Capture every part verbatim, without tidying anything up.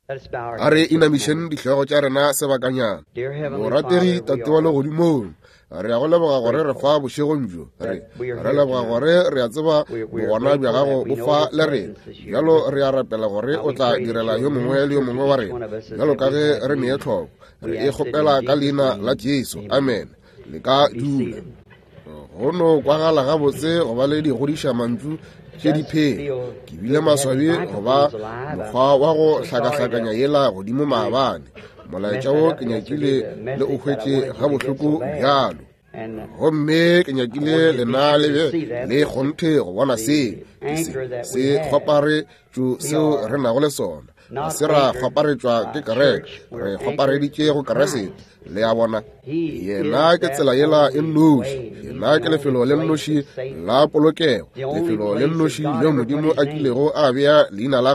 A re inamišeng dihlogo tša rena sebakanyana. Morategi Tate wa legodimong, re a go leboga gore re fa bošegong bjo. Re re leboga gore re a tseba bogona bja gago bo fa le rena. Bjalo re a rapela gore o tla direla yo mongwe le yo mongwe wa rena bjalo ka ge re nee tlhoko. Re e kgopela ka leina la Jesu. Amen. Le ka dula. Go no kwagala gabotse go ba le digodiša mantšu tše di phela. Ke bile maswabi go ba mokgwa wa go hlakahlakanya yela godimo maabane. Molaetša wo ke nyakile le o hwetše gabohloko bjalo. Gomme ke nyakile lena le be le kgonthe go bona seo se se kgwaparetšo seo re nago le sona. Ga se ra kgwaparetšwa ke kereke, re kgwapareditše go Kriste. Le a bona, yena ke tsela yela e nnoši, yena ke lefelo le nnoši la polokego, lefelo le nnoši leo Modimo a kilego a bea leina la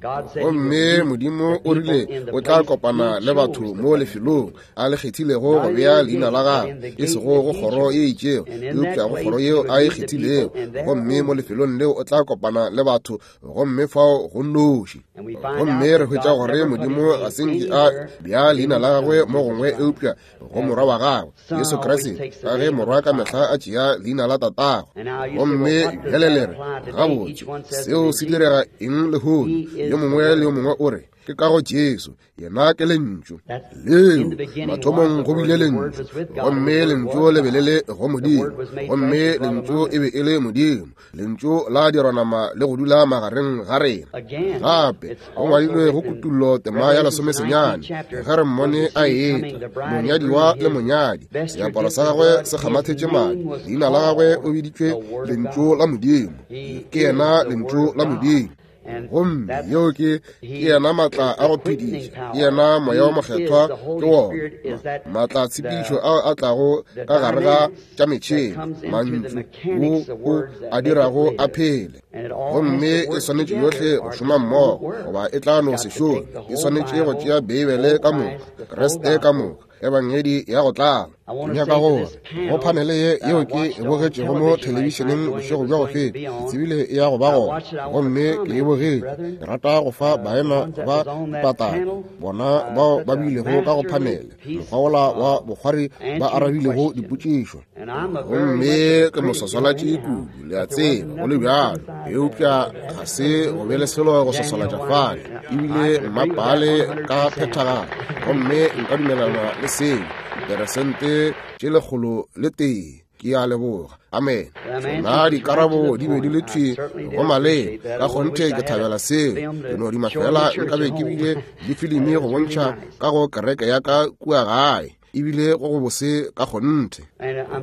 gagwe. Gomme Modimo o rile o tla kopana le batho mo lefelong a le kgethilego go bea leina la gagwe, e sego go kgoro ye itšego, eupša go kgoro yeo a e kgethilego. Gomme mo lefelong leo o tla kopana le batho, gomme fao go nnoši. Gomme re hwetša gore Modimo ga se nke a bea leina la gagwe mo gongwe eupša go morwa wa gagwe Jesu Kriste, ka ge morwa ka mehla a tšea leina la tatagwe. Gomme bjale le re, gabotse, seo se direga eng lehono? Yo mongwe le yo mongwe o re, ke ka go Jesu, yena ke lentšu. Leo mathomong go bile lentšu, gomme lentšu le be le le go Modimo, gomme lentšu e be e le Modimo. Lentšu la dirwa nama le go dula magareng ga rena. Gape go ngwadilwe go Kutullo tema ya lesomesenyane, ge re mmone a etla, monyadiwa le monyadi, seaparo sa gagwe se kgamathetše madi, leina la gagwe o biditšwe Lentšu la Modimo. Ke yena Lentšu la Modimo. Gomme yeo ke ke yena maatla a go phediša, ke yena Moya wa Mokgethwa, ke wona maatla a tshepišo ao a tlago ka gare ga tša metšhene, mantšu wo o a dirago a phele. Gomme e swanetše yohle go šoma mmogo, goba e tla no se šome. E swanetše go tšea Beibele ka moka, Kriste ka moka, Ebangedi ya go tlala. Ke nyaka gore go phanele ye yeo ke e bogetšego mo thelebišeneng bošego bja go feta, ke tsebile e ya go ba gona, gomme ke e bogetše. Ke rata go fa baena ba dipataka, bona bao ba bilego ka go phanele, mokgwa wola wa bokgwari ba arabilego dipotšišo. Gomme ke moswaswalatši kudu, le a tseba, go le bjalo, eupša ga se go be le selo go swaswalatša fale, ebile mmapale ka phethagalo. Gomme nka dumelana le seo diperesente tše lekgolo le tee. Ke a leboga. Amen. Tšona dikarabo di be di le thwi go maleba. Ka kgonthe ke thabela seo. Ke no duma fela nkabe ke bile le filimi go bontšha ka go kereke ya ka kua gae, ebile go go bose ka kgonthe.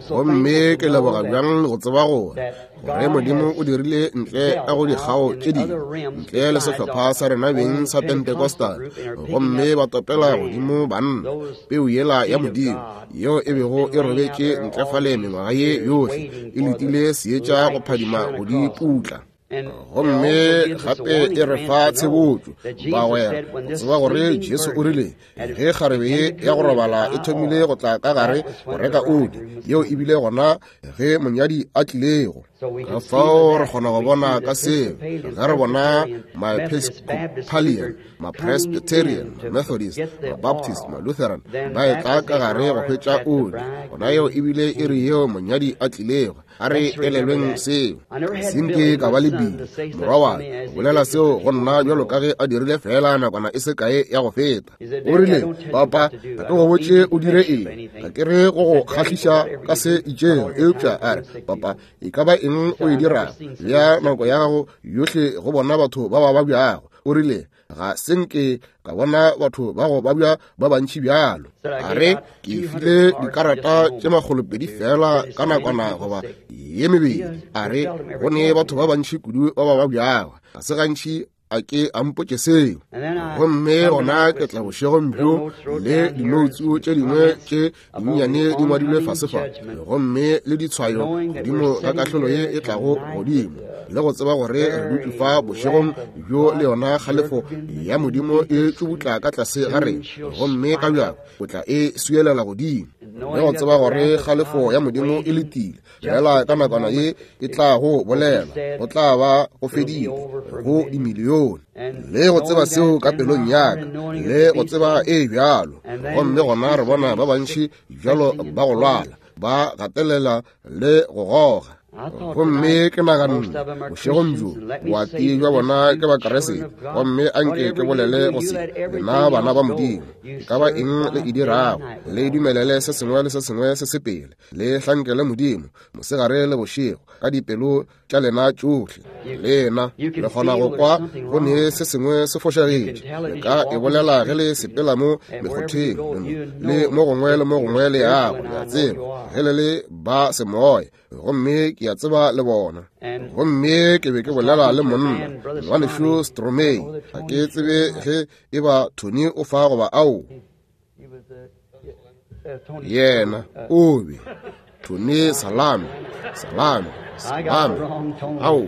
Gomme ke leboga bjang go tseba gore gore Modimo o dirile ntle ka go dikgao tše dingwe, ntle le sehlopha sa rena beng sa Pentecostal, gomme ba topela godimo banna peu yela ya Modimo yeo e bego e robetše ntle fale mengwaga ye yohle, e letile seetša go phadima go di putla. Gomme gape e re fa tshebotšo, bagwera, go tseba gore Jesu o rile ge kgarebe ye ya go robala e thomile go tla ka gare go reka oli, yeo e bile gona ge monyadi a tlilego. Ka fao re kgona go bona ka seo ge re bona ma-Episcopalian, ma-Presbyterian, ma-Methodist, ma-Baptist, ma-Lutheran ba etla ka gare go hwetša oli, gona yeo ebile e re yeo monyadi a tlilego. A re elelweng seo. Se nke ka ba le Billy, morwa wa ka, bolela seo go nna bjalo ka ge a dirile fela nakwana e se kae ya go feta. O rile, papa, ga ke go botše o dire eng, ga ke re go go kgahliša ka se itšego, eupša a re, papa, e ka ba eng o e dirago, bea nako ya gago yohle go bona batho ba ba babjago. O rile, ga se nke ka bona batho ba go babja ba bantši bjalo. A re, ke file dikarata tše makgolopedi fela ka nakwana goba ye mebedi. A re, go ne batho ba bantši kudu ba ba babjago, ga se gantši a ke a mpotše seo. Gomme gona ke tla bošegong bjo le dinoutsu tše dingwe tše dinnyane di ngwadilwe fase fa, gomme le ditshwayo godimo ga kahlolo ye e tlago godimo, le go tseba gore re dutše fa bošegong bjo le yona kgalefo ya Modimo e tšubutla ka tlase ga rena, gomme ka bjako o tla e swielela godimo, le go tseba gore kgalefo ya Modimo e letile fela ka nakwana ye e tla go bolela, go tla ba go fedile go dimilione. milione. Le go tseba seo ka pelong ya ka, le go tseba e bjalo. Gomme gona re bona ba bantši bjalo ba go lwala, ba gatelela le go goga. Gomme ke naganne bošegong bjo boati bja bona ke Bakriste, gomme anke ke bolele go se lena bana ba Modimo, e ka ba eng le e dirago, le dumelele se sengwe le se sengwe se sepele, le hlankele Modimo mosegare le bošego ka dipelo tša lena tšohle. Lena le kgona go kwa go ne se sengwe se fošagetše, le ka e bolela ge le sepela mo mekgotheng le mo gongwe le mo gongwe le yago, le a tseba ge le le ba semoya. Gomme ke a tseba le bona. Gomme ke be ke bolela le monna ngwanešu Stromei, ga ke tsebe ge e ba Tony o fa goba ao. Yena o be Tony Salame, Salame, Salame. Ao,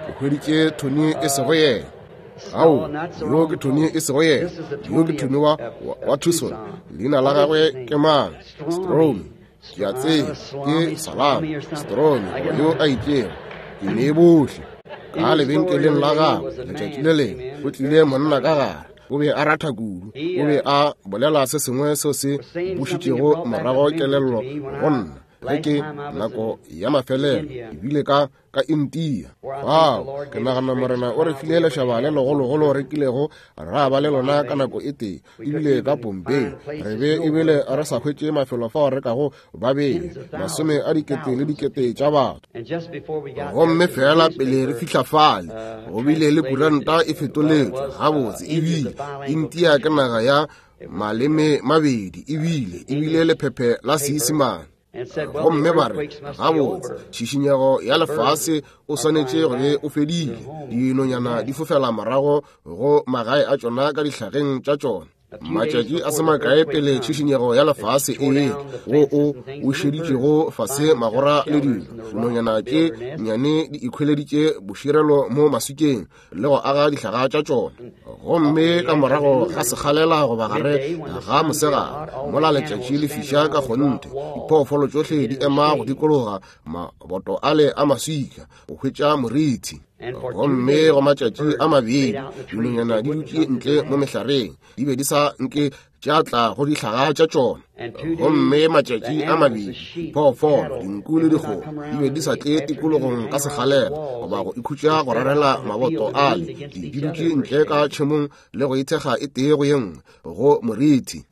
ke hweditše Tony e sego yena. Ao, yo ke Tony e sego yena. Yo ke Tony wa, wa Tucson. Leina la gagwe ke mang? Stromi. Ke a tseba ke Salame, Stromi, yo a itšego. Ke ne bohle ka lebenkeleng la gagwe letšatši le lengwe go tlile monna ka gare. O be a ratha kudu, o be a bolela se sengwe seo se bušitšego morago kelello go nna ge ke nako ya mafelelo ebile ka ka India. Fao ke nagana Morena o re file lešaba le legologolo re kilego ra ba le lona ka nako e tee, ebile ka Bombay re be ebile re sa hwetše mafelo fao re kago ba bele masome a dikete le dikete tša batho. Gomme fela pele re fihla fale go bile le kuranta e fetoletšwe gabotse, ebile India ke naga ya maleme mabedi, ebile ebile lephephe la Seisemane. Gomme ba re gabotse tšhišinyego ya lefase o swanetše go be o fedile, dinonyana di fofela morago go magae a tšona ka dihlageng tša tšona. Matšatši a se makae pele tšhišinyego ya lefase e ele, wo o bušeditšego fase magora le dilo, dinonyana tše nnyane di ikhweleditše boširelo mo maswikeng le go aga dihlaga tša tšona. Gomme ka morago ga sekgalela goba gare ga mosegare, mola letšatši le fiša ka kgonthe, diphoofolo tšohle di ema go dikologa maboto ale a maswika go hwetša morithi. Gomme go matšatši a mabedi dinonyana di dutše ntle mo mehlareng, di be di sa nke tša tla go dihlaga tša tšona. Gomme matšatši a mabedi diphoofolo, dinku le dikgomo di be di sa tle tikologong ka sekgalela goba go ikhutša go rarela maboto ale, di dutše ntle ka tšhemong le go ithekga e tee go ye nngwe go morithi.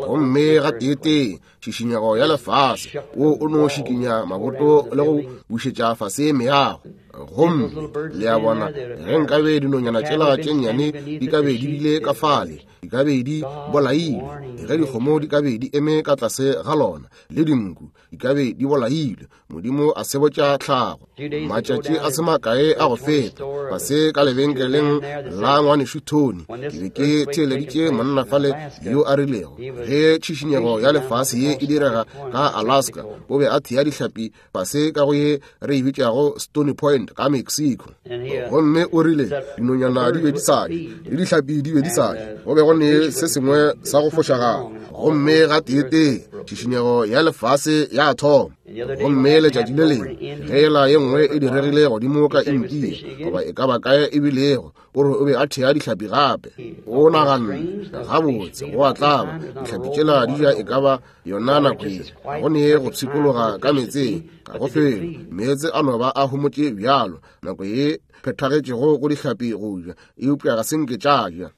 Gomme ga teetee tšhišinyego ya lefase wo o no šikinya maboto le go bušetša fase meago. Gomme le a bona, ge nkabe dinonyana tšela tše nnyane di ka be di bile ka fale, di ka be di bolailwe. Ge dikgomo di ka be di eme ka tlase ga lona, le dinku di ka be di bolailwe. Modimo a sebotša tlhago. Matšatši a se makae a go feta, fase ka lebenkeleng la ngwanešu Tony, ke be ke theeleditše monna fale yo a rilego ge tšhišinyego ya lefase ye e direga ka Alaska, o be a thea dihlapi fase ka go ye re e bitšago Stony Point ka Mexico. Gomme o rile dinonyana di be di sa je, le dihlapi di be di sa je, go be go ne se sengwe sa go fošagala. Gomme ga teetee tšhišinyego ya lefase ya thoma. Gomme letšatši le lengwe ge ela ye nngwe e diregile godimo ka India goba e ka ba kae e bilego, o re o be a thea dihlapi gape. O naganne gabotse go a tlaba, dihlapi tšela di ja e ka ba yona nako ye, ga go ne go pshikologa ka meetseng, ga go felo, meetse a no ba a homotše bjalo nako ye phethagetšego go dihlapi go ja, eupša ga se nke tša ja.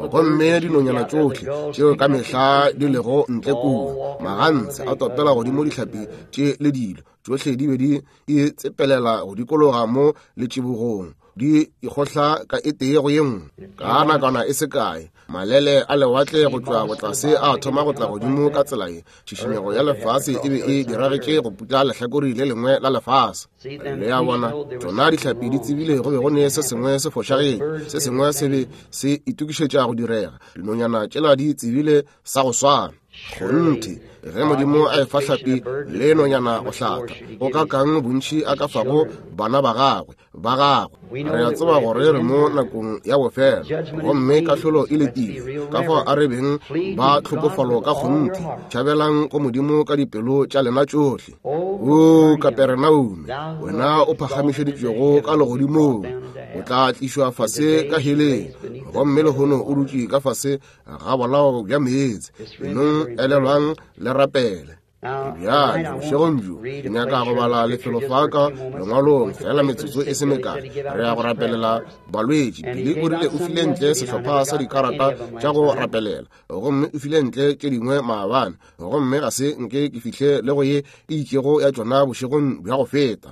Gomme dinonyana tšohle tšeo ka mehla di lego ntle kua, magantshe a topela godimo dihlapi tše le dilo tšohle di be di itsepelela go dikologa mo letšibogong, di ikgohla ka e tee go ye nngwe. Ka nakwana e se kae, malele a lewatle go tšwa botlase a thoma go tla godimo ka tsela ye. Tšhišinyego ya lefase e be e diragetše go putla lehlakore le lengwe la lefase. Le a bona, tšona dihlapi di tsebile go be go ne se sengwe se fošagetše, se sengwe se be se itokišetša go direga. Dinonyana tšela di tsebile sa go swana. Kgonthe, ge Modimo a efa hlapi le nonyana go hlatha, go ka kang bontši a ka fago bana ba gagwe ba gagwe. Re a tseba gore re mo nakong ya bofelo, gomme kahlolo e letile. Ka fao a re beng ba tlhokofalo ka kgonthe, tšhabelang go Modimo ka dipelo tša lena tšohle. O Kaperenaume, wena o phagamišeditšwego ka legodimong, O tla tlišwa fase ka heleng, gomme lehono o dutše ka fase ga bolao bja meetse. Nong elelwang le rapele. Bjale bošegong bjo ke nyaka go bala lefelo fa ka lengwalong fela metsotso e se mekae. Re ya go rapelela balwetši. Pele o rile o file ntle sehlopha sa dikarata tša go rapelela, gomme o file ntle tše dingwe maabane, gomme ga se nke ke fihle le go ye e itšego ya tšona bošegong bja go feta.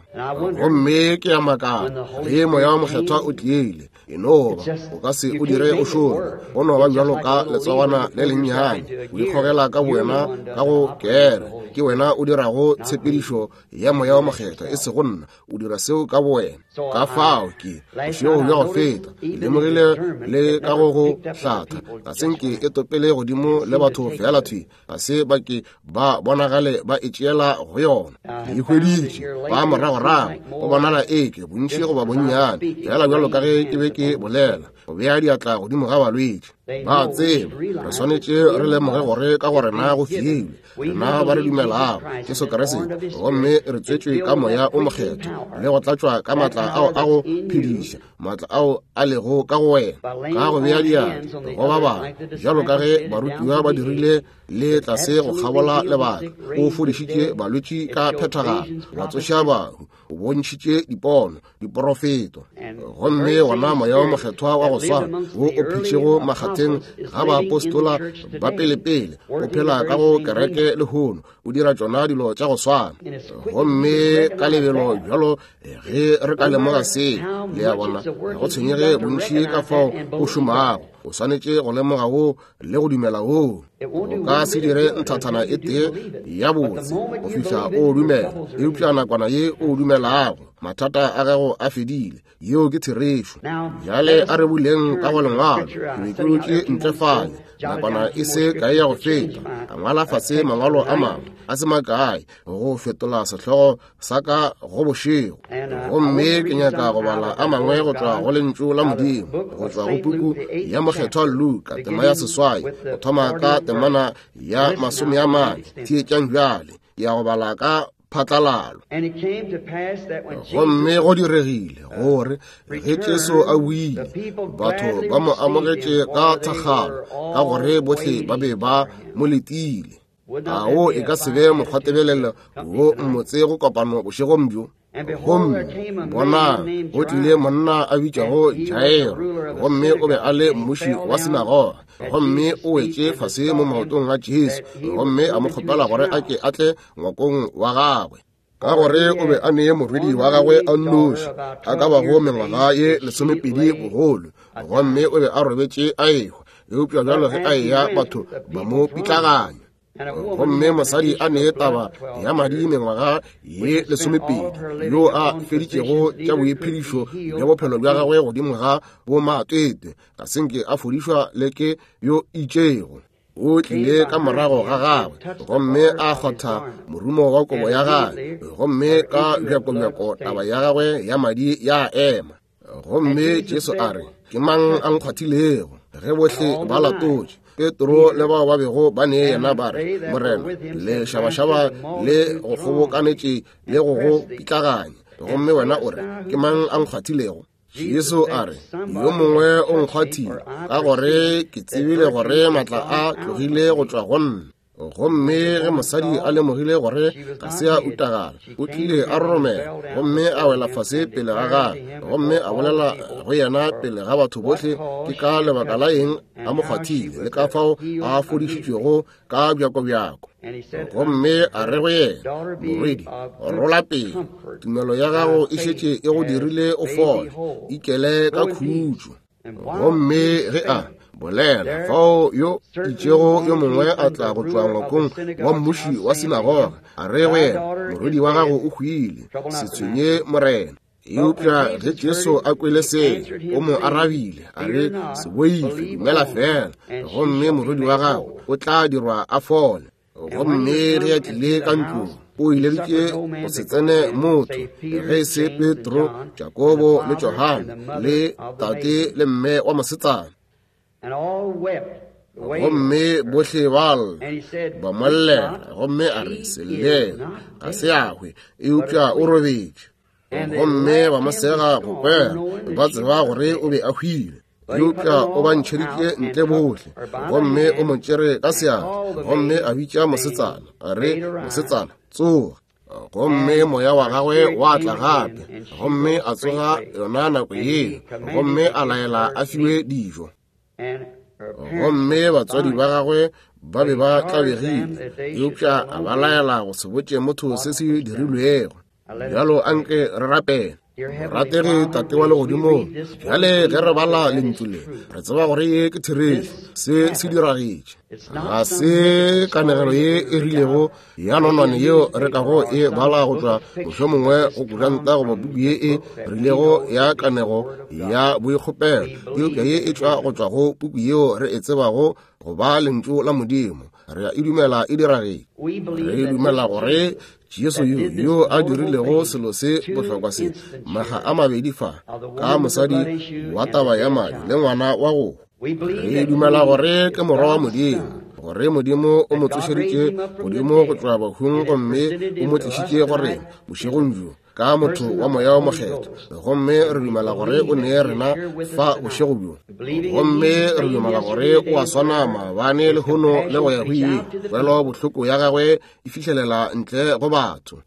Gomme ke ya makala ge Moya wa Mokgethwa o tlile, e no ba o ka se o dire o šome, go no ba bjalo ka letsogwana le lennyane, o ikgogela ka bowena ka go kere. Ke wena o dirago tshepedišo ya Moya wa Mokgethwa, e sego nna, o dira seo ka bowena. Ka fao ke bošego bja go feta ke lemogile le ka go go hlatha, ga se nke e topele godimo le batho fela thwi, ga se ba ke ba bonagale ba e tšeela go yona. Ke e hweditše ba moragorago, go bonala eke bontši goba bonnyane, fela bjalo ka ge ke be ke bolela, go bea diatla godimo ga balwetši. Ba tseba re swanetše re lemoge gore ka go rena go filwe, rena ba re dumelago Jesu Kriste, gomme re tswetšwe ka Moya o Mokgethwa le go tlatšwa ka maatla ao a go phediša, maatla ao a lego ka go wena, ka go bea diatla go ba bangwe, bjalo ka ge barutiwa ba dirile le tlase go kgabola lebaka. O fodišitše balwetši ka phethagalo, wa tsoša bahu, o bontšhitše dipono, diporofeto. Gomme gona Moya wa Mokgethwa wa go swana wo o phetšego makgatheng ga baapostola ba pelepele, o phela ka go kereke lehono, o dira tšona dilo tša go swana. Gomme ka lebelo bjalo ge re ka lemoga se, le a bona, go tshwenyege bontši ka fao o šomago, o swanetše go lemoga wo le go dumela wo. O ka se dire nthathana e tee ya botse go fihla o dumela, eupša nakwana ye o dumelago, mathata a gago a fedile. Yeo ke therešo. Bjale a re buleng ka go lengwalo. Ke be ke dutše ntle fale nakwana e se kae ya go feta, ka ngwala fase mangwalo a mangwe a se makae go fetola sehlogo sa ka go bošego. Gomme ke nyaka go bala a mangwe go tšwa go lentšu la Modimo, go tšwa go puku ya Mokgethwa Luka, tema ya seswai, go thoma ka temana ya masome a mane. Theetšang bjale, ke ya go bala ka phatlalalo. Gomme go diregile gore ge Jesu a buile, batho ba mo amogetše ka thakgalo, ka gore bohle ba be ba mo letile. A wo e ka se be mokgwatebelelo wo mmotse go kopano bošegong bjo? Gomme bona, go tlile monna a bitšwago Jairo, gomme o be a le mmuši wa sinagoga, gomme o wetše fase mo maotong a Jesu, gomme a mo kgopela gore a ke a tle ngwakong wa gagwe, ka gore o be a nee morwedi wa gagwe a nnoši, a ka bago mengwaga ye lesomepedi bogolo, gomme o be a robetše a ehwa. Eupša bjalo ge a eya, batho ba mo pitlaganya. Gomme mosadi a nee taba ya madi mengwaga ye lesomepedi, yo a feditšego tša boiphedišo bja bophelo bja gagwe godimo ga bomatwetwe, ga se nke a fodišwa le ke yo itšego. O tlile ka morago ga gagwe, gomme a kgotha morumo wa kobo ya gagwe, gomme ka bjakobjako taba ya gagwe ya madi ya ema. Gomme Jesu a re, ke mang a nkgwathilego? Ge bohle ba latotše, Petro le bao ba bego ba ne yena ba re, Morena, le šabašaba le go kgobokanetše le go go pitlaganya, gomme wena o re, ke mang a nkgwathilego? Jesu a re, yo mongwe o nkgwathile, ka gore ke tsebile gore matla a tlogile go tšwa go nna. Gomme ge mosadi a lemogile gore ga se a utagala, o tlile a roromela, gomme a wela fase pele ga gagwe, gomme a bolela go yena pele ga batho bohle ke ka lebaka la eng a mo kgwathile, le ka fao a fodišitšwego ka bjakobjako. Gomme a re go yena, morwedi, rola pele, tumelo ya gago e šetše e go dirile o fole, ikele ka khutšo. Gomme ge a bolela, fao yo itšego yo mongwe a tla go tšwa ngwakong wa mmuši wa sinagoga, a re go yena, morwedi wa gago o hwile, se tshwenye Morena. Eupša ge Jesu a kwele se, o mo arabile a re, se boife, dumela fela, gomme morwedi wa gago o tla dirwa a fole. Gomme ge a tlile ka ntlong, o ileditše go se tsene motho ge e se Petro, Jakobo le Johane, le tate le mme wa mosetsana. Gomme bohle ba lla, ba mo llela, gomme a re, se llele, ga se a hwe, eupša o robetše. Gomme ba mo sega go kwera, ba tseba gore o be a hwile. Eupša o ba ntšheditše ntle bohle, gomme o mo tšere ka seatla, gomme a bitša mosetsana, a re, mosetsana, tsoga. Gomme moya wa gagwe wa tla gape, gomme a tsoga yona nako yeo, gomme a laela a fiwe dijo. Gomme batswadi ba gagwe ba be ba tlabegile, eupša a ba laela go se botše motho se se dirilwego. Bjalo anke re rapele. Morategi Tate wa legodimong, bjale ge re bala lentšu le, re tseba gore ye ke therešo, se se diragetše. Ga se kanegelo ye e rilego ya nonwane yeo re kago e bala go tšwa mohlomongwe go kuranta goba puku ye e rilego ya kanego ya boikgopelo, eupša ye e tšwa go tšwa go puku yeo re e tsebago go ba lentšu la Modimo. Re a e dumela e diragetše. Re dumela gore Jesu yo yo a dirilego selo se bohlokwa se maga a mabedi fa ka mosadi wa taba ya madi le ngwana wa go. Re dumela gore ke morwa wa Modimo, gore Modimo o mo tsošeditše godimo go tšwa bahung gomme o mo tlišitše go rena bošegong bjo ka motho wa moya o mokgethwa. Gomme re dumela gore o nee rena fa bošego bjo, gomme re dumela gore o a swana maabane lehono le go ya go ile. Kwelo bohloko ya gagwe e fihlelela ntle go batho,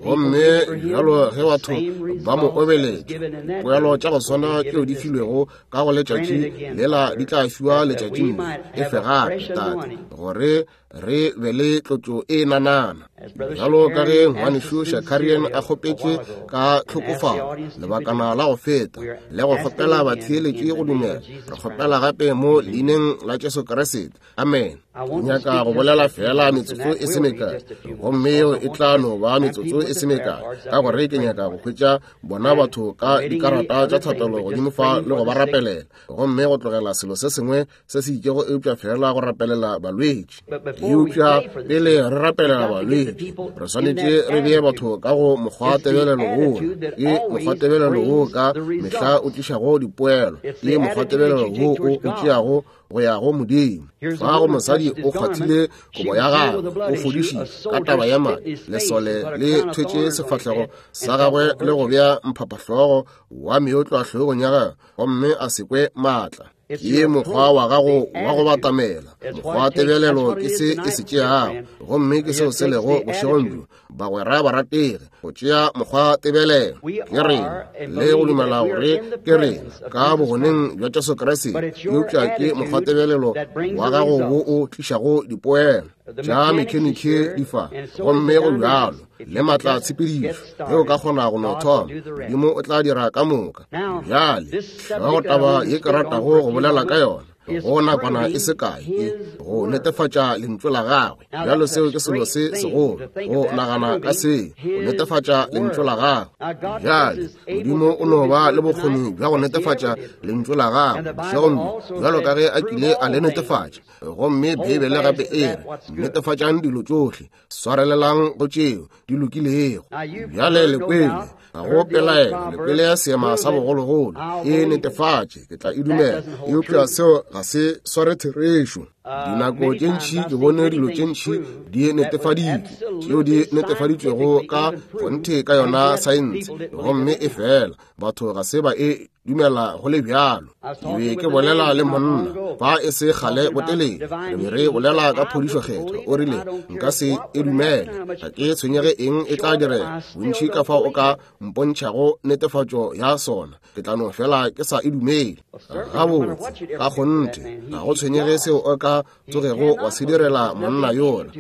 gomme bjalo ge batho ba mo obeletša, poelo tša go swana tšeo di filwego ka go letšatši lela di tla fiwa letšatšing le. Efe gape, Tate, gore re be le tlotšo e nanana. Bjalo ka ge ngwanešu Shakarian a kgopetše ka tlhokofalo lebakana la go feta, le go kgopela batheeletši go dumela, re kgopela gape mo leineng la Jesu Kriste. Amen. Nyaka go bolela fela metsotso e se mekae, gomme yeo e tla no ba metsotso e se mekae, ka gore ke nyaka go hwetša bona batho ka dikarata tša thapelo godimo fa le go ba rapelela, gomme go tlogela selo se sengwe se se itšego eupša fela go rapelela balwetši. Eupša pele re rapelela balwetši, re swanetše re bee batho ka go mokgwatebelelo woo. Ke mokgwatebelelo woo ka mehla o tlišago dipoelo, ke mokgwatebelelo woo o o tšeago go ya go Modimo. Fa go mosadi o kgwathile kobo ya gagwe, o fodišitše ka taba ya madi. Lesole le thwetše sefahlego sa gagwe le go bea mphaphahlogo wa meotlwa hlogong ya gagwe, gomme a se kwe maatla. Ke mokgwa wa gago wa go batamela, mokgwa tebelelo ke se e se tšeago, gomme ke seo se lego bošegong bjo, bagwera barategi, go tšea mokgwa tebelelo ke rena le go dumela gore ke rena ka bogoneng bja Jesu Kriste, eupša ke mokgwa tebelelo wa gago wo o tlišago dipoelo tša mekheniki di fa, gomme go bjalo le maatla tshepedišo. Ge o ka kgona go no thoma, Modimo o tla dira ka moka. Bjale go taba ye ke ratago go bolela ka yona go nakwana e se kae, ke go netefatša lentšu la gagwe. Bjalo seo ke selo se segolo, go nagana ka se, go netefatša lentšu la gagwe. Bjale Modimo o no ba le bokgoni bja go netefatša lentšu la gagwe bošegong bjo, bjalo ka ge a kile a le netefatša. Gomme Beibele gape e re, netefatšang dilo tšohle, swarelelang go tšeo di lokilego. Bjale le kwele, ga go pelaelo, le kwele ya seema sa bogologolo, e netefatše, ke tla e dumela. Eupša seo ga se sware therešo. Dinako tše ntši ke bone dilo tše ntši di netefaditšwe, tšeo di netefaditšwego ka kgonthe ka yona saense, gomme e fela batho ga se ba e dumela go le bjalo. Ke be ke bolela le monna fa e se kgale botelele, re be re bolela ka phodišo kgethwa. O rile, nka se e dumele, ga ke tshwenyege eng e tla direga, bontši ka fao o ka mpontšhago netefatšo ya sona, ke tla no fela ke sa e dumele. Gabotse, ka kgonthe, ga go tshwenyege seo o ka tsogego wa se direla monna yola,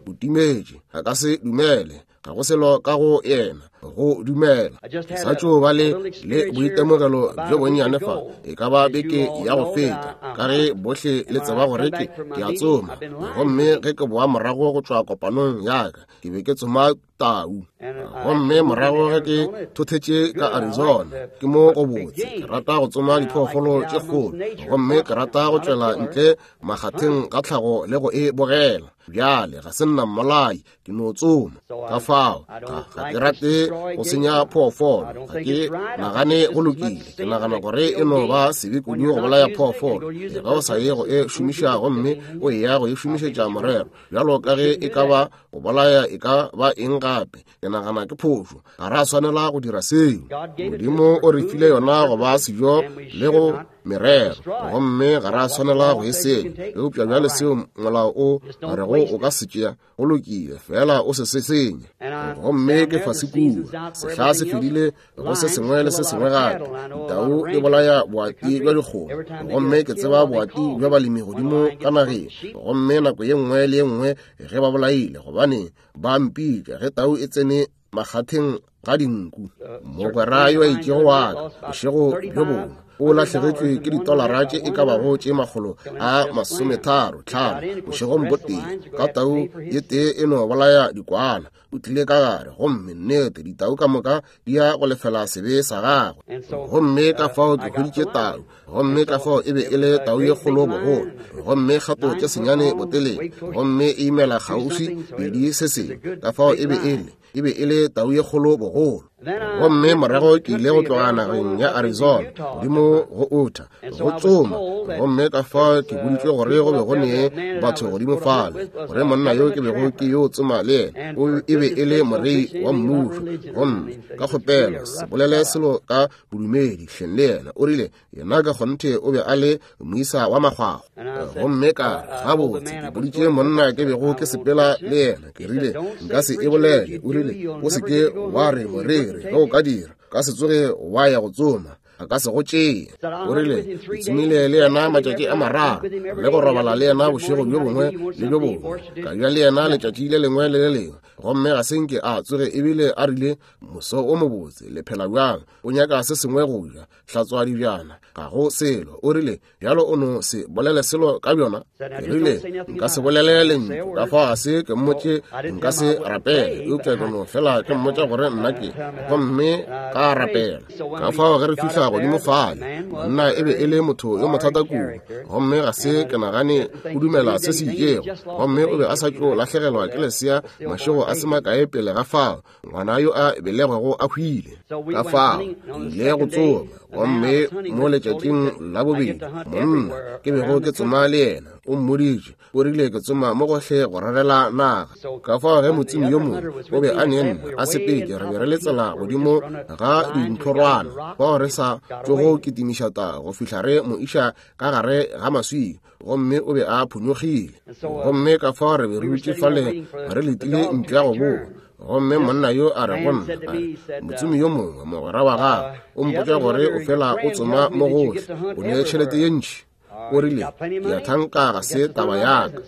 o timetše, a ka se dumele, ga go selo ka go yena go dumela. Ke sa tšo ba le le boitemogelo bjo bonnyane fa, e ka ba beke ya go feta, ka ge bohle le tseba gore ke ke a tsoma, gomme ge ke boa morago go tšwa kopanong ya ka, ke be ke tsoma tau. Gomme morago ge ke thothetše ka Arizona, ke mo go botse, ke rata go tsoma diphoofolo tše kgolo, gomme ke rata go tšwela ntle makgatheng ga tlhago le go e bogela. Bjale ga se nna mmolai, ke no tsoma. Ka fao ga ga ke rate go senya phoofolo, ga ke nagane go lokile. Ke nagana gore e no ba sebe kudu go bolaya phoofolo ge o sa ye go e šomiša, gomme o eya go e šomišetša morero, bjalo ka ge e ka ba go bolaya e ka ba eng gape. gape. Ke nagana ke phošo, ga ra swanela go dira seo. Modimo o re file yona go ba sejo le go merero, gomme ga ra swanela go e senya. Eupša bjale seo molao o rego o ka se tšea, go lokile, fela o se se senye. Gomme ke fase kua, sehla se fedile go se sengwe le se sengwe gape. Tau e bolaya boati bja dikgomo, gomme ke tseba boati bja balemi godimo ka nageng. Gomme nako ye nngwe le ye nngwe ge ba bolaile, gobane ba mpitša ge tau e tsene makgatheng ga dinku. Mogwera yo a itšego wa ka bošego bjo bongwe o lahlegetšwe ke ditolara tše e ka bago tše makgolo a masometharo tlhano bošegong bo tee ka tau ye tee e no bolaya dikwana. O tlile ka gare, gomme nnete ditau ka moka di ya go lefela sebe sa gagwe. Gomme ka fao ke hweditše tau, gomme ka fao e be e le tau ye kgolo bogolo, gomme kgato tše senyane botelele, gomme e imela kgauswi pedi se sengwe. Ka fao e be e le e be e le tau ye kgolo bogolo. Gomme morago ke ile go tloga nageng ya Arizona godimo go Utah go tsoma, gomme ka fao ke boditšwe gore go be go ne batho godimo fale, gore monna yo ke bego ke yo tsoma le yena o e be e le morei wa mmušo. Gomme ka kgopela se bolele selo ka bodumedi hleng le yena. O rile yena ka kgonthe o be a le moisa wa makgwakgwa. Gomme ka re, gabotse, ke boditše monna ke bego ke sepela le yena, ke rile nka se e bolele. O rile o se ke wa re moreri, ge o ka dira ka se tsoge wa ya go tsoma, a ka se go tšee. O rile ke tsomile le yena matšatši a mararo, le go robala le yena bošego bjo bongwe le bjo bongwe, ka ja le yena letšatši le lengwe le le lengwe, gomme ga se nke a tsoge ebile a rile moso o mobotse, le phela bjang, o nyaka se sengwe go ja, hlatswa dibjana, ga go selo. O rile bjalo o no se bolele selo ka bjona. Ke rile nka se bolele lentšu, ka fao ga se ke mmotše nka se rapele, eupša ke no fela ke mmotša gore nna ke, gomme ka rapela. Ka fao ge re fihla godimo fale, monna e be e le motho yo mothata kudu, gomme ga se ke nagane o dumela se se itšego, gomme o be a sa tšo lahlegelwa ke lesea mašego a se makae pele ga fao, ngwana yo a belegwego a hwile. Ka fao ile go tsoma, gomme mo letšatšing la bobedi monna ke bego ke tsoma le yena o mmoditše, o rile ke tsoma mo gohle go rarela naga. Ka fao ge motsimi yo mongwe o be a ne nna a sepetše, re be re le tsela godimo ga dintlhorwana fao re sa tšogo kitimiša tau go fihla re mo iša ka gare ga maswika, gomme o be a phonyokgile. Gomme ka fao re be re dutše fale re letile ntlo ya go boa. Gomme monna yo a re go nna, a re motsumi yo mongwe mogwera wa gagwe o mpotša gore o fela o tsoma mo gohle, o ne tšhelete ye ntši. O rile ke a thanka ga se taba ya ka.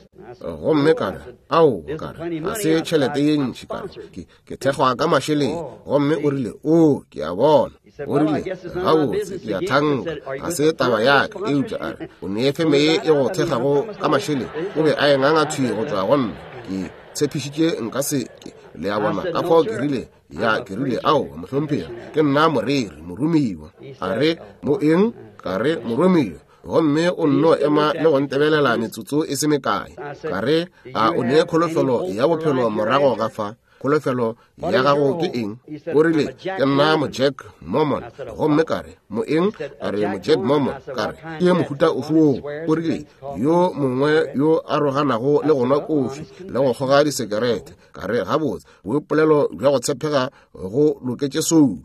Gomme ka re ao, ka re ga se tšhelete ye ntši, ka re ke ke thekgwa ka mašeleng. Gomme o rile o ke a bona. O rile gabotse ke a thanka ga se taba ya ka, eupša a re o ne feme ye e go thekgago ka mašeleng. O be a e nganga thwi go tšwa go nna, ke tshepišitše nka se ke. Le a bona? Ka fao ke rile ya, ke rile ao mohlomphegi, ke nna moreri moromiwa. A re mo eng? Ka re moromiwa. Gomme o nno ema le go ntebelela metsotso e se mekae. Ka re a o ne kholofelo ya bophelo morago ga fa? Kholofelo ya gago ke eng? O rile ke nna mo Jack Mormon. Gomme ka re mo eng? A re mo Jack Mormon. Ka re ke mohuta ofe woo? O rile yo mongwe yo a roganago le go nwa kofi le go kgoga disekerete. Ka re gabotse, boipolelo bja go tshepega go loketše soulo.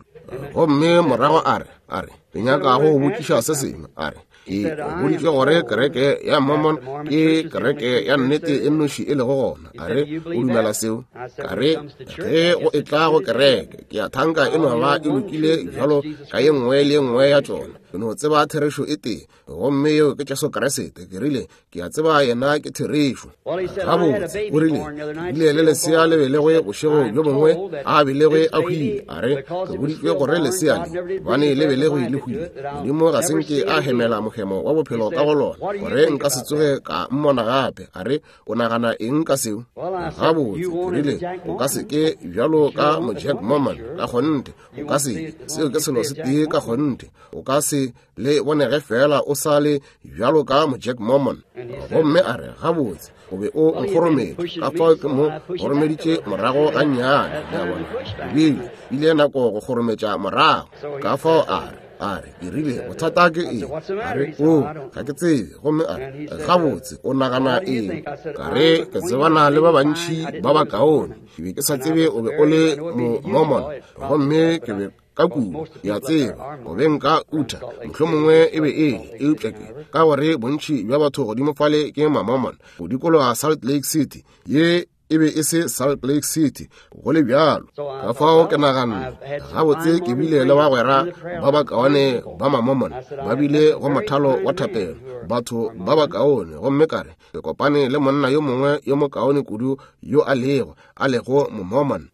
Gomme morago a re, a re ke nyaka go botšiša se sengwe. A re ke boditše gore kereke ya Mormon ke kereke ya nnete e nnoši e lego gona. A re o dumela seo? Ka re ge go etla go kereke ke a thanka e no ba e lokile bjalo ka ye nngwe le ye nngwe ya tšona. Ke no tseba therešo e tee, gomme yeo ke Jesu Kriste. Ke rile ke a tseba yena ke therešo. Gabotse, o rile ke bile le lesea le belegwe bošego bjo bongwe, a belegwe a hwile. A re ke boditšwe gore lesea le gobane le belegwe le hwile, Modimo ga se nke a hemela mohemo wa bophelo ka go lona, gore nka se tsoge ka mmona gape. A re o nagana eng ka seo? Gabotse, ke rile o ka se ke bjalo ka mo Jack Mormon ka kgonthe, o ka se, seo ke selo se tee ka kgonthe, o ka se le bonege fela o sa le bjalo ka mo Jack Mormon. Gomme a re gabotse, o be o nkgorometše, ka fao ke mo goromeditše morago gannyane. Le a bona, ebile ile nako go kgorometša morago. Ka fao a re A re, ke rile, bothata ke eng? A re, o, ga ke tsebe. Gomme a re, gabotse, o nagana eng? Ka re, ke tsebana le ba bantši ba bakaone. Ke be ke sa tsebe o be o le mo-Mormon. Gomme ke be ka kudu, ke a tseba, o be nka utha, mohlomongwe e be e le, eupša ke, ka gore bontši bja batho godimo fale ke ma-Mormon, go dikologa Salt Lake City, ye e be e se Salt Lake City, go le bjalo. Ka fao ke naganne, gabotse ke bile le bagwera ba bakaone ba ma-Mormon, ba bile go mothalo wa thapelo, batho ba bakaone, gomme ka re, ke kopane le monna yo mongwe yo mokaone kudu yo a lego, a lego mo-Mormon.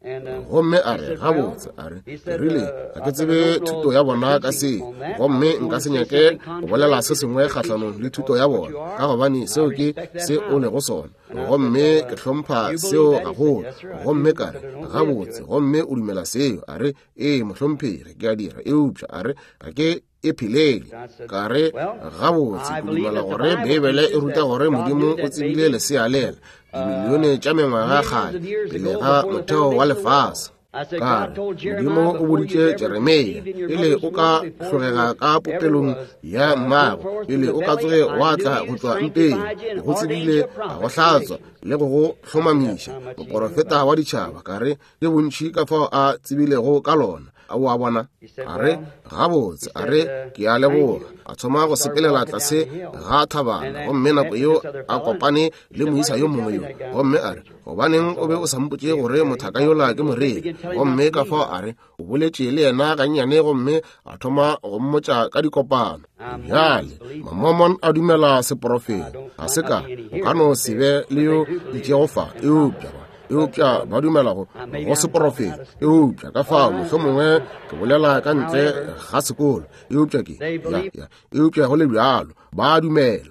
Gomme a re, gabotse, a re, ke rile, ga ke tsebe thuto ya bona ka se, gomme nka se nyake go bolela se sengwe kgahlanong le thuto ya bona, ka gobane seo ke se o lego sona. Gomme ke hlompha seo gagolo. Gomme ka re, gabotse, gomme o dumela seo? A re, ee, mohlomphegi, ke a dira, eupša a re, ga ke e phelele. Ka re, gabotse, ke dumela gore Beibele e ruta gore Modimo o tsebile lesea lela dimilione tša mengwaga kgale pele ga motheo wa lefase. Ka re, Modimo o boditše Jeremia, pele o ka hlogega ka popelong ya mmago, pele o ka tsoge wa tla go tšwa mpeng, ke go tsebile, a go hlatswa le go go hlomamiša, moporofeta wa ditšhaba. Ka re, ke bontši ka fao a tsebilego ka lona. A o a bona? A re, gabotse, a re, ke a leboga. A thoma go sepelela tlase ga thabana, gomme nako yeo a kopane le moisa yo mongwe yo. Gomme a re, gobaneng o be o sa mpotše gore mothaka yola ke moreri? Gomme ka fao a re, o boletše le yena gannyane, gomme a thoma go mmotša ka dikopano. Bjale, ma-Mormon a dumela seporofeta. Ga se ka, o ka no se be le yo itšego fa, eupša ba eupša ba dumela go go seporofeta. Eupša ka fao mohlomongwe ke bolela ka ntle ga sekolo, eupša ke ya, ya, eupša go le bjalo ba dumela.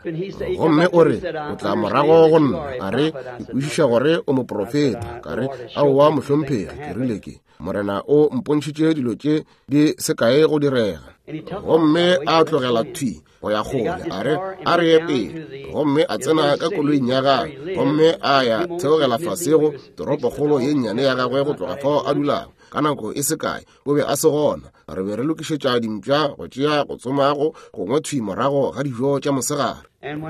Gomme o re, o tla morago go nna, a re, ke kwešiša gore o moporofeta. Ka re, aowa mohlomphegi, ke rile ke Morena o mpontšhitše dilo tše di se kae go direga. Gomme a tlogela thwi go ya kgole, a re, a re ye pele. Gomme a tsena ka koloing ya gagwe, gomme a ya theogela fase go toropokgolo ye nnyane ya gagwe go tloga fao a dulago. Ka nako e se kae o be a se gona. Re be re lokišetša dimpša go tšea go tsoma go gongwe thwi morago ga dijo tša mosegare.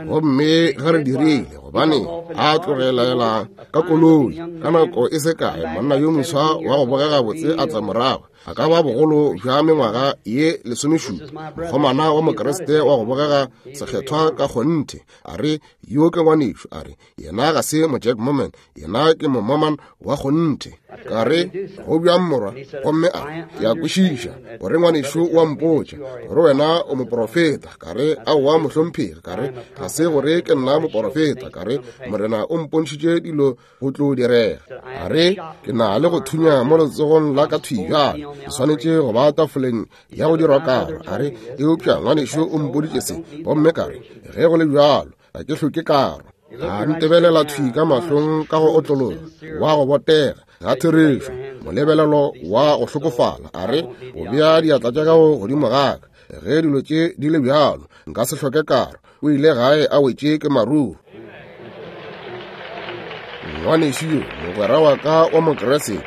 Gomme ge re dirile, gobane a tlogelela ka koloi, ka nako e se kae monna yo moswa wa go bogega botse a tla morago, a ka ba bogolo bja mengwaga ye lesomešupa, mokgomana wa Mokriste wa go bogega sekgethwa ka kgonthe. A re, yo ke ngwanešo. A re, yena ga se mo-Jack Mormon, yena ke mo-Mormon wa kgonthe. Ka re, go bjang morwa? Gomme a re, ke a kwešiša gore ngwanešo wa mpotša gore wena o moporofeta. Ka re, aowa mohlomphegi. Ka re, ga se gore ke nna moporofeta. Ka re, Morena o mpontšhitše dilo go tlo direga. A re, ke na le go thunya mo letsogong la ka thwi bjale, ke swanetše go ba tafoleng ya go dirwa karo. A re, eupša ngwanešo o mpoditše se. Gomme ka re, ge go le bjalo, ga ke hloke karo. A ntebelela thwi ka mahlong ka go otlologa, wa go botega ga therešo, molebelelo wa go hlokofala. A re, o bea diatla tša gago godimo ga ka, ge dilo tše di le bjalo, nka se hloke karo. O ile gae a wetše ke maruru. Ngwanešu yo, mogwera wa ka wa Mokriste,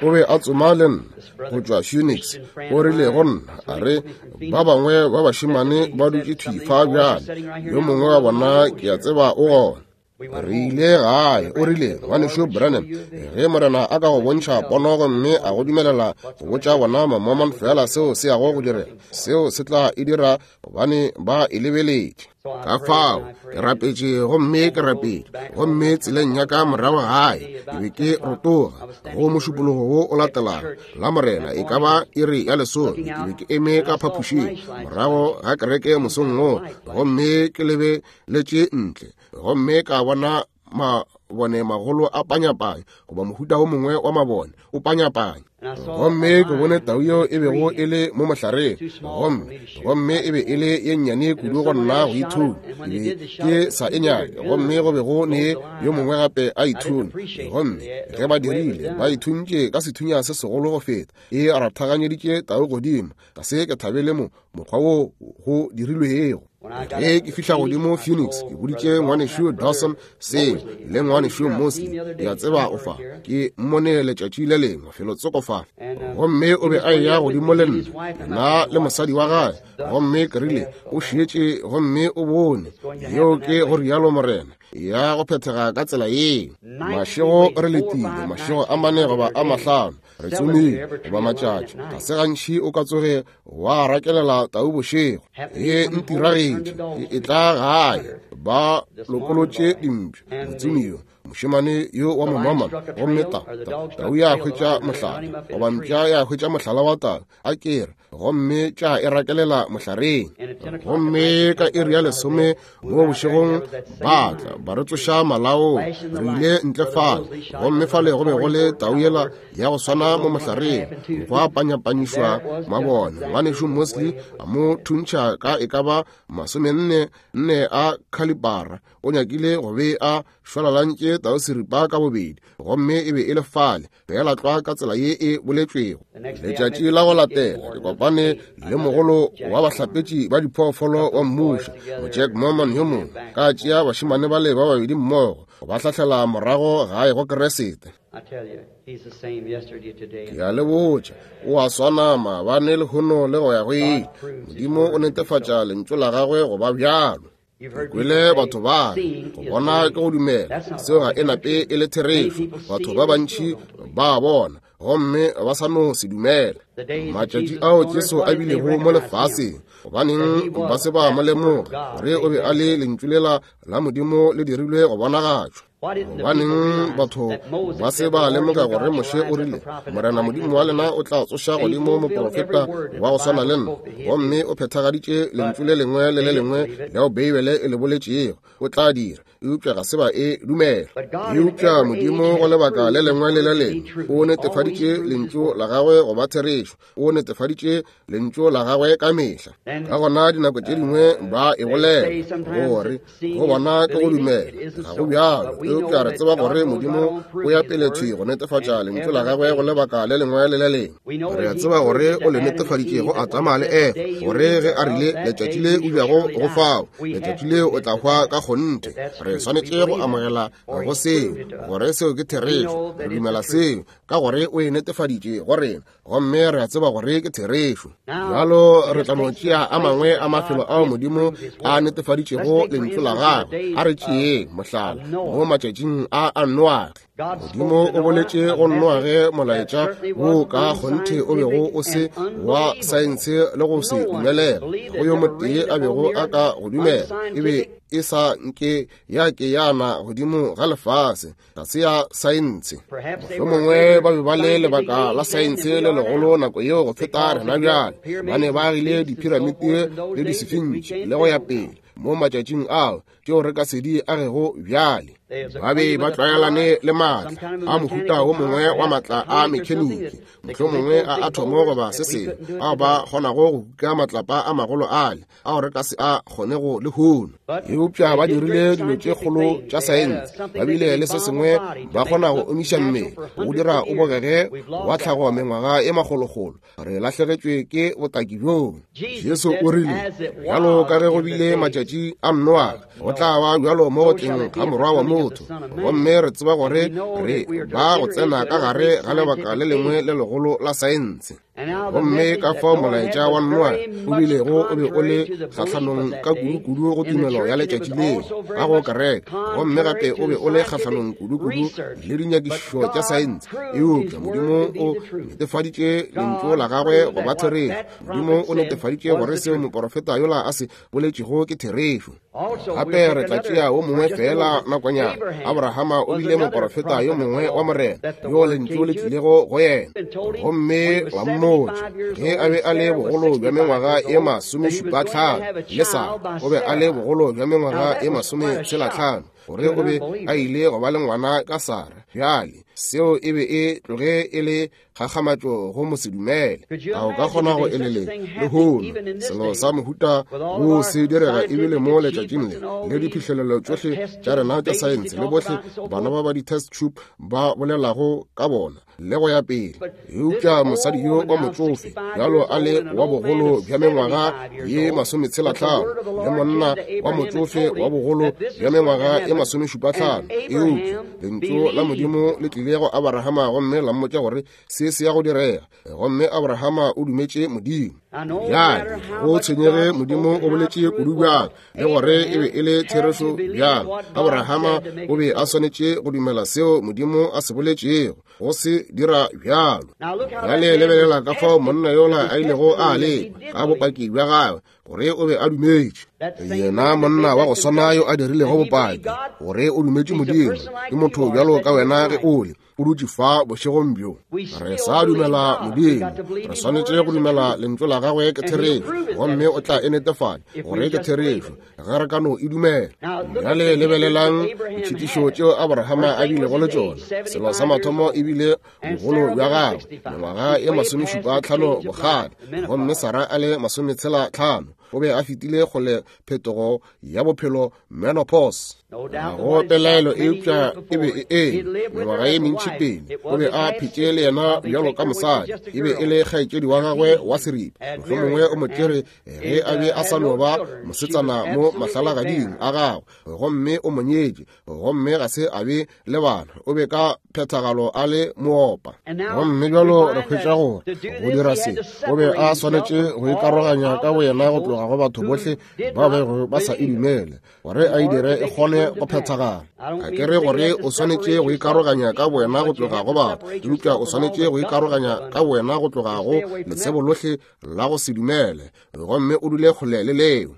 o be a tsoma le nna go tšwa Phoenix. O rile go nna, a re, ba bangwe ba bašemane ba dutše thwi fa bjale, yo mongwe wa bona ke a tseba o gona. Re ile gae. O rile, ngwanešu Branham, ge Morena a ka go bontšha pono gomme a go dumelela go botša bona ma-Mormon fela seo se yago go direga, seo se tla e dira, gobane ba e lebeletše. Ka fao ke rapetše gomme ke rapetše, gomme tseleng ya ka morago gae ke be ke rotoga go mošupologo wo o latelago la Morena, e ka ba iri ya lesome. Ke be ke eme ka phapošing morago ga kereke mosong wo, gomme ke lebeletše ntle, gomme ka bona mabone magolo a panyapanya, goba mohuta o mongwe wa mabone o panyapanya. Gomme ke bone tau yeo e bego e le mo mohlareng, gomme gomme e be e le ye nnyane kudu go nna go ithunya, ke be ke sa e nyake. Gomme go be go ne yo mongwe gape a ithunya, gomme ge ba dirile, ba ithuntše ka sethunya se segolo go feta, e rathaganyeditše tau godimo. Ga se ke thabele mo mokgwa wo go dirilwego. Ge ke fihla godimo Phoenix, ke boditše ngwanešu Dawson seo le ngwanešu Mosley, ke a tseba o fa, ke mmone letšatši le lengwe felotsoko fa, gomme o be a eya godimo le nna, nna le mosadi wa gagwe, gomme ke rile o šetše gomme o bone, yeo ke go rialo Morena, ya go phethega ka tsela yeo. Mašego re letile, mašego a mane goba a mahlano, re tsomile goba matšatši, ga se gantši o ka tsoge wa rakelela tau bošego. E ntiragetše ke etla gae, ba lokolotše dimpša, motsomi yo mošemane yo wa momamana, gomme ta tau ya hwetša mohlala, goba mpša ya hwetša mohlala wa tau, a kere, gomme tša e rakelela mohlareng. Gomme ka iri ya lesome mo bošegong ba tla ba re tsoša malaong, re ile ntle fale, gomme fale go be go le tau yela ya go swana mo mohlareng, go a panyapanyišwa mabone. Ngwanešu Mosley a mo thuntšha ka e ka ba masomenne nne a khalibara, o nyakile go be a šwalalantše tau seripa ka bobedi, gomme e be e le fale fela tlwa ka tsela ye e boletšwego. Letšatši la go latela ke kopane le mogolo wa bahlapetši ba diphoofolo wa mmušo, Jack Mormon yo mongwe, ka tšea bašemane bale ba babedi mmogo go ba hlahlela morago gae go Keresete. Ke a le botša, o a swana maabane lehono le go ya go ile. Modimo o netefatša lentšu la gagwe go ba bjalo. Kwele batho ba go bona ke go dumela, seo ga e nape e le therešo. Batho ba bantši ba bona gomme ba sa no se dumela. Matšatši ao Jesu a bilego mo lefaseng, gobaneng ba se ba mo lemoga gore o be a le lentšu lela la Modimo le dirilwe go bonagatšwa? Gobaneng batho ba se ba lemoga gore Moshe o rile, Morena Modimo wa lena o tla tsoša godimo moprofeta wa go swana le nna, gomme o phethagaditše lentšu le lengwe le le lengwe leo Beibele e le boletšego o tla dira, eupša ga se ba e dumela. Eupša Modimo go lebaka le lengwe le le lengwe o netefaditše lentšu la gagwe go ba therešo, o netefaditše lentšu la gagwe ka mehla. Ka gona dinako tše dingwe ba e bolela gore go bona ke go dumela, ga go bjalo, eupša re tseba gore Modimo o ya pele thwi go netefatša lentšu la gagwe go lebaka le lengwe le le lengwe. Re a tseba gore o le netefaditše go Adama le Efa, gore ge a rile letšatši le o bjago go fao, letšatši le o tla hwa ka kgonthe. Re swanetše go amogela go seo, gore seo ke therešo. Re dumela seo ka gore o e netefaditše go rena, gomme re a tseba gore ke therešo. Bjalo re tla no tšea a mangwe a mafelo ao Modimo a netefaditšego lentšu la gagwe. A re tšeeng mohlala mo matšatšing a a Noage. Modimo o boletše go Noage molaetša wo ka kgonthe o bego o se wa saense le go se dumelela, go yo motee a bego a ka go dumela, e be e sa nke ya ke yana godimo ga lefase, ga se ya saense. Mohlomongwe ba be ba le lebaka la saense le legolo nako yeo go feta rena bjale, ba ne ba agile diphiramiti le disefintši le go ya pele mo matšatšing ao tšeo re ka se di agego bjale. Ba be ba tlwaelane le maatla a mohuta wo mongwe wa maatla a mekheniki, mohlomongwe a athomo goba se sengwe, ao ba kgonago go kuka matlapa a magolo ale ao re ka se a kgonego lehono. Eupša ba dirile dilo tše kgolo tša saense, ba bile le se sengwe ba kgona go omiša mmele, go dira o bogege wa tlhago mengwaga e makgolokgolo. Re lahlegetšwe ke botaki bjoo. Jesu o rile, bjalo ka ge go bile matšatši a Noage, go tla ba bjalo mo go tleng ga Morwa wa motho. Gomme re tseba gore re ba go tsena ka gare ga lebaka le lengwe le legolo la saense. Gomme ka fao molaetša wa Noage o bilego o be o le kgahlanong ka kudu-kudu go tumelo ya letšatši leo ka go kereke, gomme gape o be o le kgahlanong kudu-kudu le dinyakišišo tša saense. Eupša Modimo o netefaditše lentšu la gagwe go ba therešo. Modimo o netefaditše gore seo moporofeta yola a se boletšego ke therešo. Gape re tla tšea wo mongwe fela nakonyana. Abrahama o bile moporofeta yo mongwe wa Morena yo lentšu le tlilego go yena, gomme la mmotša ge a be a le bogolo bja mengwaga e masomešupa tlhano, le Sara o be a le bogolo bja mengwaga e masometshela tlhano, gore o be a ile go ba le ngwana ka Sara. Bjale Seo e be e tloge e le kgakgamatšo go mosedumele. A o ka kgona go eleletša lehono selo sa mohuta wo se direga ebile mo letšatšing le le diphihlelelo tšohle tša rena tša saense le bohle bana ba ba di-test tube ba bolelago ka bona le go ya pele. Eupša mosadi yo wa motsofe bjalo a le wa bogolo bja mengwaga ye masometshela-hlano le monna wa motsofe wa bogolo bja mengwaga ye masomešupa-hlano, eupša lentšu la Modimo le tlile go Abrahama gomme la mmotša gore se se ya go direga, gomme Abrahama o dumetše Modimo. Bjale go tshwenyege Modimo o boletše kudu bjang le gore e be e le therešo bjang, Abrahama o be a swanetše go dumela seo Modimo a se boletšego, go se dira bjalo. Bjale lebelela ka fao monna yola a ilego a lekwa ka bopaki bja gagwe gore o be a dumetše. Yena monna wa go swana yo a dirilego bopaki gore o dumetše Modimo ke motho bjalo ka wena ge o le o dutše fa bošegong bjo. Re sa dumela Modimo, re swanetše go dumela lentšu la gagwe ke therešo, gomme o tla e netefatša gore ke therešo ge re ka no e dumela. Bjale lebelelang ditšhitišo tšeo Abrahama a bilego le tšona. Selo sa mathomo e bile bogolo bja gagwe, mengwaga ye masomešupa tlhano bokgale, gomme Sara a le masometshela tlhano. O be a fetile kgole phetogo ya bophelo, menopause. Ga go pelaelo eupša e be e eme mengwaga ye mentši pele. O be a phetše le yena bjalo ka mosadi, e be e le kgaetšedi wa gagwe wa seripa. Mohlomongwe o mo tšere ge a be a sa no ba mosetsana mo mahlalagading a gagwe, gomme o mo nyetše, gomme ga se a be le bana. O be ka phethagalo a le moopa. Gomme bjalo re hwetša gore go dira se o be a swanetše go ikaroganya ka boyena go tloga go batho bohle ba bego ba sa e dumele, gore a e dire e kgone go phethagala. A ke re gore o swanetše go ikaroganya ka boyena go tloga go batho, eupša o swanetše go ikaroganya ka boyena go tloga go letsebo lohle la go se dumele, gomme o dule kgole le leo.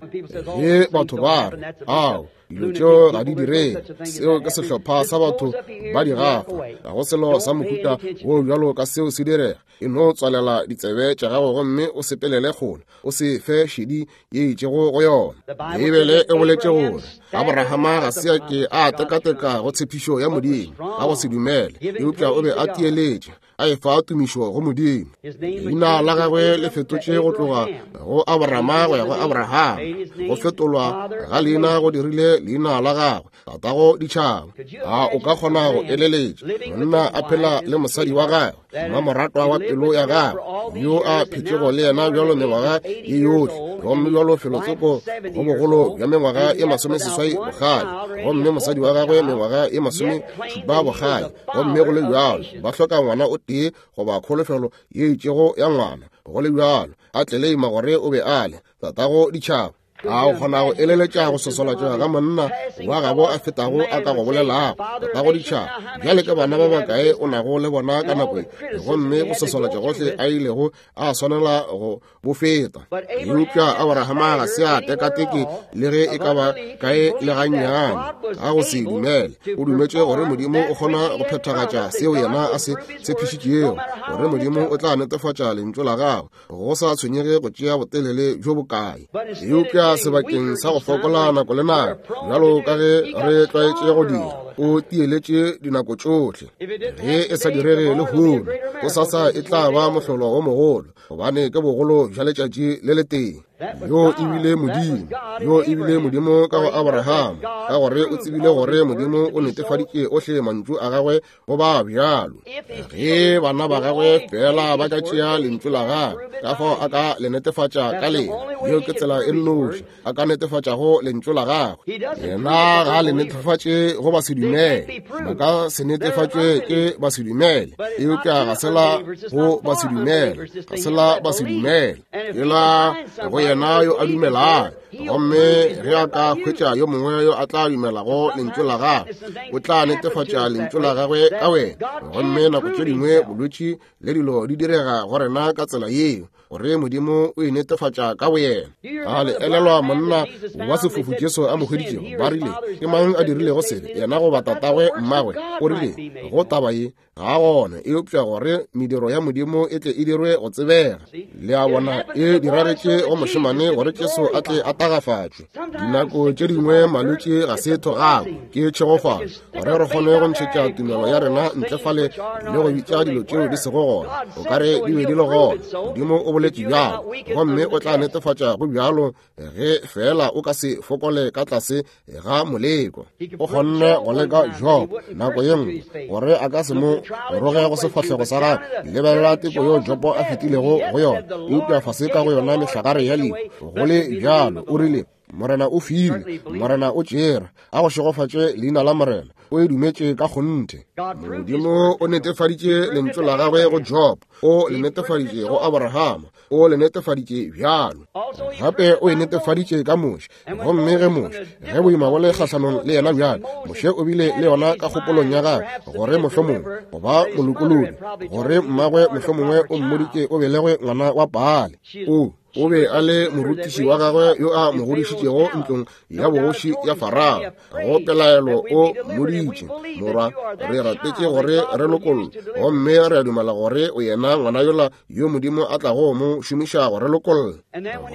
Ge batho ba re, ao, dilo tšeo ga di direge, seo ke sehlopha sa batho ba di gafa, ga go selo sa mohuta wo bjalo ka seo se direga. E no tswalela ditsebe tša gago gomme o sepelele kgole, o se fe šedi ye itšego go yona. Beibele e boletše gore Abrahama ga se a ke a tekateka go tshepišo ya Modimo ka go se dumele, eupša o be a tieletše a efa tumišo go Modimo. Leina la gagwe le fetotše go tloga go Abrahama go ya go Abrahama. Go fetolwa ga leina go dirile leina la gagwe tatago ditšhaba. A o ka kgona go eleletša monna a phela le mosadi wa gagwe, mmamoratwa wa pelo ya gagwe, yo a phetšego le yena bjalo mengwaga ye yohle, gomme bjalo felotsoko go bogolo bja mengwaga ye masomeseswai bokgale, gomme mosadi wa gagwe mengwaga ye masomešupa bokgale, gomme go le bjalo ba hloka ngwana o tee goba kholofelo ye itšego ya ngwana. Go le bjalo a tleleima gore o be a le tatago ditšhaba. A o kgona go eleletša go sosolatšega ga monna wa gabo a fetago a ka go bolelago tatago ditšhaba? Bjale ke bana ba bakae o nago le bona ka nako ye? Gomme go sosolatša gohle a ilego a swanela go bo feta. Eupša Abrahama ga se a tekateke le ge e ka ba kae le gannyane ka go se dumele. O dumetše gore Modimo o kgona go phethagatša seo yena a se tshepišitšego, gore Modimo o tla netefatša lentšu la gagwe go sa tshwenyege go tšea botelele bjo bokae. Eupša sebakeng sa go fokola nako le nako bjalo ka ge re tlwaetše go dira, o tieletše dinako tšohle. Ge e sa direge lehono, gosasa e tla ba mohlolo wo mogolo, gobane ke bogolo bja letšatši le letee. Yo e bile Modimo, yo e bile Modimo ka go Abrahama, ka gore o tsebile gore Modimo o netefaditše ohle mantšu a gagwe go ba bjalo. Ge bana ba gagwe fela ba ka tšea lentšu la gagwe, ka fao a ka le netefatša ka lena. Yeo ke tsela e nnoši a ka netefatšago lentšu la gagwe. Yena ga le netefatše go ba se dumele, ba ka se netefatšwe ke ba se dumele, eupša ga se la go ba se dumele, ga se la ba se dumele, ke la go yena yo a dumelago. Gomme ge a ka hwetša yo mongwe yo a tla dumelago lentšu la gagwe, o tla netefatša lentšu la gagwe ka wena. Gomme nako tše dingwe bolwetši le dilo di direga go rena ka tsela yeo, gore Modimo o e netefatša ka boyena. A le elelwa monna wa sefofu Jesu a mo hweditšego? Ba rile, ke mang a dirilego sebe, yena goba goba tatagwe mmagwe, o rile go taba ye ga gona, eupša gore mediro ya Modimo e tle e dirwe go tsebega. Le a bona, e diragetše go mošemane gore Jesu a tle a tagafatšwe. Dinako tše dingwe malwetši ga se thogako, ke tšhegofalo, gore re kgone go ntšhetša tumelo ya rena ntle fale le go bitša dilo tšeo di sego gona o ka re di be di le gona. Modimo o boletše bjalo, gomme o tla netefatša go bjalo ge fela o ka se fokole ka tlase ga moleko. O kgonne go leka Job nako ye nngwe gore a ka se mo roge go sefahlego sa gagwe. Lebelela teko yo Jobo a fetilego go yona, eupša fase ka go yona mehlagare ya lehu. Go le bjalo o rile, Morena o file, Morena o tšere, a go šegofatše leina la Morena. O e dumetše ka kgonthe. Modimo o netefaditše lentšu la gagwe go Job, o le netefaditše go Abrahama, o le netefaditše bjalo. Gape o e netefaditše ka Moshe. Gomme ge Moshe, ge boima bo le kgahlanong le yena bjalo, Moshe o bile le yona ka kgopolong ya gagwe gore mohlomongwe go ba molokolodi, gore mmagwe mohlomongwe o mmoditše o belegwe ngwana wa Baale. O o be a le morutiši wa gagwe yo a mo godišitšego ntlong ya bogoši ya Farao. Go pelaelo o mmoditše, morwa, re rapetše gore re lokollwe, gomme re a dumela gore o yena ngwana yola yo Modimo a tlago mo šomiša gore lokolle.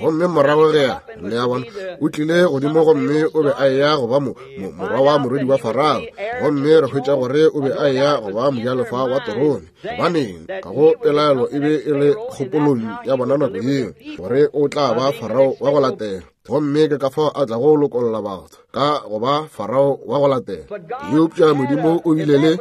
Gomme morago ge le a bona, o tlile godimo gomme o be a eya go ba mo morwa wa morwedi wa Farao, gomme re hwetša gore o be a eya go ba mojalefa wa terone. Gobaneng, ka go pelaelo e be e le kgopolong ya bona nako yeo gore o tla ba Farao wa go latela, gomme ke ka fao a tlago lokolla batho ka go ba Farao wa go latela. Eupša Modimo o bile le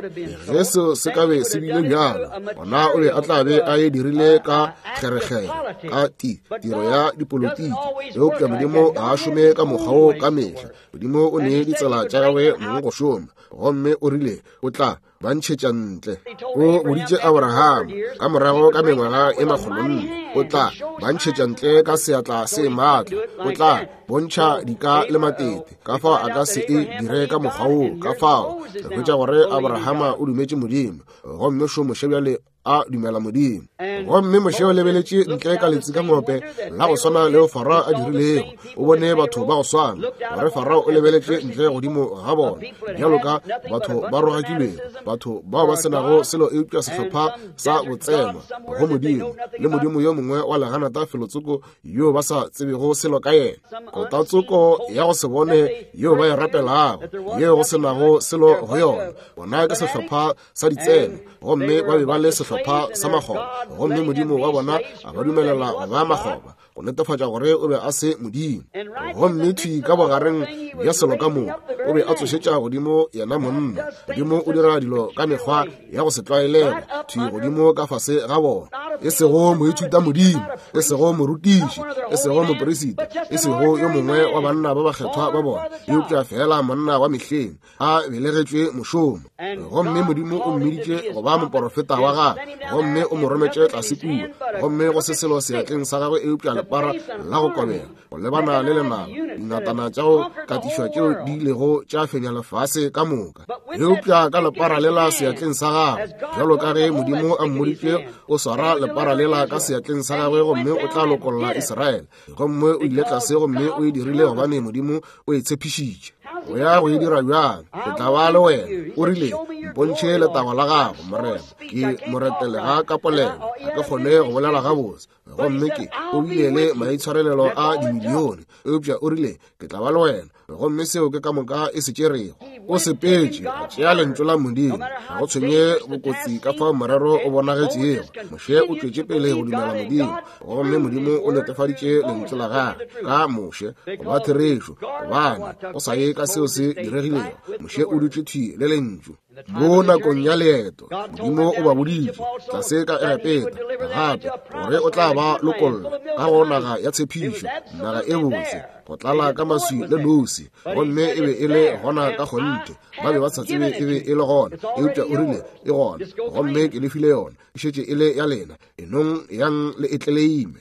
ge seo se ka be se bile bjalo, gona o be a tla be a e dirile ka kgerekgere, ka ti tiro ya dipolotiki. Eupša Modimo ga a šome ka mokgwa wo ka mehla. Modimo o ne ditsela tša gagwe mong go šoma, gomme o rile o tla ba ntšhetša ntle. O boditše Abraham ka morago ka mengwaga e makgolonne, o tla ba ntšhetša ntle ka seatla se maatla, o tla bontšha dika le matete. Ka fao a ka se e dire ka mokgwa woo. Ka fao re hwetša gore Abrahama o dumetše Modimo, gomme šo Moshe bjale a dumela Modimo. Gomme Moshe o lebeletše ntle ka letsikangope la go swana leo Farao a dirilego. O bone batho ba go swana, gore Farao o lebeletše ntle godimo ga bona bjalo ka batho ba rogakilwego, batho bao ba senago selo eupša sehlopha sa botsema go Modimo, le Modimo yo mongwe wa leganata felotsoko yo ba sa tsebego selo ka yena, kotatsoko ya go se bone yeo ba e rapelago, yeo go senago selo go yona. Bona ke sehlopha sa ditsena, gomme ba be ba le sehlopha sa makgoba, gomme Modimo wa bona a ba dumelela go ba makgoba, go netefatša gore o be a se Modimo. Gomme thwi ka bogareng bja selo ka moka o be a tsošetša godimo yena monna. Modimo o dira dilo ka mekgwa ya go se tlwaelege, thwi godimo ka fase ga bona. E sego moithuta Modimo, e sego morutiši, e sego moperisita, e sego yo mongwe wa banna ba bakgethwa ba bona, eupša fela monna wa mehleng a belegetšwe mošomo. Gomme Modimo o mmiditše go ba moporofeta wa gagwe, gomme o mo rometše tlase kua, gomme go se selo seatleng sa gagwe eupša lepara la go kobega go lebana le lenaba, dingatana tša go katišwa tšeo di ilego tša fenya lefase ka moka. Eupša ka lepara lela seatleng sa gagwe, bjalo ka ge Modimo a mmoditše, o swara lepara lela ka seatleng sa gagwe gomme o tla lokolla Israele. Gomme o ile tlase gomme o e dirile gobane Modimo o e tshepišitše. O ya go e dira bjang? Ke tla ba le wena. O rile, mpontšhe letago la gago, Morena. Ke moretelega ka polelo, ga ke kgone go bolela gabotse. Gomme ke o bile le maitshwarelelo a dimilione, eupša o rile, ke tla ba le wena. Gomme seo ke ka moka e se tšerego. O sepetše a tšea lentšu la Modimo, ga go tshwenye bokotsi ka fao morero o bonagetšego. Moshe o tšwetše pele go dumela Modimo, gomme Modimo o netefaditše lentšu la gagwe ka Moshe go ba therešo, gobane go sa ye ka seo se diregilego, Moshe o dutše thwi le lentšu. Mo nakong ya leeto, Modimo o ba boditše tlase ka Egepeta gape gore o tla ba lokolla ka go naga ya tshepišo, naga e botse, go tlala ka maswi le nosi. Gomme e be e le gona ka kgonthe. Ba be ba sa tsebe e be e le gona, eupša o rile e gona, gomme ke le file yona, e šetše e le ya lena, enong yang le e tleleime.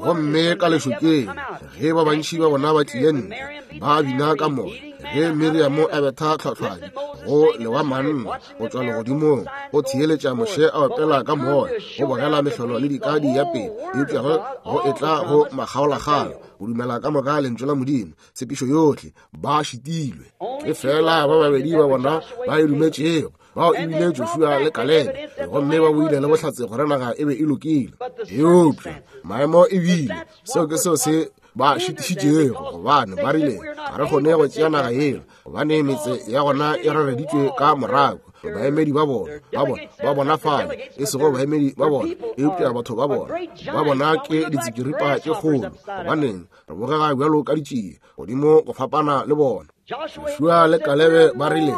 Gomme ka lešokeng, ge ba bantši ba bona ba tlile ntle, ba bina ka moya, Ge Miriamo a betha tlhwatlhwadi go lewa manna go tšwa legodimong, go theeletša Moshe a opela ka moya, go bogela mehlolo le dika di ya pele, eupša ge go etla go makgaolakgang, go dumela ka moka lentšu la Modimo, tshepišo yohle, ba šitilwe. Ke fela ba babedi ba bona ba e dumetšego, bao e bile Joshua le Kalebe, gomme ba boile le bohlatse gore naga e be e lokile. Eupša maemo e bile seo ke seo se ba šitišitšego, gobane ba rile ga re kgone go tšea naga yela, gobane metse ya gona e rareditšwe ka morago. Baemedi ba bona ba bona ba bona fale, e sego baemedi ba bona, eupša batho ba bona ba bona ke ditsikiripa tše kgolo, gobaneng re bogega bjalo ka ditšie godimo go fapana le bona. Joshua le Kalebe ba rile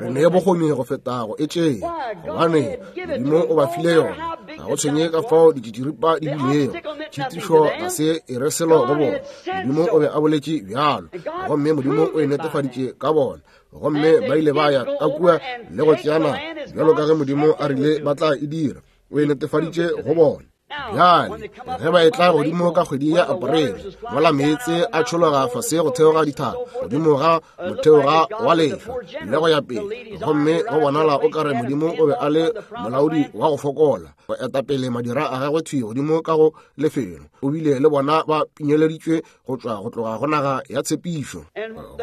re ne bokgoni go feta go e tšea, gobane Modimo o ba file yona. Ga go tshwenye ka fao ditšitširipa di bilego, tšhitišo ga se e re selo go bona. Modimo o be a boletše bjalo, gomme Modimo o e netefaditše ka bona, gomme ba ile ba ya ka kua le go tšeana bjalo ka ge Modimo a rile ba tla e dira. O e netefaditše go bona. Bjale ge ba etla godimo ka kgwedi ya Aprele, mola meetse a tšhologa fase go theoga dithaba godimo ga motheoga wa lehlwa le go ya pele, gomme go bonala o kare Modimo o be a le molaodi wa go fokola go etapele madira a gagwe thwi godimo ka go lefelo, o bile le bona ba pinyeleditšwe go tšwa go tloga go naga ya tshepišo.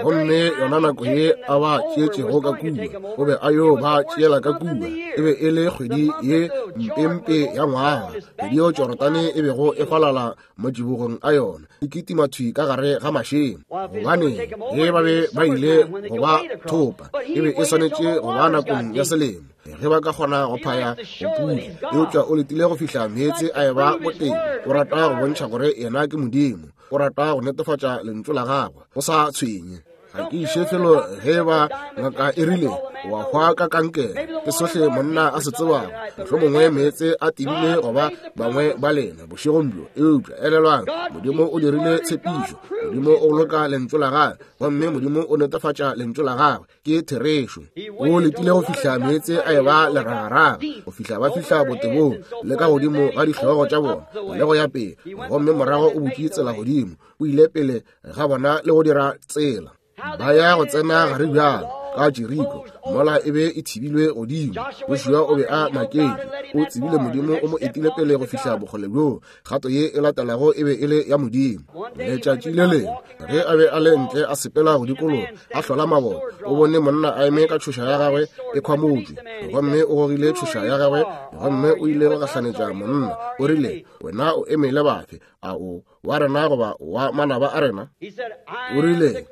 Gomme yona nako ye a ba tšeetšego ka kua, o be a yo ba tšeela ka kua, e be e le kgwedi ye mpempe ya ngwaga, kgwedi yeo Jorodane e bego e falala matšibogong a yona, e kitima thwi ka gare ga mašemo. Gobane ge ba be ba ile go ba thopa, e be e swanetše go ba nakong ya selemo ge ba ka kgona go phaya go pula, eupša o letile go fihla meetse a eba boteng. O rata go bontšha gore yena ke Modimo, o rata go netefatša lentšu la gagwe go sa tshwenye. Ga ke iše felo ge ba ngaka e rile wa hwa ka kankere, ke sohle monna a se tsebago, mohlomongwe meetse a tebile goba bangwe ba lena bošegong bjo. Eupša elelwang, Modimo o dirile tshepišo, Modimo o boloka lentšu la gagwe, gomme Modimo o netefatša lentšu la gagwe ke therešo. O letile go fihla meetse a eba leragaraga, go fihla ba fihla botebong le ka godimo ga dihlogo tša bona le go ya pele, gomme morago o butše tsela godimo, o ile pele ga bona le go dira tsela. Ba ya go tsena gare bjalo ka Jeriko, mola e be e thibilwe godimo. Joshua o be a maketše, o tsebile Modimo o mo etile pele go fihla bokgole bjoo. Kgato ye e latelago e be e le ya Modimo. Letšatši le lengwe ge a be a le ntle a sepela go dikologa a hlola maboto, o bone monna a eme ka tšhoša ya gagwe e khwamotšwe, gomme o gogile tšhoša ya gagwe, gomme o ile go gahlanetša monna. O rile, wena o eme le bafe? A o wa rena goba wa manaba a rena? O rile,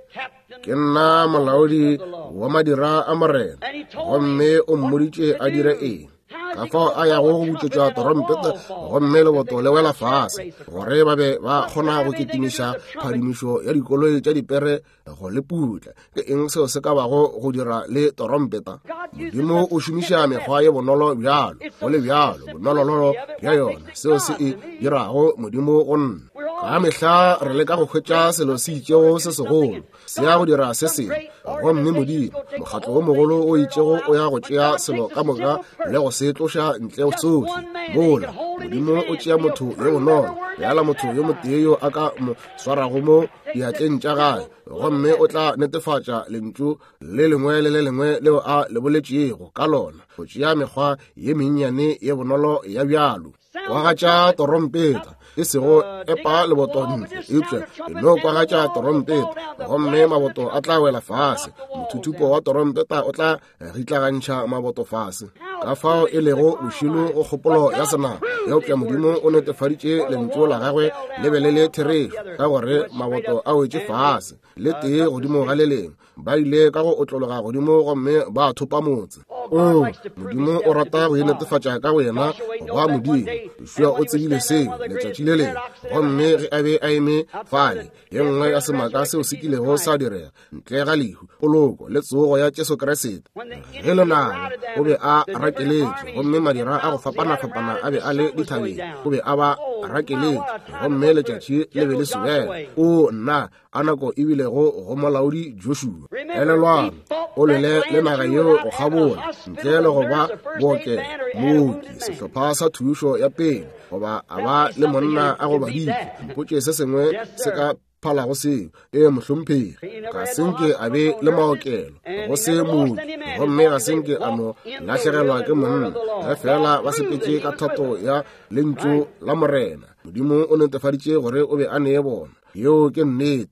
ke nna molaodi wa madira a Morena, gomme o mmoditše a dire eng. Ka fao a yago go butšwetša torompete, gomme leboto le wela fase, gore ba be ba kgona go kitimiša phadimišo ya dikoloi tša dipere go le putla. Ke eng seo se ka bago go dira le torompeta? Modimo o šomiša mekgwa ye bonolo bjalo, go le bjalo bonolololo bja yona, seo se e dirago Modimo go nna. Ka mehla re leka go hwetša selo se itšego se segolo se ya go dira se sengwe, gomme Modimo, mokgatlo o mogolo o itšego o ya go tšea selo ka moka le go se tloša ntle sohle. Mola Modimo o tšea motho yo bonolo, bjala motho yo motee yo a ka mo swarago mo diatleng tša gagwe, gomme o tla netefatša lentšu le lengwe le le lengwe leo a le boletšego ka lona, go tšea mekgwa ye mennyane ye bonolo ya bjalo. Kwagatša torompeta, e sego epa leboto ntle, eupša e no kwagatša torompeta, gomme maboto a tla wela fase. Mothuthupo wa torompeta o tla ritlagantšha maboto fase. Ka fao e lego bošilo go kgopolo ya senama, eupša Modimo o netefaditše lentšu la gagwe le be le le therešo, ka gore maboto a wetše fase le tee godimo ga le lengwe. Ba ile ka go otlologa godimo gomme ba thopa motse. O Modimo o rata go inetefatša ka go yena goba Modimo. Joshua o tsebile seo letšatši le lengwe, gomme ge a be a eme fale, ye nngwe ya semaka seo se kilego sa direga ntle ga lehu, poloko le tsogo ya Jesu Kriste. Ge lenaba o be a rakeletše, gomme madira a go fapana-fapana a be a le dithabeng, o be a ba rakeletše, gomme letšatši le be le sobela. O nna a nako e bilego go molaodi Joshua. Elelwang, o lwele le naga yeo go kgabola ntle le go ba bookelo, mooki, sehlopha sa thušo ya pele, goba a ba le monna a gobaditšwe. Mpotše se sengwe se ka phalago seo. E mohlomphegi, ga senke a be le maokelo go se mooki, gomme ga senke a no lahlegelwa ke monna, ge fela ba sepetše ka thato ya lentšu la Morena. Modimo o netefaditše gore o be a nee bona. Yeo ke nnete.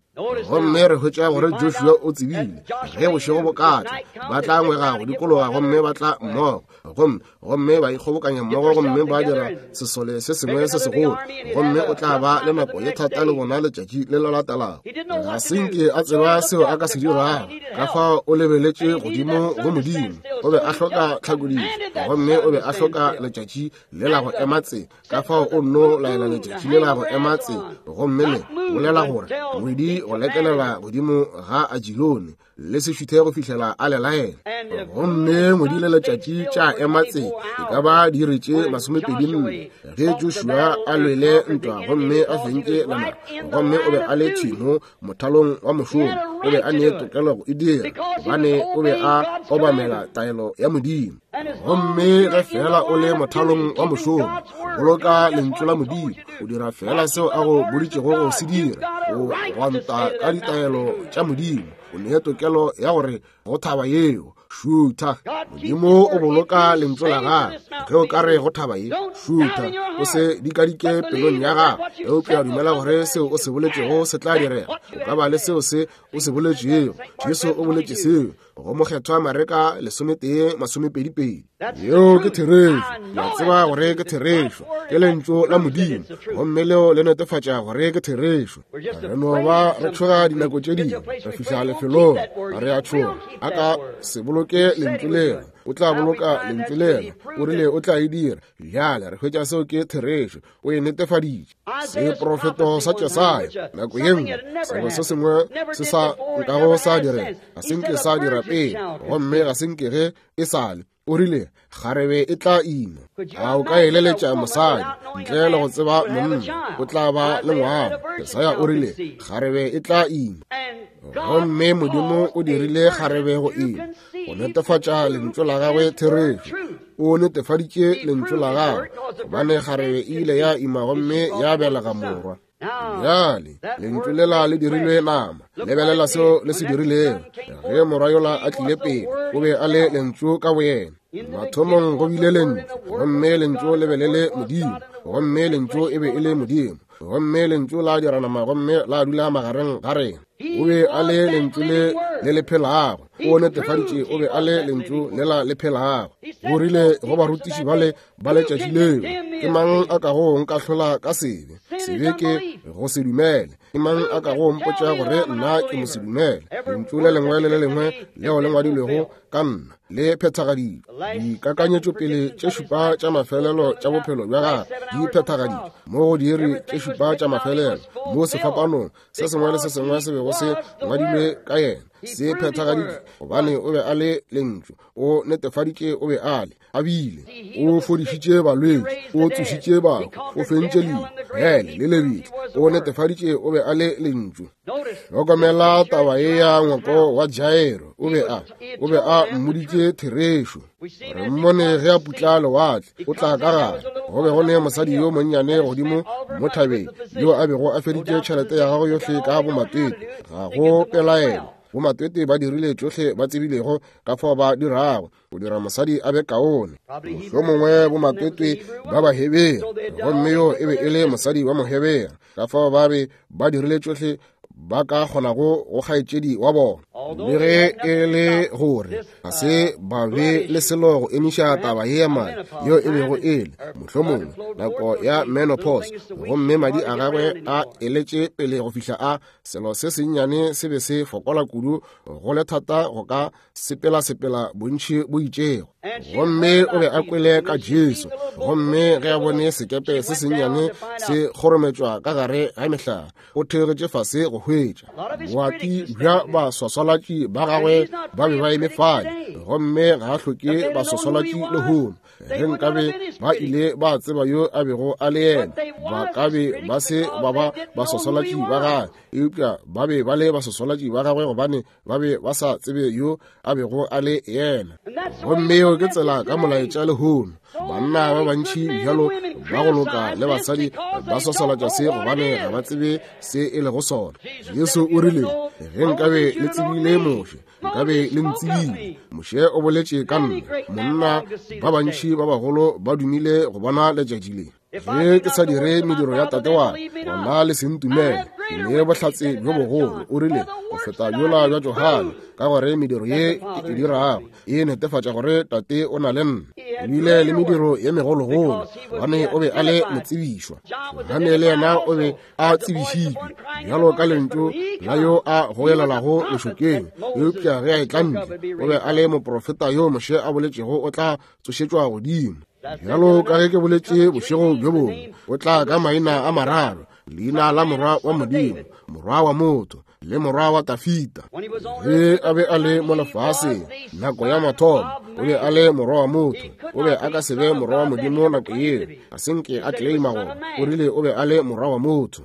Gomme re hwetša gore Joshua o tsebile ge bošego bo ka tla, ba tla ngwega go dikologa gomme ba tla mmogo, gomme gomme ba ikgobokanya mmogo gomme ba dira sesole se sengwe se segolo, gomme o tla ba le nako ye thata le bona letšatši le le latelago. Ga senke a tseba seo a ka se dirago, ka fao o lebeletše godimo go Modimo. O be a hloka tlhakodišo, gomme o be a hloka letšatši le la go ema tse, ka fao o nno laela letšatši le la go ema tse, gomme le bolela gore ngwedi go lekelela godimo ga Ajilone le se šuthe go fihlela a le laela. Gomme ngwedi le letšatši tša ema tse e ka ba diiri tše masomepedi nne ge Joshua a lwele ntwa gomme a fentše lenaba, gomme o be a le thwimo mothalong wa mošomo. O be a ne tokelo go e dira gobane o be a obamela taelo ya Modimo. Gomme ge fela o le mothalong wa mošomo, boloka lentšu la Modimo, o dira fela seo a go boditšego go se dira, o gwanta ka ditaelo tša Modimo, o ne tokelo ya gore go thaba yeo šutha. Modimo o boloka lentšu la gagwe. Ge o ka re go thaba ye šutha, o se dikadike pelong ya gago, eupša dumela gore seo o se boletšego se tla direga. O ka ba le seo se o se boletšego. Jesu o boletše seo go mokgethwa Mareka lesometee masomepedi pedi. Yeo ke therešo. Ke a tseba gore ke therešo, ke lentšu la Modimo, gomme leo le netefatša gore ke therešo. Re no ba re tšhoga dinako tše dingwe, re fihla lefelong re a tšhoga. A ka se boloke lentšu leo, o tla boloka lentšu lela. O rile o tla e dira. Bjale re hwetša seo ke therešo, o e netefaditše. Seprofeto sa Jesaya nako ye nngwe, selo se sengwe se sa nkago sa direga, ga se nke sa dira pele, gomme ga se nke ge e sale. O rile kgarebe e tla ima. A o ka eleletša mosadi ntle le go tseba monna o tla ba le ngwana? Jesaya o rile kgarebe e tla ima, gomme Modimo o dirile kgarebe go ima go netefatša lentšu la gagwe therešo. O netefaditše lentšu la gagwe gobane kgarebe e ile ya ima gomme ya belega morwa. Bjale lentšu lela le dirilwe nama. Lebelela seo le se dirilego. Ge morwa yola a tlile pele, o be a le lentšu ka boyena. Mathomong go bile lentšu, gomme lentšu le be le le Modimo, gomme lentšu e be e le Modimo, gomme lentšu la dira nama gomme la dula magareng ga rena. O be a le lentšu le le le phelago. O netefaditše o be a le lentšu lela le phelago. O rile go barutiši bale ba letšatši leo, ke mang a kago nkahlola ka sebe? Sebe ke go se dumele. Ke mang a kago mpotša gore nna ke mo se dumele? Lentšu le lengwe le le lengwe leo le ngwadilwego ka nna le phethagaditšwe. Dikakanyetšopele tše šupa tša mafelelo tša bophelo bja gagwe di phethagaditšwe mo go diiri tše šupa tša mafelelo mo sefapanong. Se sengwe le se sengwe se bego se ngwadilwe ka yena se phethagaditšwe, gobane o be a le lentšu. O netefaditše o be a le, a bile. O fodišitše balwetši, o tsošitše bahu, o fentše lehu, hele le lebitla. O netefaditše o be a le lentšu. Hlokomela taba ye ya ngwako wa Jairo. O be a o be a mmoditše therešo. Re mmone ge a putla lewatle, o tla ka gare. Go be go ne mosadi yo monnyane godimo mo thabeng yo a bego a feditše tšhelete ya gagwe yohle ka bomatwetwe. Ga go pelaelo, bomatwetwe ba dirile tšohle ba tsebilego ka fao ba dirago go dira mosadi a be kaone. Mohlomongwe bomatwetwe ba Bahebere, gomme yo e be e le mosadi wa Mohebere, ka fao ba be ba dirile tšohle ba ka kgonago go kgaetšedi wa bona. Le ge e le gore ga se ba be le selo go emiša taba ye ya madi yeo e bego e le mohlomongwe nako ya menopause, gomme madi a gagwe a eletše pele go fihla a selo se sennyane se be se fokola kudu go le thata go ka sepela-sepela bontši bo itšego. Gomme o be a kwele ka Jesu, gomme ge a bone sekepe se sennyane se kgorometšwa ka gare ga mehlare, o theogetše fase go hwetša. Boati bja baswaswalatši ba gagwe ba be ba eme fale, gomme ga a hloke baswaswalatši lehono. Ge nkabe ba ile ba tseba yo a bego a le yena, ba ka be ba se ba ba baswaswalatši ba gagwe, eupša ba be ba le baswaswalatši ba gagwe gobane ba be ba sa tsebe yo a bego a le yena. Gomme yeo ke tsela ka molaetša lehono. Banna ba bantši bjalo ba go loka le basadi ba swaswalatša se gobane ga ba tsebe se e lego sona. Jesu o rile, ge nkabe le tsebile Moshe, nkabe le ntsebile. Moshe o boletše ka nna. Monna ba bantši ba bagolo ba dumile go bona letšatši le. Ge ke sa dire mediro ya tate wa gona le se ntumele. Ke ne bohlatse bjo bogolo, o rile, go feta bjola bja Johane, ka gore mediro ye ke e dirago e netefatša gore tate o na le nna. O bile le mediro ye megologolo, gobane o be a le motsebišwa. Johane le yena o be a tsebišitšwe bjalo ka lentšu la yo a goelelago lešokeng, eupša ge a etla ntle o be a le moprofeta yo Moshe a boletšego o tla tsošetšwa godimo. Bjalo ka ge ke boletše bošego bjo bongwe, o tla ka maina a mararo, leina la morwa wa Modimo, morwa wa motho, le morwa wa Tafita. Ge a be a le mo lefaseng nako ya mathomo, o be a le morwa wa motho. O be a ka se be morwa wa Modimo nako yeo, a se nke a claima gore o rile o be a le morwa wa motho.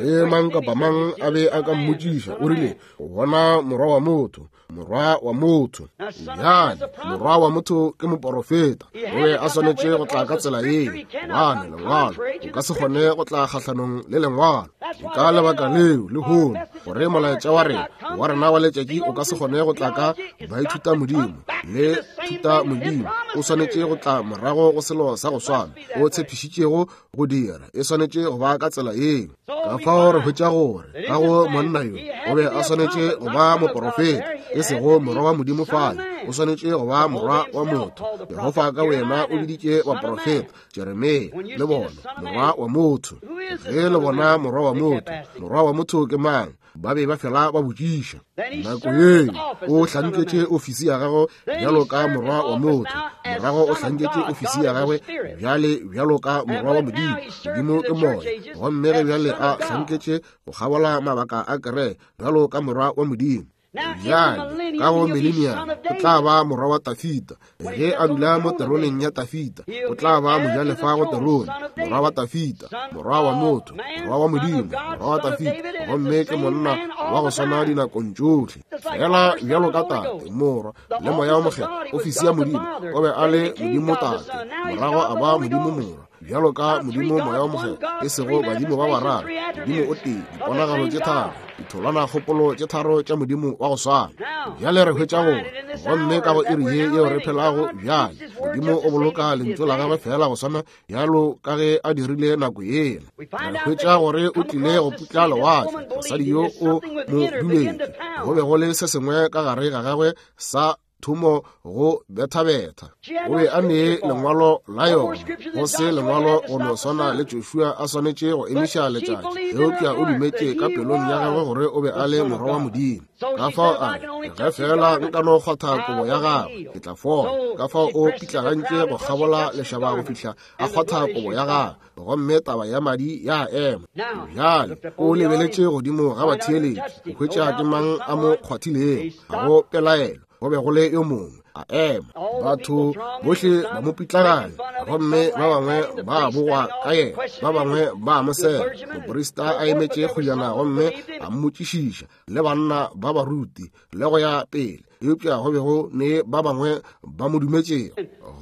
Ge mang kapa mang a be a ka mmotšiša, o rile o bona morwa wa motho, morwa wa motho. Bjale morwa wa motho ke moporofeta, o be a swanetše go tla ka tsela yeo, gobane lengwalo o ka se kgone go tla kgahlanong le lengwalo. Ke ka lebaka leo lehono gore molaetša wa rena wa rena wa letšatši o ka se kgone go tla ka baithuta modimo le thuta modimo. O swanetše go tla morago go selo sa go swana o tshepišitšego go dira, e swanetše go ba ka tsela yeo. Ka fao re hwetša gore ka go monna yo o be a swanetše go ba moporofeta, e sego morwa wa Modimo fale, o swanetše go ba morwa wa motho. Jehofa ka wena o biditše baporofeta, Jeremia le bona, morwa wa motho. Ge le bona morwa wa motho, morwa wa motho ke mang? Ba be ba fela ba botšiša. Nako yeo o hlanketše ofisi ya gagwe bjalo ka morwa wa motho, morago o hlanketše ofisi ya gagwe bjale bjalo ka morwa wa Modimo. Modimo ke moya, gomme ge bjale a hlanketše go kgabola mabaka a kereke bjalo ka morwa wa Modimo. Bjale ka go millennium o tla ba morwa wa Tafita. Ge a dula mo teroneng ya Tafita, o tla ba mojalefa go terone, morwa wa Tafita, morwa wa motho, morwa wa Modimo, morwa wa Tafita. Gomme ke monna wa go swana dinakong tšohle, fela bjalo ka Tate, Morwa le Moya o Mokgethwa. Ofisi ya Modimo, o be a le Modimo Tate, morago a ba Modimo Morwa, bjalo ka Modimo Moya o Mokgethwa, e sego badimo ba bararo, Modimo o tee, diponagalo tše tharo, ditholwana kgopolo tše tharo tša Modimo wa go swana. Bjale re hwetša gore gomme ka go iri ye yeo re phelago bjale, Modimo o boloka lentšu la gagwe fela go swana bjalo ka ge a dirile nako yela. Re hwetša gore o tlile go putla lewatle, mosadi yo o mo dumetše, go be go le se sengwe ka gare ga gagwe sa thomo go bethabetha. O be a ne lengwalo la yona, go se lengwalo go no swana le Joshua a swanetše go emiša letšatši, eupša o dumetše ka pelong ya gagwe gore o be a le morwa wa Modimo. Ka fao a re, ge fela nka no kgwatha kobo ya gagwe, ke tla fola. Ka fao o pitlagantše go kgabola lešaba go fihla a kgwatha kobo ya gagwe, gomme taba ya madi ya ema. Bjale o lebeletše godimo ga batheeletši go hwetša ke mang a mo kgwathilego. Ga go pelaelo, go be go le yo mongwe a ema. Batho bohle ba mo pitlaganya, gomme ba bangwe ba bogwa ka yena, ba bangwe ba mo sela. Moprista a emetše kgojana gomme a mmotšišiša, le banna ba baruti le go ya pele, eupša go be go ne ba bangwe ba mo dumetšego.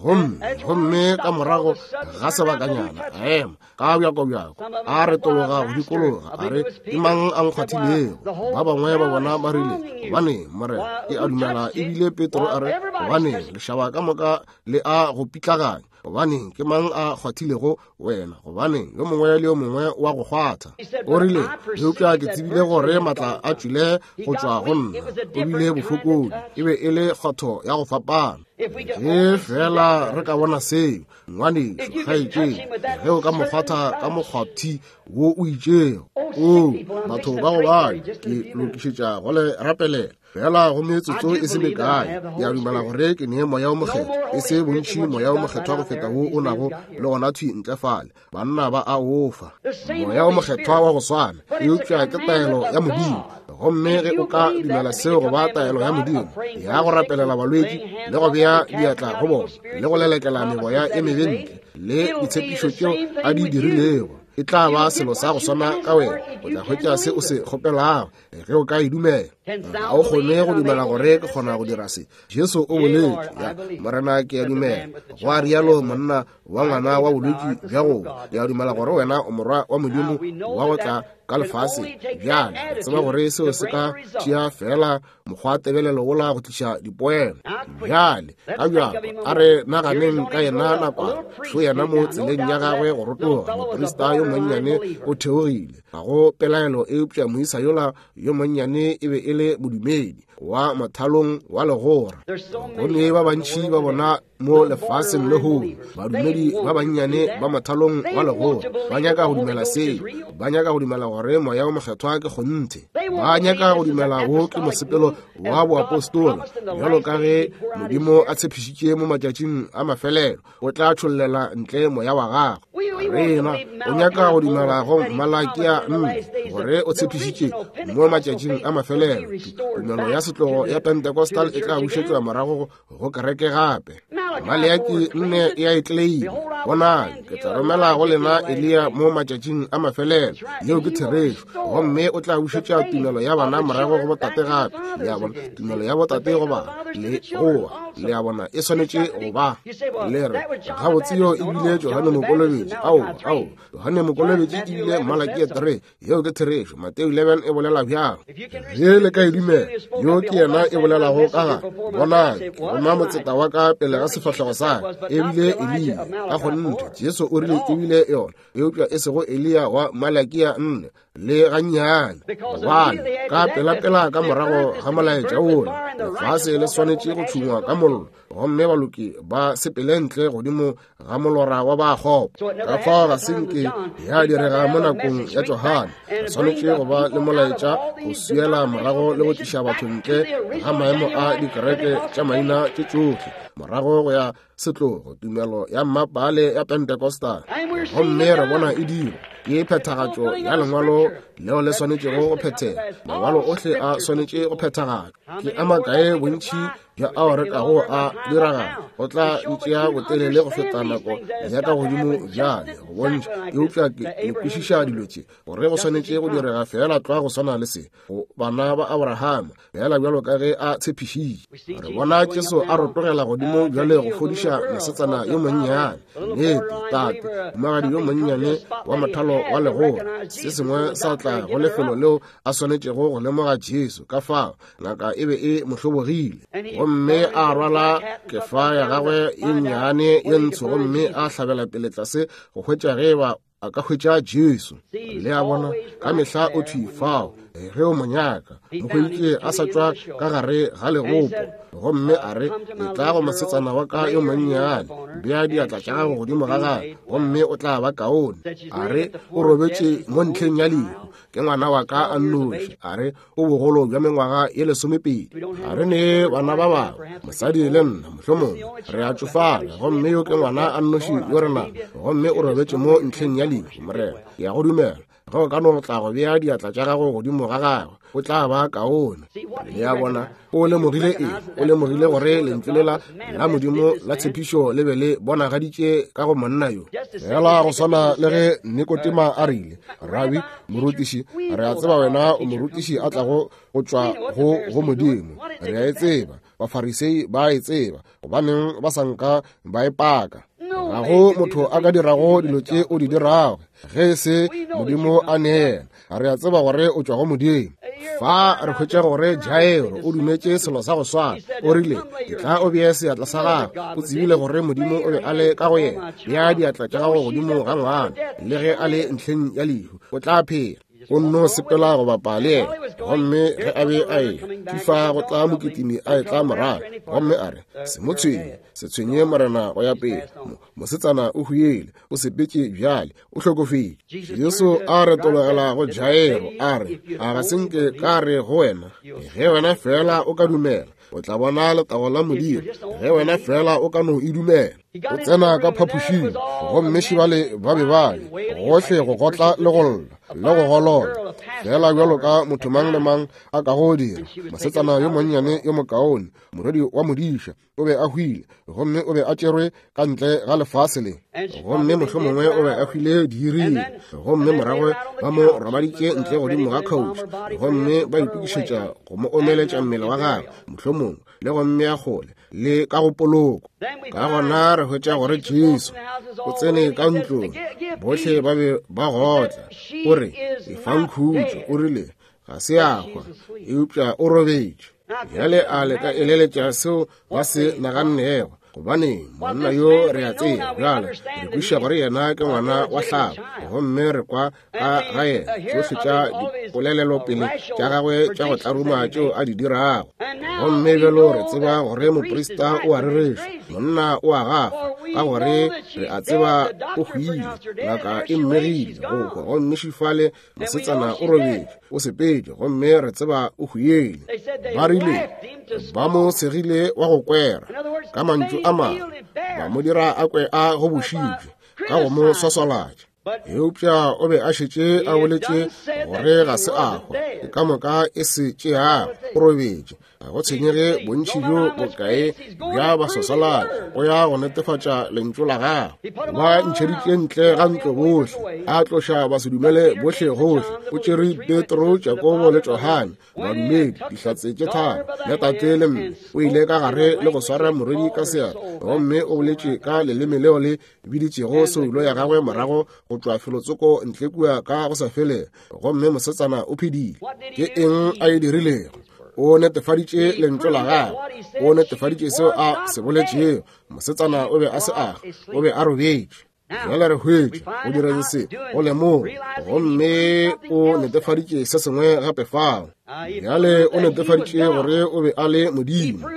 Gomme gomme ka morago ga sebakanyana a ema ka bjakobjako, a retologa go dikologa, a re, ke mang a nkgwathilego? Ba bangwe ba bona ba rile, gobane Morena, ke a dumela ebile Petro a re, gobane lešaba ka moka le a go pitlaganya, gobane ke mang a kgwathilego wena? Gobane yo mongwe le yo mongwe wa go kgwatha. O rile, eupša ke tsebile gore matla a tšwile go tšwa go nna. O bile bofokodi, e be e le kgwatho ya go fapana. Ge fela re ka bona seo, ngwanešu kgaetšedi, ge o ka mo kgwatha ka mokgwathi wo o itšego, o batho ba go bana, ke lokišetša go le rapelela fela go metsotso e se mekae. Ke a dumela gore ke ne Moya o Mokgethwa, e se bontši Moya o Mokgethwa go feta wo o nago le gona thwi ntle fale. Banna ba a ofa Moya o Mokgethwa wa go swana, eupša ke taelo ya Modimo. Gomme ge o ka dumela seo go ba taelo ya Modimo ya go rapelela balwetši le go bea diatla go bona le go lelekela meboya e mebe ntle le ditshepišo tšeo a di dirilego, e tla ba selo sa go swana ka wena. O tla hwetša se o se kgopelago ge o ka e dumela. Ga o kgone go dumela gore ke kgona go dira se. Jesu o boletše, Morena, ke a dumela. Go a rialo monna wa ngwana wa bolwetši bja go. Ke a dumela gore wena o morwa wa Modimo wa go tla ka lefase. Bjale tseba gore seo se ka tšea fela mokgwa tebelelo wola go tliša dipoelo. Bjale ka bjako a re naganeng ka yena nakwana. Šo yena mo tseleng ya gagwe go rotoga, moprista yo monnyane o theogile. Ga go pelaelo eupša moisa yola yo monnyane e be e le modumedi wa mothalong wa legora. Go ne ba bantši ba bona mo lefaseng lehono, badumedi ba bannyane ba mothalong wa legora, ba nyaka go dumela seo, ba nyaka go dumela gore moya o mokgethwa ke kgonthe, ba nyaka go dumela wo ke mosepelo wa boapostola, bjalo ka ge Modimo a tshepišitše mo matšatšing a mafelelo o tla tšhollela ntle moya wa gagwe. Rena o nyaka go dumela go Malakia nne gore o tshepišitše mo matšatšing a mafelelo tumelo ya setlogo ya Pentecostal e tla bušetšwa morago go kereke gape. Maleaki nne e a e tleleima. Bonang, ke tla romela go lena Eliya mo matšatšing a mafelelo. Yeo ke therešo. Gomme o tla bušetša tumelo ya bana morago go botate gape. Le a bona, tumelo ya botate go bana le goa. Le a bona, e swanetše go ba. Le re, gabotse yo e bile Johane Mokolobetši. Ao, ao, Johane Mokolobetši e bile Malakia three. Yeo ke therešo. Mateo eleven e bolela bjalo. Ge le ka e dumela, yo ke yena e bolelago ka ga. Bonang, ke roma motseta wa ka pele ga sefahlego sa ka. E bile Eliya. Ka kgonthe, Jesu o rile e bile yona, eupša e sego Eliya wa Malakia nne le gannyane. Gobane ka pelapela ka morago ga molaetša wola, lefase le swanetše go tšhungwa ka mollo, gomme baloki ba sepele ntle godimo ga molora wa ba kgopo. Ka fao ga se nke ya direga mo nakong ya Johane. Re swanetše go ba le molaetša go swiela morago le go tliša batho ntle ga maemo a dikereke tša maina tše tšohle, morago go ya setlogo tumelo ya mmapale ya Pentecostal. Gomme re bona e dirwa ke phethagatšo ya lengwalo leo le swanetšego go phethega. Mangwalo ohle a swanetše go phethagatšwa. Ke a makae bontši bja ao re kago a diragala go tla ntšea botelele go feta nako ya ka godimo bjale go bontšha, eupša ke le kwešiša dilo tše gore go swanetše go direga fela tlwa go swana le se go bana ba Abrahama, fela bjalo ka ge a tshepišitše. Re bona Jesu a rotogela godimo bjale go fodiša mosetsana yo monnyane. Nnete, tate, mohumagadi yo monnyane wa mothalo wa legora, se sengwe sa tla go lefelo leo a swanetšego go lemoga Jesu. Ka fao ngaka e be e mo hlobogile, gomme a rwala kefa ya gagwe ye nnyane ye ntsho, gomme a hlabela pele tlase go hwetša ge ba a ka hwetša Jesu. Le a bona, ka mehla o thwi fao ge o mo nyaka. Mo hweditše a sa tšwa ka gare ga legopo, gomme a re, etla go mosetsana wa ka yo monnyane, bea diatla tša gago godimo ga gagwe, gomme o tla ba kaone. A re, o robetše mo ntlheng ya lehu, ke ngwana wa ka a nnoši. A re, o bogolo bja mengwaga ye lesomepedi. A re ne bana ba bangwe, mosadi le nna, mohlomongwe re a tšofala, gomme yo ke ngwana a nnoši yo re nago, gomme o robetše mo ntlheng ya lehu. Morena, ke ya go dumela ge o ka no tla go bea diatla tša gago godimo ga gagwe, o tla ba kaone. Le a bona, o lemogile eng? O lemogile gore lentšu lela la Modimo la tshepišo le be le bonagaditše ka go monna yo. Fela go swana le ge Nikotema a rile, Rabi, morutiši, re a tseba wena o morutiši a tlago go tšwa go go Modimo. Re a e tseba, Bafarisei ba e tseba, gobaneng ba sa nka ba e paka? Ga go motho a ka dirago dilo tše o di dirago ge se Modimo a neela. Re a tseba gore o tšwa go Modimo. Fa re hwetša gore Jairo o dumetše selo sa go swana. O rile, etla o bee seatla sa gago. O tsebile gore Modimo o be a le ka go yena. Bea diatla tša gago godimo ga ngwana, le ge a le ntlheng ya lehu, o tla phela. O nno sepela go bapa le yena, gomme ge a be a eya fifa go tla mokitimi a etla morago, gomme a re, se mo tshwenye, se tshwenye Morena go ya pele. Mosetsana o hwile, o sepetše bjale, o hlokofetše. Jesu a retologela go Jairo a re, a ga se nke ka re go wena, ge wena fela o ka dumela, o tla bona letago la Modimo. Ge wena fela o ka no e dumela. O tsena ka phapošing, gomme šibale ba be ba le gohle go gotla le go lla le go golola. Fela bjalo ka motho mang le mang a ka go dira, mosetsana yo monnyane yo mokaone, morwedi wa modiša, o be a hwile, gomme o be a tšerwe ka ntle ga lefase le. Gomme mohlomongwe o be a hwile diiring, gomme morago ba mo robaditše ntle godimo ga couch, gomme ba itokišetša go mo omeletša mmele wa gagwe, mohlomongwe le go mmea kgole le ka go poloko. Ka gona re hwetša gore Jesu o tsene ka ntlong, bohle ba be ba gotla. O re, efang khutšo. O rile, ga se a hwa, eupša o robetše. Bjale a le ka eleletša seo ba se nagannego, gobane monna yo re a tseba bjale, re kwešiša gore yena ke ngwana wa hlabo, gomme re kwa ka ga yena tšohle tša dipolelelopele tša gagwe tša go tlaruma tšeo a di dirago. Gomme bjalo re tseba gore moprista o a rereša, monna o a gafa, ka gore re a tseba o hwile, ngaka e mmegile go hwa, gomme šifale mosetsana o robetše, o sepetše, gomme re tseba o hwile. Ba rile ba mo segile wa go kwera, ka mantšu a mangwe ba mo dira a kwe a gobošitšwe ka go mo swaswalatša. Eupša o be a šetše a boletše gore ga se a hwa, ke ka moka e se tšeago, o robetše. Ga go tshwenyege bontši bjo bokae bja baswaswalatši, o ya go netefatša lentšu la gagwe. Ba ntšheditše ntle ga ntlo bohle, a tloša basedumele bohle gohle. O tšere Petro, Jakobo le Johane, badumedi, dihlatse tše tharo, le tate le mme. O ile ka gare le go swara morwedi ka seatla, gomme o boletše ka leleme leo le biditšego soulo ya gagwe morago go tšwa felotsoko ntle kua ka go sa felego, gomme mosetsana o phedile. Ke eng a e dirilego? O netefaditše lentšu la gagwe, o netefaditše seo a se boletšego. Mosetsana o be a se a, o be a robetše. Bjale re hwetše o direng se, o lemoga, gomme o netefaditše se sengwe gape fao. Bjale o netefaditše gore o be a le Modimo,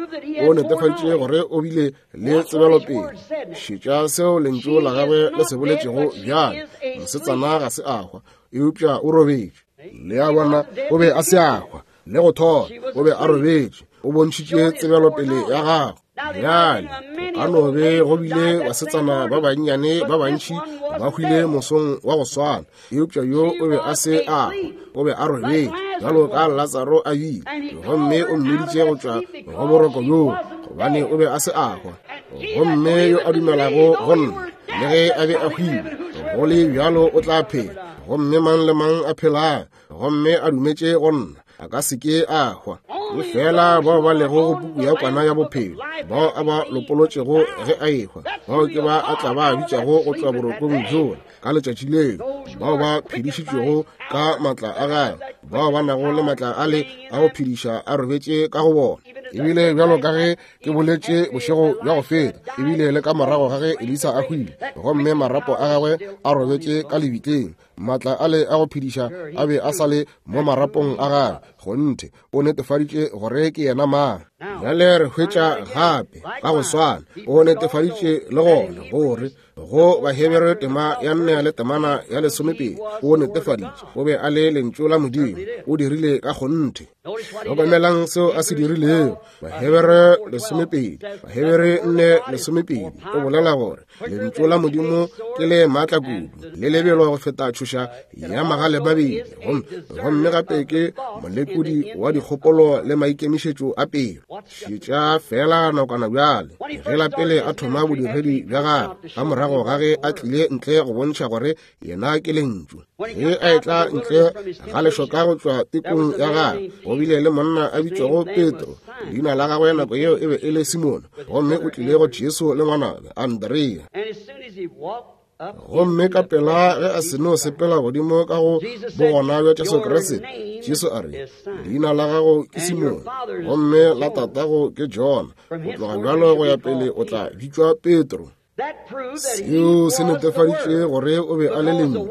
o netefaditše gore o bile le tsebelopele. Šetša seo lentšu la gagwe le se boletšego bjale, mosetsana ga se a hwa, eupša o robetše. Le a bona, o be a se a hwa le go thoma, o be a robetše. O bontšhitše tsebelopele ya gagwe. Bjale go ka no be go bile basetsana ba bannyane ba bantši ba hwile mosong wa go swana, eupša yo o be a se a hwa, o be a robetše bjalo ka Latsaro a bile, gomme o mmiditše go tšwa go boroko bjoo, gobane o be a se a hwa. Gomme yo a dumelago go nna, le ge a be a hwile, go le bjalo o tla phela. Gomme mang le mang a phelago gomme a dumetše go nna, a ka se ke a hwa. Ke fela bao ba lego go puku ya kwana ya bophelo, bao a ba lopolotšego ge a ehwa, bao ke ba a tla ba bitšago go tšwa borokong bjola ka letšatši leo, bao ba phedišitšwego ka maatla a gagwe, bao ba nago le maatla a le a go phediša a robetše ka go bona. Ebile bjalo ka ge ke boletše bošego bja go feta, ebile le ka morago ga ge Elisa a hwile, gomme marapo a gagwe a robetše ka lebitleng, maatla a le a go phediša a be a sa le mo marapong a gagwe. Kgonthe o netefaditše gore ke yena mang. Bjale re hwetša gape ka go swana, o netefaditše le gona gore go Bahebere tema ya nne le temana ya lesomepedi, o netefaditše o be a le lentšu la Modimo. O dirile ka kgonthe. Hlokomelang seo a se dirilego. Bahebere lesomepedi, Bahebere nne lesomepedi, o bolela gore lentšu la Modimo ke le maatla kudu, le lebelo go feta tšhoša ya magale mabedi, gomme gape ke molekodi wa dikgopolo le maikemišetšo a pelo. Šetša fela nakwana bjale, ge la pele a thoma bodiredi bja gagwe, ka morago ga ge a tlile ntle go bontšha gore yena ke lentšu. Ge a etla ntle ga lešoka go tšwa tekong ya gagwe, go bile le monna a bitšwago Petro, leina la gagwe nako yeo e be e le Simone, gomme o tlile go Jesu le ngwanabo Andrea. Gomme ka pela ge a seno sepela godimo ka go bogona bja Jesu Kriste, Jesu a re, leina la gago ke Simone, gomme la tatago ke Jona. Go tloga bjalo go ya pele o tla bitšwa Petro. Seo se netefaditše gore o be a le lentšu,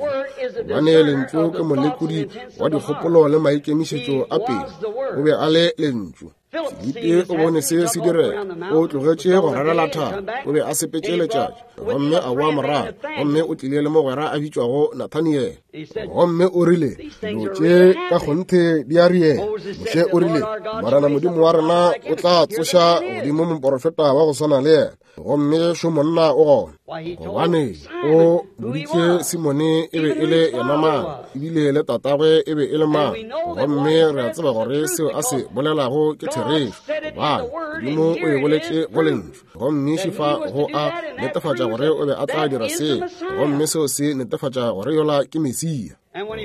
gobane lentšu ke molekodi wa dikgopolo le maikemišetšo a pelo. O be a le lentšu. Filipi o bone se se direga, o tlogetše go rarela thaba, o be a sepetše letšatši, gomme a boa morago, gomme o tlile le mogwera a bitšwago Nathaniele. Gomme o rile, dilo tše ka kgonthe di a riela. Moshe o rile, Morena Modimo wa rena o tla tsoša godimo moporofeta wa go swana le yena, gomme šo monna o gona. Gobane o boditše Simone e be e le yena mang, ebile le tatagwe e be e le mang. Gomme re a tseba gore seo a se bolelago ke therešo, gobane Modimo o e boletše go lentšu. Gomme šifa go a netefatša gore o be a tla dira seo, gomme seo se netefatša gore yola ke Mesia.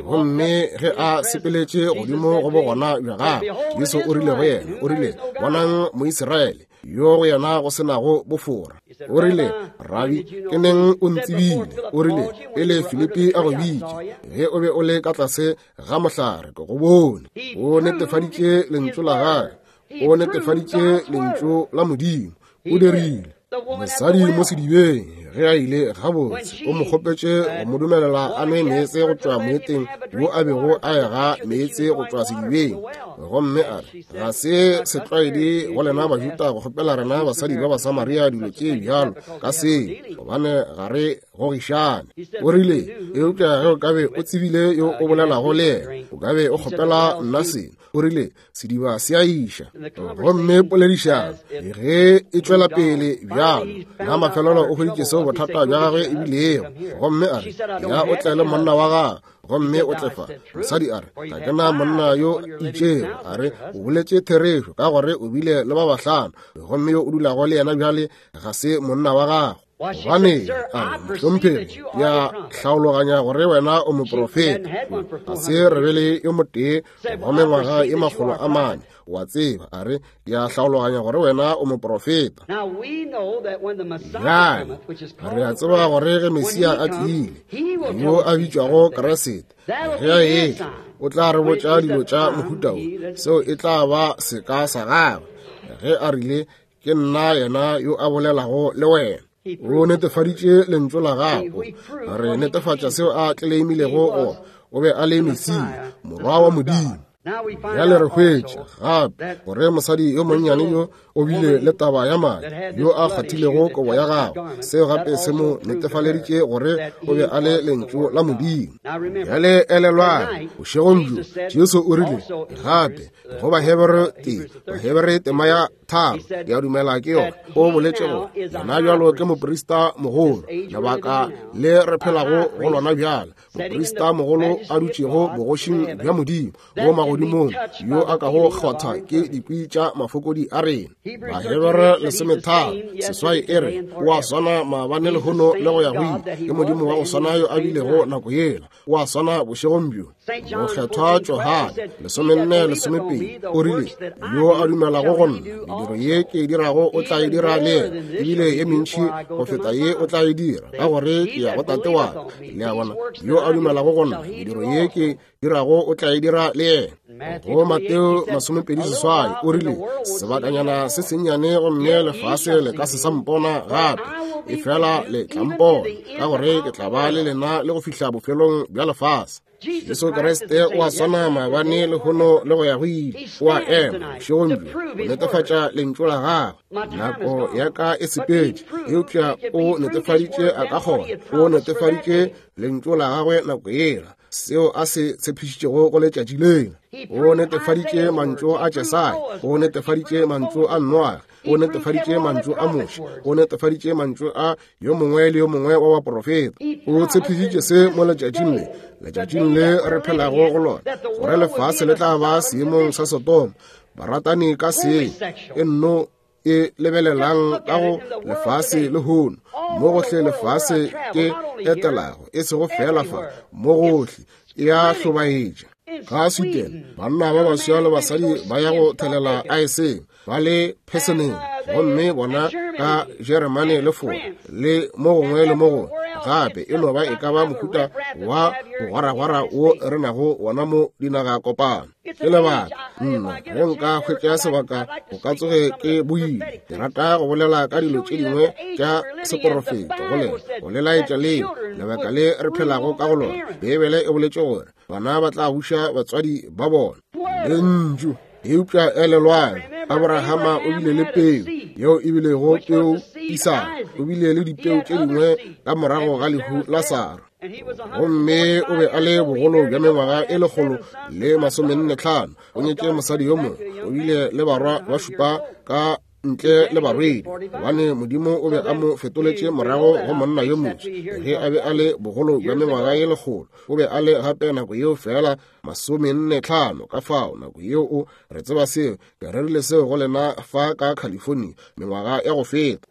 Gomme ge a sepeletše godimo go bogona bja gagwe, Jesu o rile go yena, o rile, bonang Moisraele yo go yena go senago bofora. O rile, Rabi, ke neng o ntsebile? O rile, pele Filipi a go bitše, ge o be o le ka tlase ga mohlare, ke go bone. O netefaditše lentšu la gagwe, o netefaditše lentšu la Modimo, o dirile. Mosadi mo sedibeng ge a ile gabotse, o mo kgopetše go mo dumelela a nwe meetse go tšwa moeteng wo a bego a ega meetse go tšwa sedibeng. Gomme a re, ga se setlwaedi go lena Bajuda go kgopela rena basadi ba Basamaria dilo tše bjalo ka seo, gobane ga re gogišane. O rile, eupša ge o ka be o tsebile yo o bolelago le yena, o ka be o kgopela nna seno. O rile, sediba se a iša. Gomme poledišano ge e tšwela pele bjalo, la mafelelo o hweditše seo bothata bja gagwe e bilego. Gomme a re, ya o tle le monna wa gagwe, gomme o tle fa. Mosadi a re, ga ke na monna yo itšego. A re, o boletše therešo, ka gore o bile le ba bahlano, gomme yo o dulago le yena bjale ga se monna wa gago. Gobane a re, mohlomphegi, ke a hlaologanya gore wena o moprofeta. Ga se re be le yo motee wa mengwaga e makgolo a mane, wa tseba. A re, ke a hlaologanya gore wena o moprofeta. Bjale re a tseba gore ge Mesia a tlile, yo a bitšwago Kriste, ge a etla, o tla re botša dilo tša mohuta wo. Seo e tla ba seka sa gagwe. Ge a rile, ke nna yena yo a bolelago le wena. O netefaditše lentšu la gago. Re netefatša seo a tleleimilego gore o be a le Mesia, morwa wa Modimo. Bjale re hwetša gape gore mosadi yo monnyane yo o bile le taba ya madi, yo a kgwathilego kobo ya gagwe. Seo gape se mo netefaleditše gore o be a le lentšu la Modimo. Bjale elelwang, bošegong bjo Jesu o rile gape go Bahebere tee, Bahebere tema ya tharo, ke a dumela ke yona, o boletše gore yena bjalo ke moprista mogolo, lebaka le re phelago go lona bjale, moprista mogolo a dutšego bogošing bja Modimo mo magodimong, yo a kago kgwatha ke dikwi tša mafokodi a rena. Bahebere lesometharo seswai e re, o a swana maabane lehono le go ya go ile, ke Modimo wa go swana yo a bilego nako yela, o a swana bošegong bjo. Mokgethwa Johane lesomenne lesomepedi o rile, yo a dumelago go nna, mediro ye ke e dirago o tla e dira le yena, ebile ye mentši go feta ye o tla e dira, ka gore ke ya go Tate wa ka. Le a bona, yo a dumelago go nna, mediro ye ke dirago o tla e dira le yena. Go Mateo masomepedi seswai o rile, sebakanyana se sennyane gomme lefase le ka se sa mpona gape, efela le tla mpona, ka gore ke tla ba le lena le go fihla bofelong bja lefase. Jesu Kriste o a swana maabane lehono le go ya go ile. O a ema bošegong bjo go netefatša lentšu la gagwe. Nako ya ka e sepetše, eupša o netefaditše a ka kgona. O netefaditše lentšu la gagwe nako yela, seo a se tshepišitšego go letšatši lela. O netefaditše mantšu a Jesaya, o netefaditše mantšu a Noage, o netefaditše mantšu a Moshe, o netefaditše mantšu a yo mongwe le yo mongwe wa baprofeta. O tshepišitše se mo letšatšing le, letšatšing le re phelago go lona, gore lefase le tla ba seemong sa Sodoma. Baratani ka seng e nno e lebelelang ka go lefase lehono, mo gohle lefase ke etelago, e sego fela fa, mo gohle e a hlobaetša. Ka Sweden, banna ba baswa le basadi ba ya go thelela aeseng, ba le pheseneng, gomme bona ka Jeremane le Fora le mo gongwe le mo gongwe gape e no ba e ka ba mohuta wa bogwaragwara wo re nago wona mo dinaga kopano. Ke lebaka nna ge nka hwetša sebaka go ka tsoge ke boile. Ke rata go bolela ka dilo tše dingwe tša seporofeto go lena, go le laetša leo lebaka le re phelago ka go lona. Beibele e boletše gore bana ba tla buša batswadi ba bona. Lentšu. Eupša elelwang, Abrahama o bile le peu yeo e bilego peu Isaka, o bile le dipeu tše dingwe ka morago ga lehu la Sara. Gomme o be a le bogolo bja mengwaga e lekgolo le masomenne tlhano. O nyetše mosadi yo mongwe, o bile le barwa ba šupa ka ntle le barwedi, gobane Modimo o be a mo fetoletše morago go monna yo motho. Ge a be a le bogolo bja mengwaga ye lekgolo, o be a le gape nako yeo fela masomenne tlhano. Ka fao nako yeo o re tseba seo, ke rerile seo go lena fa ka California mengwaga ya go feta.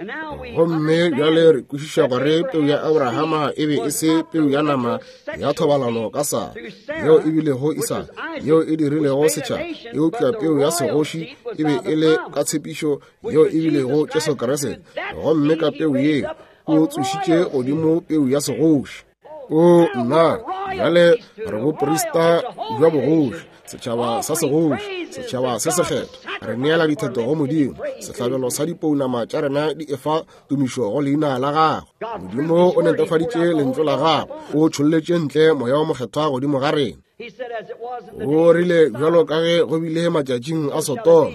Gomme bjale re kwešiša gore peu ya Abrahama e be e se peu ya nama ya thobalano ka Sara, yeo e bilego Isaka, yeo e dirilego setšhaba, eupša peu ya segoši e be e le ka tshepišo yeo e bilego Jesu Kriste. Gomme ka peu yeo o tsošitše godimo peu ya segoši. O nna, bjale re boprista bja bogoši, setšhaba sa segoši, setšhaba se sekgethwa. Re neela ditheto go Modimo, sehlabelo sa dipounama tša rena di efa tumišo go leina la gagwe. Modimo o netefaditše lentšu la gagwe, o tšholletše ntle moya o mokgethwa godimo ga rena. O rile bjalo ka ge go bile matšatšing a Sodoma,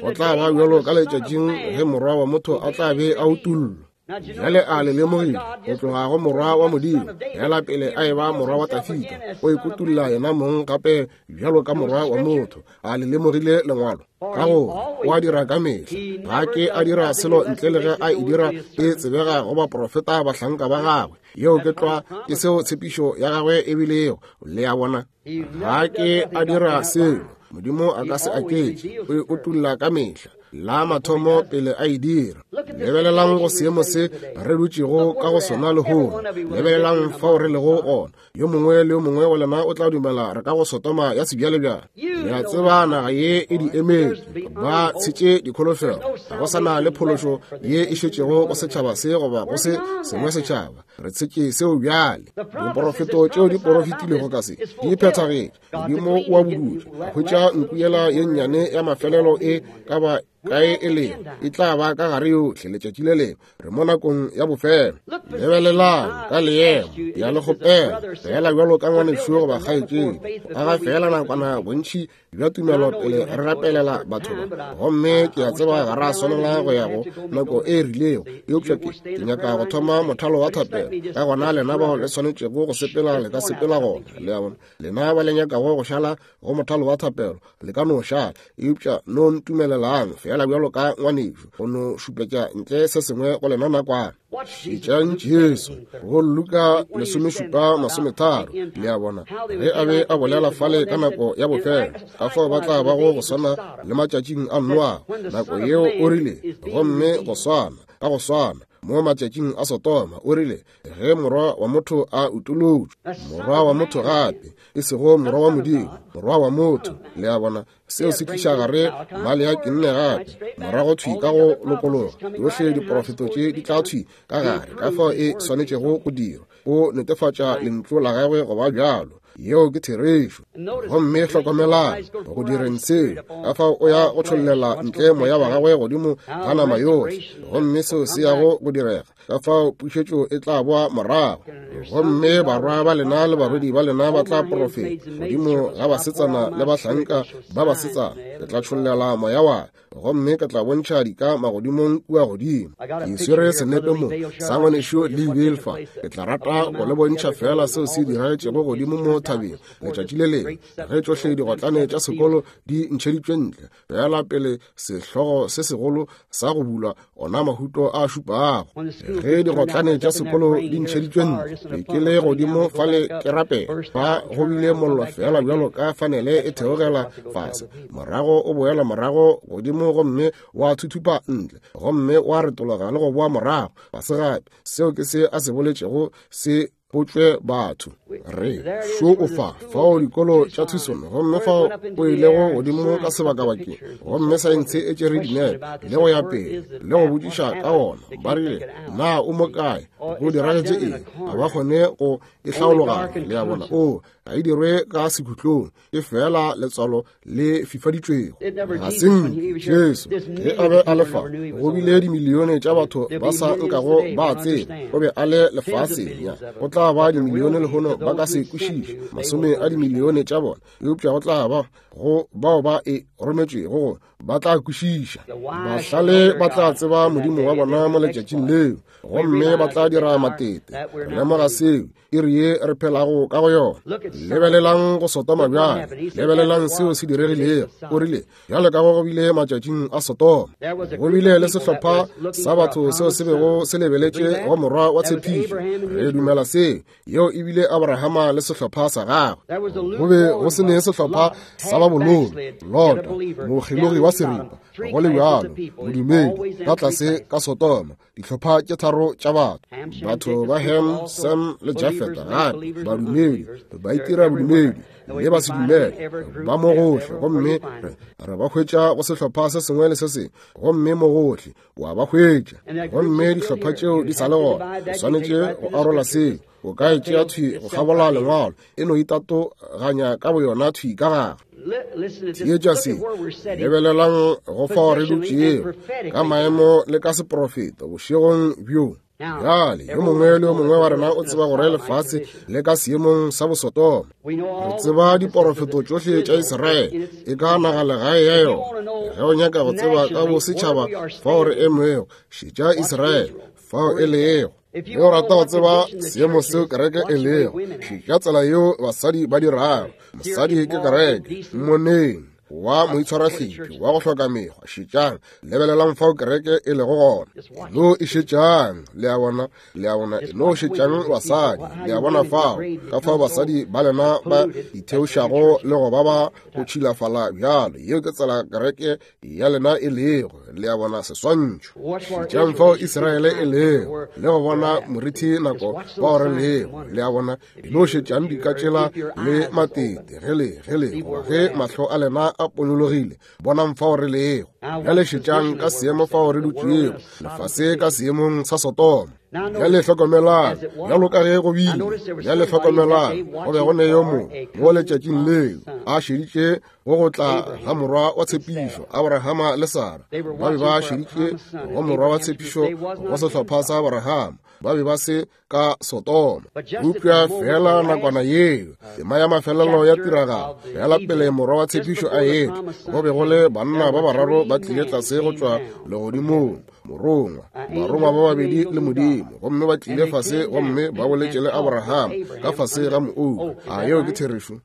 go tla ba bjalo ka letšatšing ge morwa wa motho a tla be a utollwa. Bjale a le lemogile go tloga go morwa wa Modimo, fela pele a eba morwa wa Dafida, o ikutulla yena mong gape bjalo ka morwa wa motho. A le lemogile lengwalo? Ka gore o a dira ka mehla, ga ke a dira selo ntle le ge a e dira e tsebega go baprofeta bahlanka ba gagwe. Yeo ke tlwa ke seo tshepišo ya gagwe e bilego. Le a bona, ga ke a dira selo, Modimo a ka se aketše, o e utulla ka mehla la mathomo pele a e dira. Lebelelang go seemo se re dutšego ka go sona lehono. Lebelelang fao re lego gona. Yo mongwe le yo mongwe wa lena o tla dumela re ka go Sodoma ya sebjalebjale. Le a tseba naga ye e di emetše, ba tshetše dikholofelo. Ga go sa na le phološo ye e šetšego go setšhaba se goba go se sengwe setšhaba. Re tshetše seo bjale. Diporofeto tšeo di porofetilego ka se di phethagetše. Modimo o a budutše, a hwetša nku yela ye nnyane ya mafelelo e ka ba kae e lego, e tla ba ka gare yohle letšatši le lengwe. Re mo nakong ya bofelo. Lebelelang ka leemo ya le kgopela fela bjalo ka ngwanešo goba kgaetšedi, aga fela nakwana bontši bja tumelo pele re rapelela batho ba. Gomme ke a tseba ga ra swanela go ya go nako e rilego, eupša ke ke nyaka go thoma mothalo wa thapelo. Ka gona lena bao le swanetšego go sepela le ka sepela gona. Le a bona, lena ba le nyakago go šala go mothalo wa thapelo le ka no šala, eupša no ntumelelang fela bjalo ka ngwanešo go no šupetša ntle se sengwe go lena nakwana. Šetšang Jesu go Luka lesomešupa masometharo. Le a bona, ge a be a bolela fale ka nako ya bofelo, ka fao ba tla bago go swana le matšatšing a Noa. Nako yeo o rile, gomme go swana ka go swana mo matšatšing a Sodoma, o rile ge morwa wa motho a utolotšwe. Morwa wa motho gape, e sego morwa wa Modimo, morwa wa motho. Le a bona, seo se tliša gare Maleaki nne gape morago thwi ka go lokologa. Yohle diporofeto tše di tla thwi ka gare ka fao e swanetšego go dirwa. O netefatša lentšu la gagwe go ba bjalo. Yeo ke therešo. Gomme hlokomelang go direng seo, ka fao o ya go tšhollela ntle moya wa gagwe godimo ga nama yohle, gomme seo se yago go direga. Ka fao pušetšo e tla boa morago. Gomme barwa ba lena le barwedi ba lena ba tla porofeta godimo ga basetsana le bahlanka ba basetsana. Ke tla tšhollela moya wa, gomme ke tla bontšha dika magodimong kua godimo. Ke swere senepe mo sa ngwanešo le Bilfa. Ke tla rata go le bontšha fela seo se diragetšego godimo mo thabeng letšatši le lengwe, ge tšohle digotlane tša sekolo di ntšheditšwe ntle, fela pele sehlogo se segolo sa go bulwa ona mahuto a šupago. Ge digotlane tša sekolo di ntšheditšwe ntle, ke le godimo fale ke rapela, fa go bile mollo fela bjalo ka fanele e theogela fase, morago o boela morago godimo gomme wa thuthupa ntle, gomme wa retologa le go boa morago fase gape. Seo ke se a se boletšego se botšwe batho. Re šo o fa fao dikolo tša Tucson, gomme fao o ilego godimo ka sebakabakeng, gomme saense e tšere dinepe le go ya pele le go botšiša ka ona. Ba rile, na o mo kae? Go diragetše eng? Ga ba kgone go e hlaologanya. Le a bona, o ga e dirwe ka sekhutlong, e fela letswalo le fifaditšwego. Ga se nke Jesu ge a be a le fa, go bile dimilione tša batho ba sa nkago ba tseba o be a le lefaseng. Ya go tla ba dimilione lehono ba ka se kwešiše, masome a dimilione tša bona, eupša go tla ba go bao ba e rometšwego go ba tla kwešiša. Bahlale ba tla tseba Modimo wa bona mo letšatšing leo, gomme ba tla dira matete. Re lemoga seo iri ye re phelago ka go yona. Lebelelang go Sotoma bjale, lebelelang seo se diregilego. O rile, bjale ka go go bile matšatšing a Sotoma, go bile le sehlopha sa batho seo se bego se lebeletše go morwa wa tshepišo. Re dumela seo, yeo e bile Abrahama le sehlopha sa gagwe. Go be go se ne sehlopha sa ba bololo, Lota, mokgelogi wa seripa, go le bjalo, modumedi, ka tlase ka Sotoma, dihlopha tše tharo tša batho, batho ba Ham, Sem le Jafeta, gape badumedi, ba itira bodumedi le ba se dumele, ba mo gohle, gomme re ba hwetša go sehlopha se sengwe le se sengwe, gomme mo gohle wa ba hwetša, gomme dihlopha tšeo di sa le gona. O swanetše go arola seo. O ka e tšea thwi go kgabola lengwalo, e no itatoganya ka boyona thwi ka gare. Theetša se, lebelelang go fao re dutšego ka maemo le ka seprofeto bošegong bjo. Bjale yo mongwe le yo mongwe wa rena o tseba gore lefase le ka seemong sa bosotoma. Re tseba diporofeto tšohle tša Israele e ka naga legae ya yona. Ge o nyaka go tseba ka bosetšhaba fao re emego, šetša Israele fao e lego. Ge o rata go tseba seemo seo kereke e lego, šetša tsela yeo basadi ba dirago. Mosadi ke kereke, mmoneng wa moitshwarahlephi wa go hloka mekgwa. Šetšang, lebelelang fao kereke e lego gona. E no e šetšang, le a bona, le a bona, e no šetšang basadi, le a bona fao, ka fao basadi ba lena ba itheošago le go ba ba go tšhilafala bjalo. Yeo ke tsela kereke ya lena e lego, le a bona, seswantšho. Šetšang fao Israele e lego, le go bona morithi nako bao re lego, le a bona. E no šetšang dika tšela le matete, ge le, ge le, ge mahlo a lena a ponyologile, bonang fao re lego. Bjale šetšang ka seemo fao re dutšego, lefase ka seemong sa Sotoma. Bjale hlokomelang, bjalo ka ge go bile, bjale hlokomelang, go be go ne yo mongwe mo letšatšing leo a šeditše go go tla ga morwa wa tshepišo. Abrahama le Sara ba be ba šeditše go morwa wa tshepišo go sehlopha sa Abrahama, ba be ba se ka Sotoma. Eupša fela nakwana yeo, tema ya mafelelo ya tiragalo, fela pele morwa wa tshepišo a etla, go be go le banna ba bararo ba tlile tlase go tšwa legodimong, morongwa, barongwa ba babedi le Modimo, gomme ba tlile fase gomme ba boletše le Abraham ka fase ga moouka. A yeo ke therešo?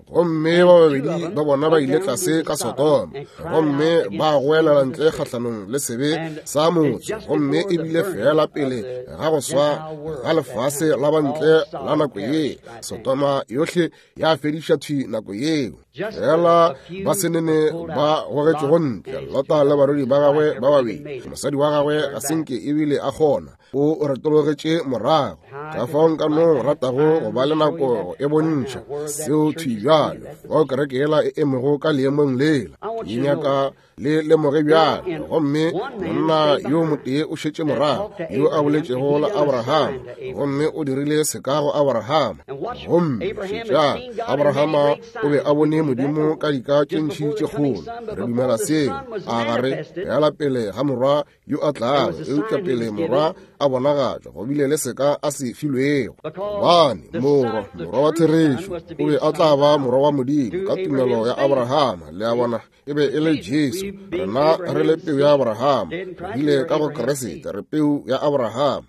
Gomme ba babedi ba bona ba ile tlase ka Sotoma, gomme ba goelela ntle kgahlanong le sebe sa motse, gomme e bile fela pele ga go swa ga lefase la bantle la nako ye. Sotoma yohle ya fediša thwi nako yeo. Fela ba senene ba gogetšego ntle, Lota le barwedi ba gagwe ba babedi. Mosadi wa gagwe ga senke ebile a kgona, o retologetše morago. Ka fao nka no ratago go ba le nako e bontšha seo thwi bjale, fao kereke yela e emego ka leemong lela. Ke nyaka le lemoge bjale. Gomme monna yo motee o šetše morago, yo a boletšego le Abrahama, gomme o dirile seka go Abrahama. Gomme šetšang, Abrahama o be a bone Modimo ka dika tše ntši tše kgolo. Re dumela seo, a gare fela pele ga morwa yo a tlago, eupša pele morwa a bonagatšwa, go bile le seka a se filwego. Gobane morwa, morwa wa therešo, o be a tla ba morwa wa Modimo ka tumelo ya Abrahama. Le a bona, e be e le Jesu. Rena re le peu ya Abrahama, re bile ka go Kriste, re peu ya Abrahama.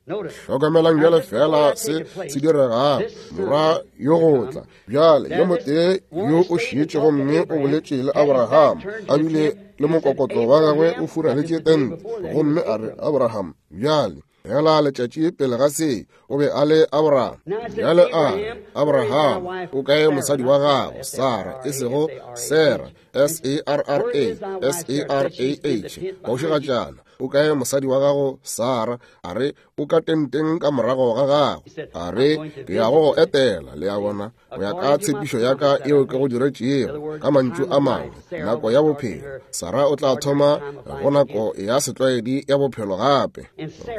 Hlokomelang bjale fela se se diregago. Morwa yo go tla bjale, yo motee yo o šetše gomme o boletše le Abrahama, a bile le mokokotlo wa gagwe o furaletše tente, gomme a re, Abraham, bjale fela letšatši pele ga se o be a le Abraham. Bjale a re, Abraham, o kae mosadi wa gago Sara, e sego Sarah, S A R R A, S A R A H, kaušigatšana, o kae mosadi wa gago Sara? A re, o ka tenteng ka morago ga gago. A re, ke ya go go etela, le a bona, go ya ka tshepišo ya ka eo ke go diretšego. Ka mantšu a mangwe, nako ya bophelo, Sara o tla thoma go nako ya setlwaedi ya bophelo gape.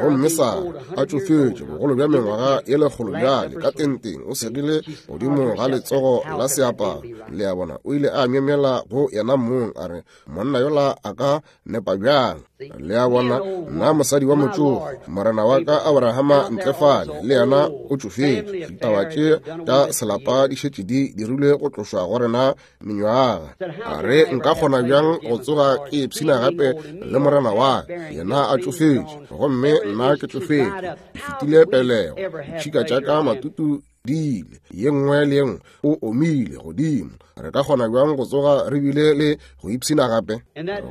Gomme Sara a tšofetše bogolo bja mengwaga ye lekgolo bjale, ka tenteng o segile godimo ga letsogo la seaparo. Le a bona, o ile a myemyela go yena mong, a re, monna yola a ka nepa bjang? Le a bona, nna mosadi wa motšofe, morena wa ka Abrahama ntle fale, le yena o tšofetše. Ditaba tše tša selapa di šetše di dirilwe go tlošwa go rena menywaga. A re nka kgona bjang go tsoga ke ipshina gape le morena wa ka, yena a tšofetše, gomme nna ke tšofetše, ke fetile pelego, ditšhika tša ka matutu di ile, ye nngwe le ye nngwe o omile godimo. Re ka kgona bjang go tsoga re bile le go ipshina gape?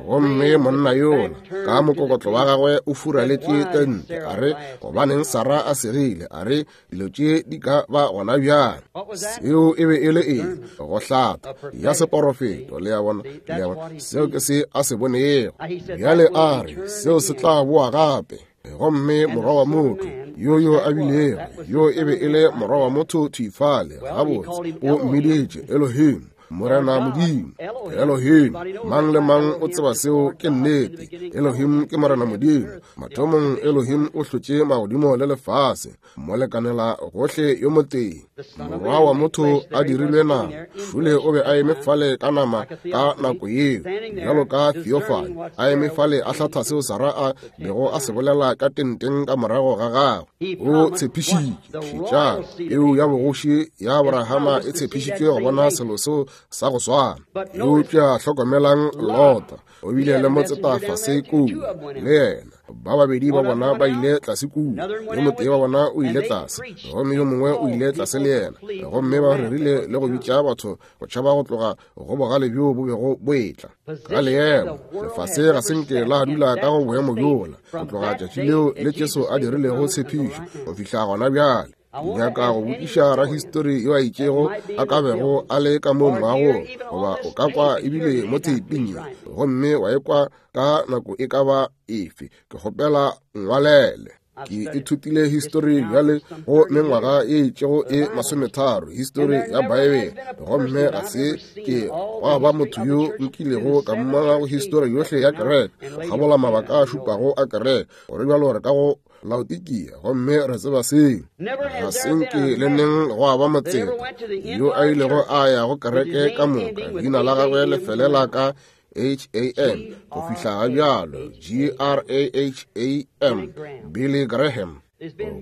Gomme monna yola ka mokokotlo wa gagwe o furaletše tente, a re, gobaneng Sara a segile? A re, dilo tše di ka ba gona bjang? Seo e be e le eng? Go hlatha ya seporofeto. Le a bona, le a bona, seo ke se a se bonego. Bjale a re, seo se tla boa gape. Gomme morwa wa motho yo yo a bilego, yo e be e le morwa wa motho thifale, gabotse o mmiditše Elohim, Morena Modimo. Elohim, mang le mang o tseba seo ke nnete. Elohim ke Morena Modimo. Mathomong Elohim o hlotše magodimo le lefase, mo lekanela gohle yo motee. Morwa wa motho a dirilwe nama, šole o be a eme fale ka nama ka nako yeo, bjalo ka theophany, a eme fale a hlatha seo Sara a bego a se bolela ka tenteng ka morago ga gagwe. O tshepišitše, šetšang, peu ya bogoši ya Abrahama e tshepišitšwe go bona selo seo sa go swana. Eupša hlokomelang Lota, o bile le motseta fase kua le yena. Ba babedi ba bona ba ile tlase kua, yo motee wa bona o ile tlase, gomme yo mongwe o ile tlase le yena, gomme ba rerile le go bitša batho go tšhaba go tloga go bogale bjo bo bego bo etla. Ka leemo, lefase ga se nke la dula ka go boemo bjola go tloga tšatši leo le Jesu a dirilego tshepišo go fihla gona bjale. Nyaka go botšiša rahistori yo a itšego a ka bego a le ka mo moagong, goba o ka kwa ebile mo theiping ye, gomme wa ekwa ka nako e ka ba efe, ke kgopela ngwalele. Ke ithutile histori bjale go mengwaga e itšego e masometharo, histori ya Baebele, gomme ga se ke gwa ba motho yo nkilego ka mmona go histori yohle ya kereke, go kgabola mabaka a šupago a kereke, gore bjalo re ka go Laodikia, gomme re tseba seo. Ga se nke le neng gwa ba motseta yo a ilego a ya go kereke ka moka, leina la gagwe le felela ka H A M go fihla ga bjalo, G R A H A M, Billy Graham.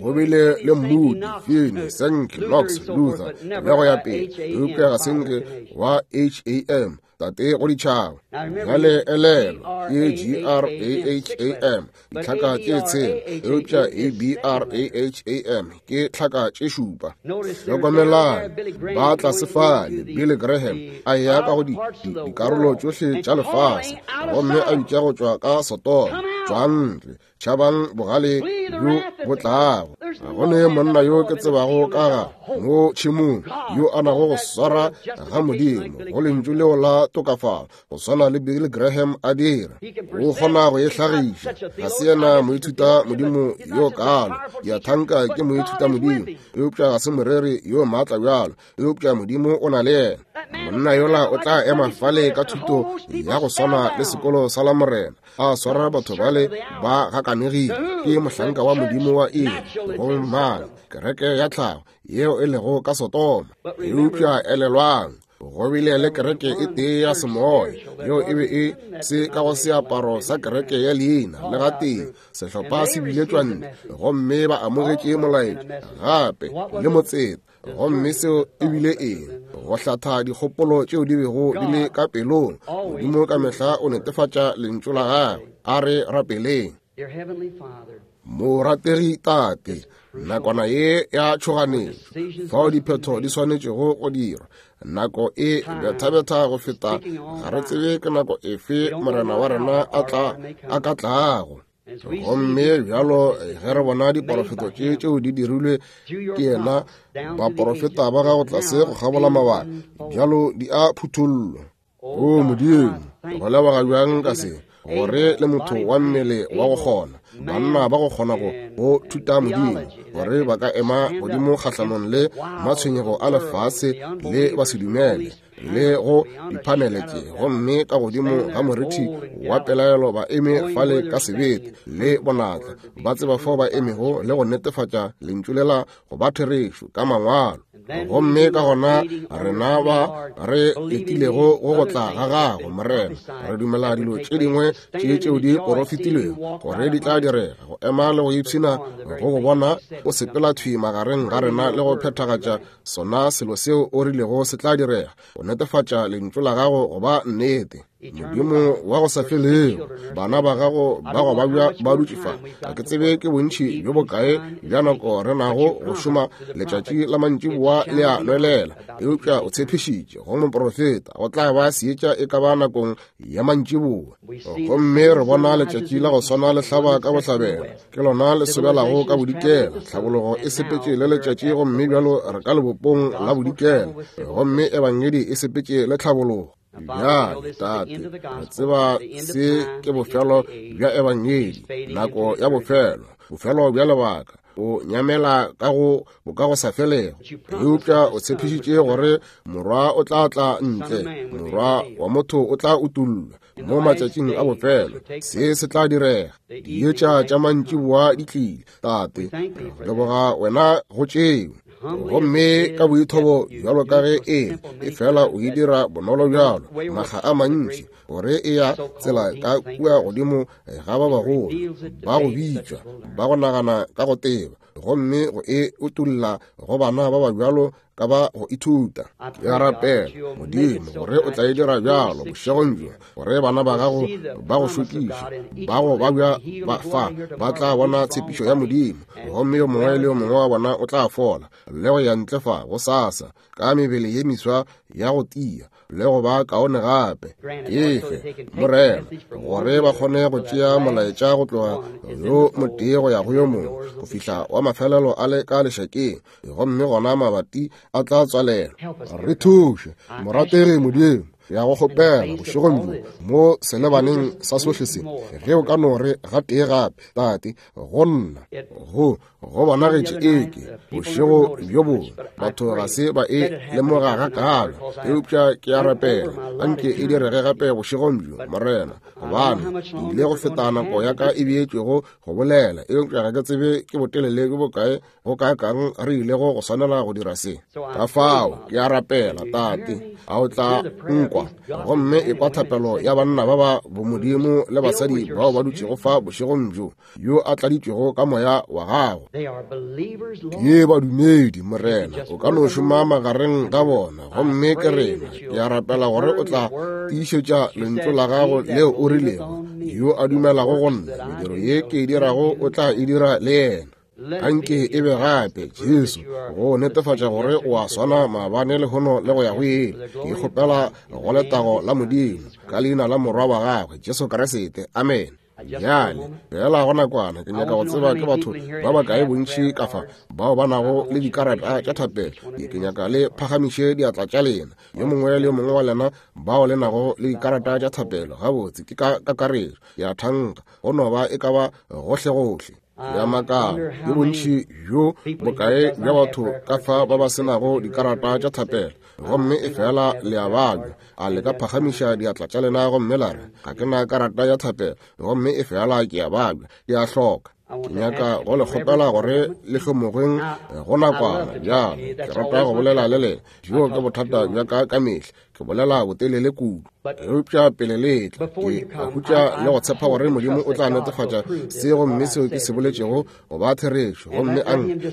Go bile le Moody, Finney, Sankey, Knox, Luther, le go ya pele, eupša ga se nke wa H A M, tate go ditšhaba. Bjale elelo ke G R A H A M, ditlhaka tše tshela, eupša A B R A H A M ke tlhaka tše šupa. Hlokomelang, ba tlase fale, Billy Graham a ya ka go dikarolo tšohle tša lefase, gomme a bitša go tšwa ka Sodoma, tšwang ntle, tšhabang bogale bjo bo tlago. Ga go ne monna yo ke tsebago ka ga mo tšhemong yo a nago go swara ga Modimo go lentšu leo la tokafalo go swana le Billy Graham a dira. O kgona go e hlagiša. Ga se yena moithuta modimo yo kalo, ya thanka ke moithuta modimo, eupša ga se moreri yo maatla bjalo, eupša Modimo o na le yena. Monna yola o tla ema fale ka thuto ya go swana le sekolo sa la Morena, a swara batho bale ba gakanegile. Ke mohlanka wa Modimo wa eng? Go mang? Kereke ya tlhago yeo e lego ka Sodoma. Eupša elelwang, go bile le kereke e tee ya semoya yeo e be e se ka go seaparo sa kereke ya leina le gatee. Sehlopha se biletšwa ntle, gomme ba amogetše molaetša gape le motseta. Gomme seo e bile eng? Go hlatha dikgopolo tšeo di bego di le ka pelong. Modimo ka mehla o netefatša lentšu la gagwe. A re rapeleng. Morategi Tate, nakwana ye ya tšhoganetšo, fao diphetho di swanetšego go dirwa, nako e bethabetha go feta, ga re tsebe ke nako efe Morena wa rena a tla a ka tlago. Gomme bjalo ge re bona diporofeto tše tšeo di dirilwe ke yena, baporofeta ba gago tlase go kgabola mabaka, bjalo di a phuthollwa. O Modimo, go leboga bjang ka se, gore le motho wa mmele wa go kgona, banna ba go kgona go go thuta Modimo, gore ba ka ema godimo kgahlanong le matshwenyego a lefase le ba se dumele, le go diphanele tše, gomme ka godimo ga morithi wa pelaelo ba eme fale ka sebete le bonatla, ba tseba fao ba emego le go netefatša lentšu lela go ba therešo ka mangwalo. Gomme ka gona rena ba re letilego go go tla ga gago, Morena, re dumela dilo tše dingwe tše tšeo di porofetilwego gore di tla direga, go ema le go ipshina go go bona o sepela thwi magareng ga rena le go phethagatša sona selo seo o rilego se tla direga, go netefatša lentšu la gago go ba nnete. Modimo wa go sa felego, bana ba gago ba go babja ba dutše fa. Ga ke tsebe ke bontši bjo bokae bja nako re nago go šoma, letšatši la mantšiboa le a nwelela, eupša o tshepišitše go moprofeta go tla ba seetša e ka ba nakong ya mantšiboa. Gomme re bona letšatši la go swana le hlaba ka bohlabela, ke lona le sobelago ka bodikela. Tlhabologo e sepetše le letšatši, gomme bjalo re ka lebopong la bodikela, gomme ebangedi e sepetše le tlhabologo. Bjale, Tate, re tseba se ke bofelo bja ebangedi, nako ya bofelo, bofelo bja lebaka, o nyamela ka go bokagosafelego. Eupša o tshepišitše gore morwa o tla tla ntle, morwa wa motho o tla utollwa mo matšatšing a bofelo. Se se tla direga. Dietša tša mantšiboa di tlile, Tate, re leboga wena go tšeo. Gomme ka boithobo bjalo ka ge e e fela o e dira bonolo bjalo makga a mantši, gore e ya tsela ka kua godimo ga ba bagolo ba go bitšwa ba go nagana ka go teba, gomme go e utolla go bana ba ba bjalo ka ba go ithuta. Ke a rapela, Modimo, gore o tla e dira bjalo bošegong bjo, gore bana ba gago ba go šokiša ba go babja ba fa ba tla bona tshepišo ya Modimo, gomme yo mongwe le yo mongwe wa bona o tla fola le go ya ntle fa gosasa ka mebele ye miswa ya go tia le go ba kaone gape. Efe, Morena, gore ba kgone go tšea molaetša go tloga yo motee go ya go yo mongwe go fihla wa mafelelo a le ka lešakeng, gomme gona mabati a tla tswalelwa. Re thuše, morategi Modimo, ya go kgopela bošegong bjo mo selebaneng sa sohle se, ge o ka no re gatee gape, Tate, go nna go go bonagetše eke bošego bjo bongwe batho ga se ba e lemoga gakaalo, eupša ke a rapela anke e direge gape bošegong bjo, Morena, gobane ke ile go feta nako ya ka e beetšwego go bolela, eupša ga ke tsebe ke botelele bjo bokae go kaakang re ilego go swanela go dira se. Ka fao ke a rapela, Tate, a o tla nkwa gomme e kwa thapelo ya banna ba ba bomodimo le basadi bao ba dutšego fa bošegong bjo, yo a tladitšwego ka moya wa gago. Ke badumedi, Morena, o ka no šoma magareng ga bona, gomme ke rena. Ke a rapela gore o tla tiišetša lentšu la gago leo o rilego, yo a dumelago go nna, mediro ye ke e dirago o tla e dira le yena. Anke e be gape, Jesu, go netefatša gore o a swana maabane lehono le go ya go ile. Ke kgopela go letago la Modimo ka leina la morwa wa gagwe Jesu Kriste, amen. Bjale fela go nakwana ke nyaka go tseba ke batho ba bakae bontši ka fa bao ba nago le dikarata tša thapelo. Ke nyaka le phagamiše diatla tša lena, yo mongwe le yo mongwe wa lena bao le nago le dikarata tša thapelo. Gabotse, ke ka kakaretšo ya thanka go no ba e ka ba gohlegohle. Ya makala ke bontši bjo bokae bja batho ka fa ba ba senago dikarata tša thapelo, gomme e fela le a babja. A le ka phagamiša diatla tša lena gomme la re, ga ke na karata ya thapelo, gomme e fela ke a babja, ke a hloka. Ke nyaka go le kgopela gore le hlomogeng go nakwana bjalo. Ke rata go bolela le lena, bjo ke bothata bja ka ka mehla, ke bolela botelele kudu. Eupša pele le tla, ke a hutša le go tshepa gore Modimo o tla netefatša se gomme seo ke se boletšego go ba therešo, gomme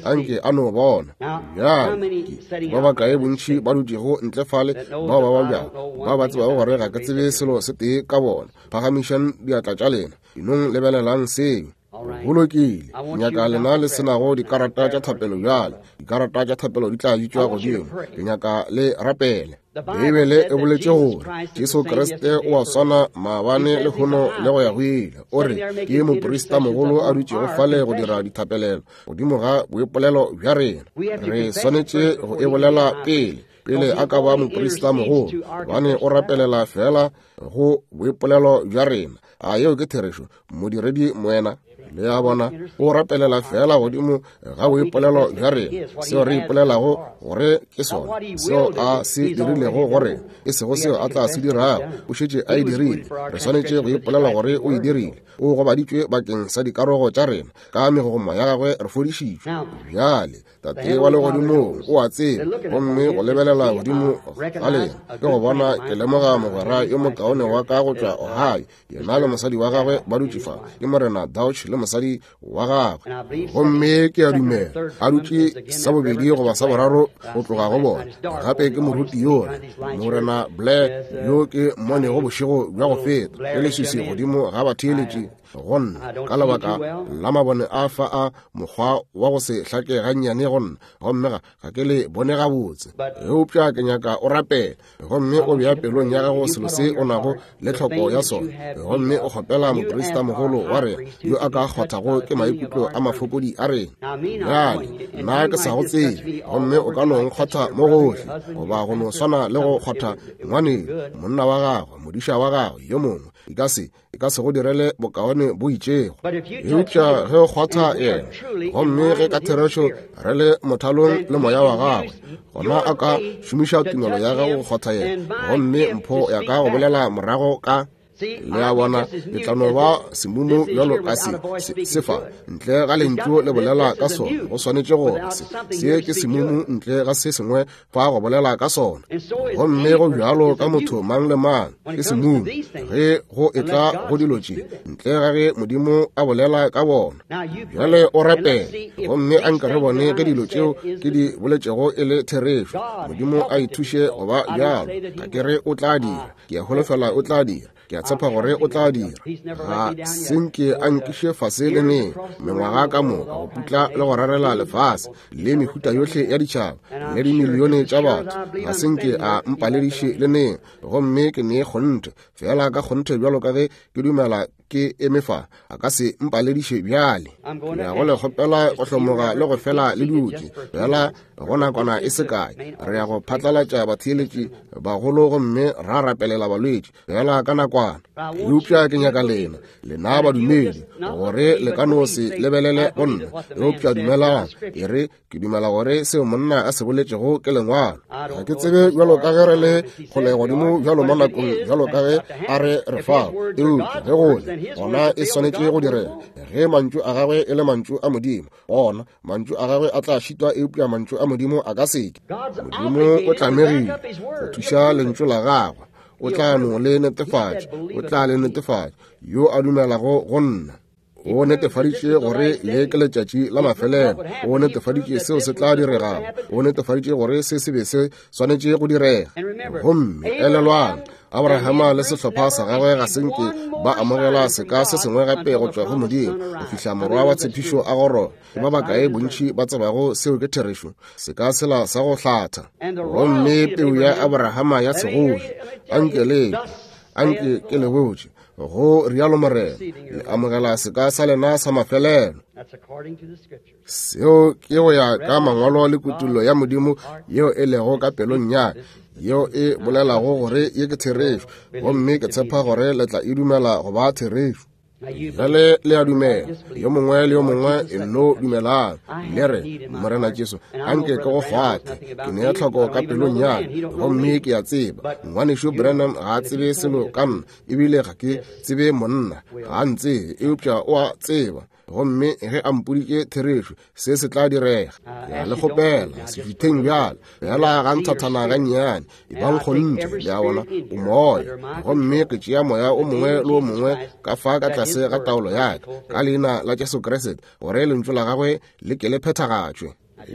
anke a no bona. Bjale ba bakae bontši ba dutšego ntle fale bao ba babjago, ba ba tsebago gore ga ke tsebe selo se tee ka bona, phagamišang diatla tša lena, inong lebelelang seo. Go lokile, nyaka lena le senago dikarata tša thapelo bjale. Dikarata tša thapelo di tla bitšwa godimo. Ke nyaka le rapele. Beibele e boletše gore Jesu Kriste o a swana maabane lehono le go ya go ile. O re ke moprista mogolo a dutšego fale go dira dithapelelo godimo ga boipolelo bja rena. Re swanetše go e bolela pele pele a ka ba moprista mogolo, gobane o rapelela fela go boipolelo bja rena. A yeo ke therešo, modiredi moena? Le a bona, o rapelela fela godimo ga boipolelo bja rena, seo re ipolelago gore ke sona, seo a se dirilego go rena, e sego seo a tla se dirago. O šetše a e dirile. Re swanetše go ipolela gore o e dirile. O gobaditšwe bakeng sa dikarogo tša rena, ka megogoma ya gagwe re fodišitšwe. Bjale Tate wa legodimong o a tseba, gomme go lebelela godimo ga lena ke go bona ke lemoga mogwera yo mokaone wa ka go tšwa Ohio, yena le mosadi wa gagwe ba dutše fa, ke Morena Dauch le mosadi wa gagwe. Gomme ke a dumela a dutše sa bobedi goba sa boraro go tloga go bona. Gape ke moruti yola Morena Blair yo ke mmonego bošego bja go feta, ke leswiswi godimo ga batheeletši go nna ka lebaka la mabone a fa a mokgwa wa go se hlake gannyane go nna, gomme ga ga ke le bone gabotse. Eupša ke nyaka o rapele, gomme o bea pelong ya gago selo se o nago le tlhoko ya sona, gomme o kgopela moprista mogolo wa rena yo a ka kgothago ke maikutlo a mafokodi a rena. Bjale nna ke sa go tsebe, gomme o ka no nkgotha mo gohle, goba go no swana le go kgotha ngwaneno, monna wa gagwe, modiša wa gagwe yo mongwe, e ka se e ka se go direle bokaone bo itšego. Eupša ge o kgwatha yena, gomme ge ka therešo re le mothalong le moya wa gagwe, gona a ka šomiša tumelo ya gago go kgwatha yena, gomme mpho ya ka go bolela morago ka. Le a bona, ke tla no ba semumu bjalo ka se, se, se fa ntle ga lentšu le bolela ka sona. Go swanetše gore se, se ke semumu ntle ga se sengwe fa go bolela ka sona. Gomme go bjalo ka motho mang le mang ke semumu ge go etla go dilo tše, ntle ga ge Modimo a bolela ka bona. Bjale o rapele, gomme a nka re bone ge dilo tšeo ke di boletšego e le therešo. Modimo a ithuše go ba bjalo. Ga ke re o tla dira, ke a holofela o tla dira, ke a tshepa gore o tla dira. Ga senke a nkiše fase le neng mengwaga ka moka go putla le go rarela lefase le mehuta yohle ya ditšhaba le dimilione tša batho, ga senke a mpalediše le neng. Gomme ke ne kgonthe fela ka kgonthe bjalo ka ge ke dumela ke eme fa, a ka se mpalediše bjale. Ke ya go le kgopela go hlomoga le go fela le dutše fela go nakwana e se kae. Re ya go phatlalatša batheeletši bagolo gomme ra rapelela balwetši fela ka nakwana. Eupša ke nyaka lena, lena badumedi, gore le ka no se lebelele go nna, eupša dumelang. E re ke dumela gore seo monna a se boletšego ke lengwalo. Ga ke tsebe bjalo ka ge re le kgole godimo bjalo mo nakong bjalo ka ge a re re fao, eupša ge go le gona e swanetše go direga. Ge mantšu a gagwe e le mantšu a Modimo, gona mantšu a gagwe a tla šitwa, eupša mantšu a Modimo a ka seke. Modimo o tlamegile go thuša lentšu la gagwe, o tla no le netefatša, o tla le netefatša. Yo a dumelago go nna, o netefaditše gore le ke letšatši la mafelelo, o netefaditše seo se tla diregago, o netefaditše gore se se be se swanetše go direga. Gomme elelwang, Abrahama le sehlopha sa gagwe ga se nke ba amogela seka se sengwe gape go tšwa go Modimo go fihla morwa wa tshepišo a goroga. Ke ba bakae bontši ba tsebago seo ke therešo? Seka sela sa go hlatha. Gomme peu ya Abrahama ya segoši, anke le anke ke le botše, go rialo Morena, le amogela seka sa lena sa mafelelo. Seo ke go ya ka mangwalo le kutullo ya Modimo yeo e lego ka pelong ya ka, yeo e bolelago gore ye ke therešo, gomme ke tshepa gore le tla e dumela go ba therešo. Bjale le a dumela, yo mongwe le yo mongwe e nno dumelang. Le re, Morena Jesu, anke ke go kgwathe, ke nea tlhoko ka pelong ya ka, gomme ke a tseba ngwanešu Branham ga a tsebe selo ka nna, ebile ga ke tsebe monna, ga a ntsebe, eupša o a tseba. Gomme ge a mpoditše therešo, se se tla direga. Ke a le kgopela, se šutheng bjale, fela ga nthathana gannyane, e bang kgonthe. Le a bona, o moya, gomme ke tšea moya o mongwe le o mongwe ka fa ka tlase ga taolo ya ka, ka leina la Jesu Kriste, gore lentšu la gagwe le ke le phethagatšwe.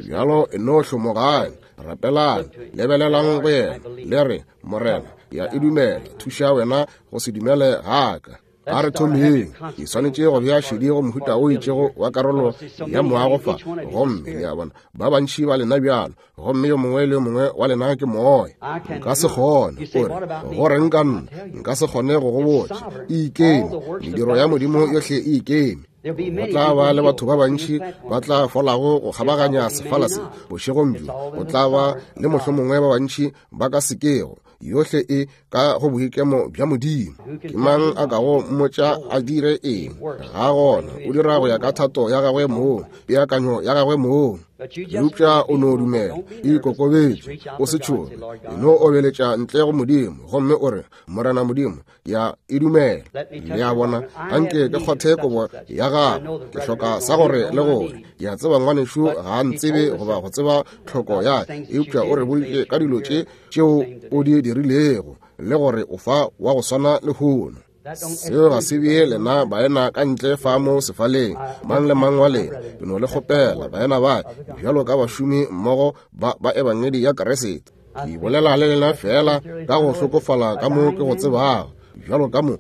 Bjalo e no hlomogang, rapelang, lebelelang go yena, le re, Morena, ya e dumela, thuša wena go se dumele ga ka. A re thomeng. Ke swanetše go bea šedi go mohuta o itšego wa karolo ya moago fa. Gomme le a bona, ba bantši ba lena bjalo, gomme yo mongwe le yo mongwe wa lena ke moya. Nka se kgone, o re, go reng ka nna? Nka se kgone go go botša. E ikeme, mediro ya Modimo yohle e ikeme. Go tla ba le batho ba bantši ba tla folago go kgabaganya sefala se bošegong bjo. Go tla ba le mohlomongwe ba bantši ba ka sekego. Yohle e ka go boikemo bja Modimo. Ke mang a kago mmotša a dire eng? Ga gona. O dira go ya ka thato ya gagwe mong, peakanyo ya gagwe mong. Eupša o no dumela, ikokobetše, o se tšhoge, e no obeletša ntle go Modimo, gomme o re, Morena Modimo, ya e dumela. Le a bona, anke ke kgothe kobo ya gago, ke hloka sa gore le gore. Ke a tseba ngwanešu ga a ntsebe goba go tseba tlhoko ya, eupša o re boditše ka dilo tše tšeo o di dirilego, le gore o fa wa go swana lehono. Seo ga se bee lena baena ka ntle fa mo sefaleng, mang le mang wa lena. Ke no le kgopela baena ba bjalo ka bašomi mmogo ba ba ebangedi ya Kriste. Ke bolela le lena fela ka go hlokofala ka mo ke go tsebago, bjalo ka mo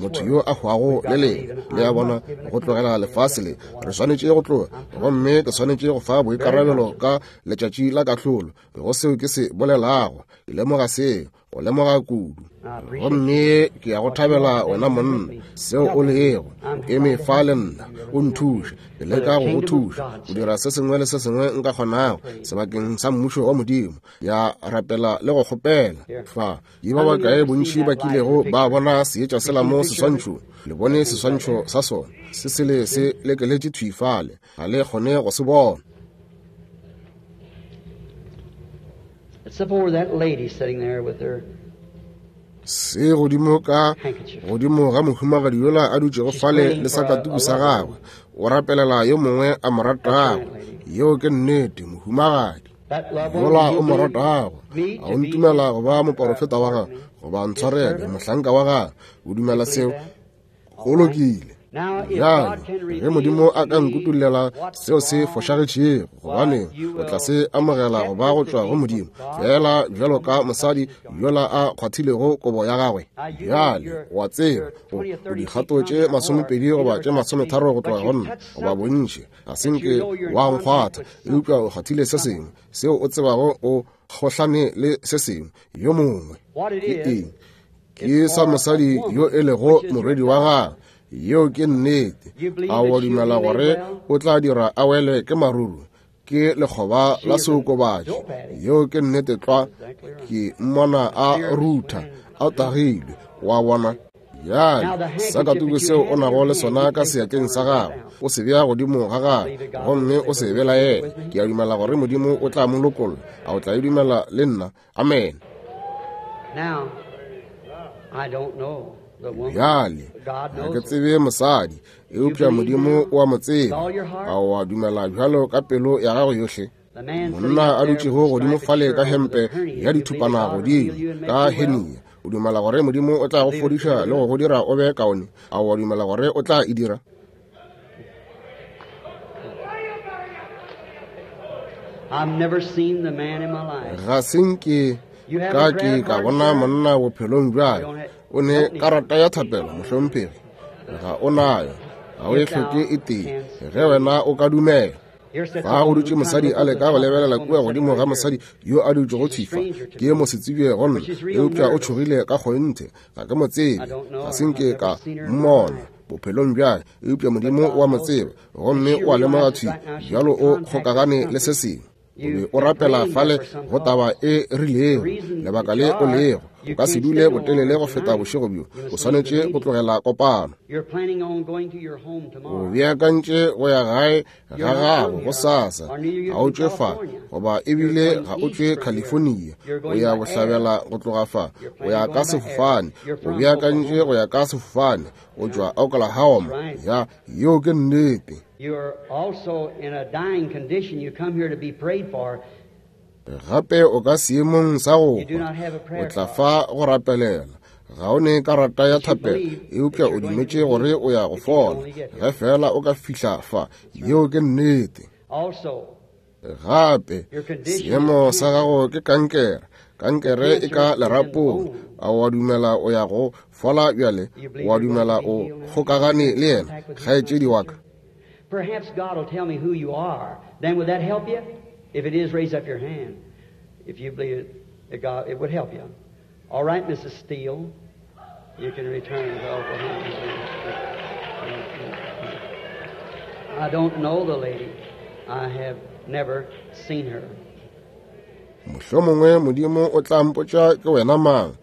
motho yo a hwago le lena. Le a bona, go tlogela lefase le re swanetše go tloga, gomme ke swanetše go fa boikarabelo ka letšatši la kahlolo go seo ke se bolelago. Ke lemoga seo, go lemoga kudu. Gomme ke ya go thabela wena monna, seo o lego, o eme fa le nna, o nthuše, ke leka go go thuša go dira se sengwe le se sengwe nka kgonago sebakeng sa mmušo wa Modimo. Ya rapela le go kgopela fa. Ke ba bakae bontši ba kilego ba bona seetša sela mo seswantšhong? Le bone seswantšho sa sona se sele se lekeletše thwi fale, ga le kgone go se bona. Se godimo ka godimo ga mohumagadi yola a dutšego fale le sakatuku sa gagwe, o rapelela yo mongwe a mo ratago. Yeo ke nnete, mohumagadi yola o mo ratago. A o ntumela go ba moporofeta wa gagwe, goba ntshwarele, mohlanka wa gagwe? O dumela seo? Go lokile. Bjale ge Modimo a ka nkutollela seo se fošagetšego, gobane o tla se amogela go ba go tšwa go Modimo, fela bjalo ka mosadi yola a kgwathilego kobo ya gagwe. Bjale o a tseba, o dikgato tše masomepedi goba tše masometharo go tloga go nna, goba bontši, ga se nke wa nkgwatha, eupša o kgwathile se sengwe seo o tsebago o kgohlane le se sengwe yo mongwe. Ke eng? Ke sa mosadi yo e lego morwedi wa gagwe. Yeo ke nnete. A o dumela gore o tla dira a wele ke maruru? Ke lekgoba la seokobatši. Yeo ke nnete tlwa. Ke mmona a rutha, a tagilwe, wa bona. Bjale sakatuku seo o nago le sona ka seatleng sa gago, o se bea godimo ga gagwe, gomme o se belaele. Ke a dumela gore Modimo o tla mo lokolla. A o tla e dumela le nna? Amen. Bjale ga ke tsebe mosadi, eupša Modimo o a mo tseba. A o a dumela bjalo ka pelo ya gago yohle? Monna a dutšego godimo fale ka hempe ya dithupana godimo ka hernia, o dumela gore Modimo o tla go fodiša le go go dira o be kaone? A o a dumela gore o tla e dira? Ga se nke ka ke ka bona monna bophelong bjale. O ne karata ya thapelo, mohlomphegi? Ga o nayo, ga o e hloke e tee, ge wena o ka dumela. Fa go dutše mosadi a leka go lebelela kua godimo ga mosadi yo a dutšego thifa. Ke mosetsebje go nna, eupša o tšhogile ka kgonthe. Ga ke mo tsebe, ga se nke ka mmona bophelong bjale, eupša Modimo o a mo tseba, gomme o a lemoga thwi bjalo o kgokagane le se sengwe. O be o rapela fale go taba e rilego, lebaka le o lego. O ka se dule botelele go feta bošego bjo, o swanetše go tlogela kopano. O beakantše go ya gae ga gago gosasa. Ga o tšwe fa, goba ebile ga o tšwe California. O ya bohlabela go tloga fa, o ya ka sefofane. O beakantše go ya ka sefofane, o tšwa Oklahoma. Ya, yeo ke nnete. Gape o ka seemong sa go hwa, o tla fa go rapelela. Ga o ne karata ya thapelo, eupša o dumetše gore o ya go fola ge fela o ka fihla fa. Yeo ke nnete. Gape seemo sa gago ke kankere. Kankere e ka lerapong. A o a dumela o ya go fola bjale? O a dumela o kgokagane le yena, kgaetšedi wa ka? Perhaps God will tell me who you are. Then would that help you? If it is, raise up your hand. If you believe it, God, it would help you. All right, Missus Steele, you can return to Oklahoma. I don't know the lady. I have never seen her. Mohlomongwe Modimo o tla mpotša ke wena mang.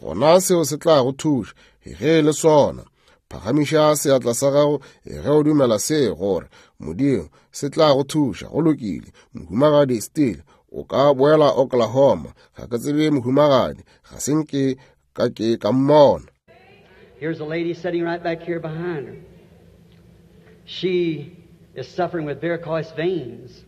Gona seo se tla go thuša ge e le sona. Phagamiša seatla sa gago ge o dumela se gore Modimo se tla go thuša. Go lokile. Mohumagadi Steele, o ka boela Oklahoma. Ga ke tsebe mohumagadi, ga se nke ka ke ka mmona. Here's a lady sitting right back here behind her. She is suffering with varicose veins.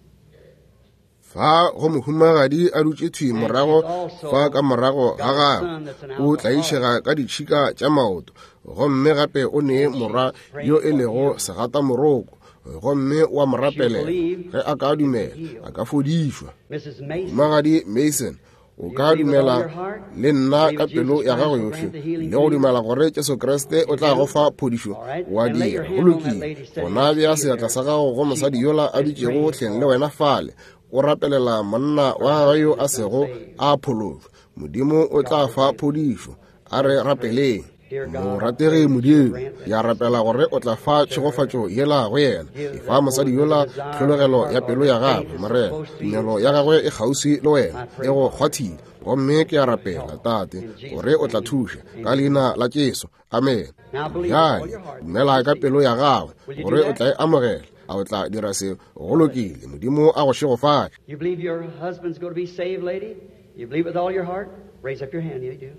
Fa go mohumagadi a dutše thwi morago fa ka morago ga gagwe, o tlaišega ka ditšhika tša maoto, gomme gape o ne morwa yo e lego segatamoroko, gomme wa mo rapelela. Ge a ka dumela, a ka fodišwa. Mohumagadi Mason, o ka dumela le nna ka pelo ya gago yohle le go dumela gore Jesu Kriste o tla go fa phodišo, wa dira. Go lokile. Gona bea seatla sa gago go mosadi yola a dutšego hleng le wena fale, o rapelela monna wa gagwe yo a sego a phološwa. Modimo o tla fa phodišo. A re rapeleng. Morategi Modimo, ya rapela gore o tla fa tšhegofatšo yela go yena. E fa mosadi yola tlhologelo ya pelo ya gagwe, Morena. Tumelo ya gagwe e kgauswi le wena, e go kgwathile. Gomme ke a rapela, Tate, gore o tla thuša ka leina la Jesu. Amen. Bjale dumela ka pelo ya gagwe gore o tla e amogela. A o tla dira seo? Go lokile. Modimo a go šegofatše. You believe your husband's going to be saved, lady? You believe with all your heart? Raise up your hand. You do.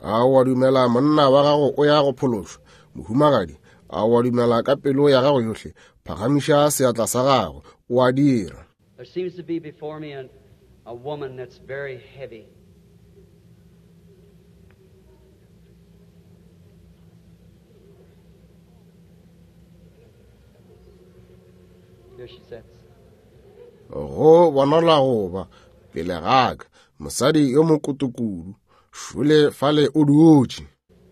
A wa dumela monna wa gago o ya go phološwa, mohumagadi? A wa dumela ka pelo ya gago yohle? Phagamiša seatla sa gago. O a dira. There seems to be before me a, a woman that's very heavy. Here she sits. Go bonala go ba pele ga ka mosadi yo mokotokudu, šole fale o dutše.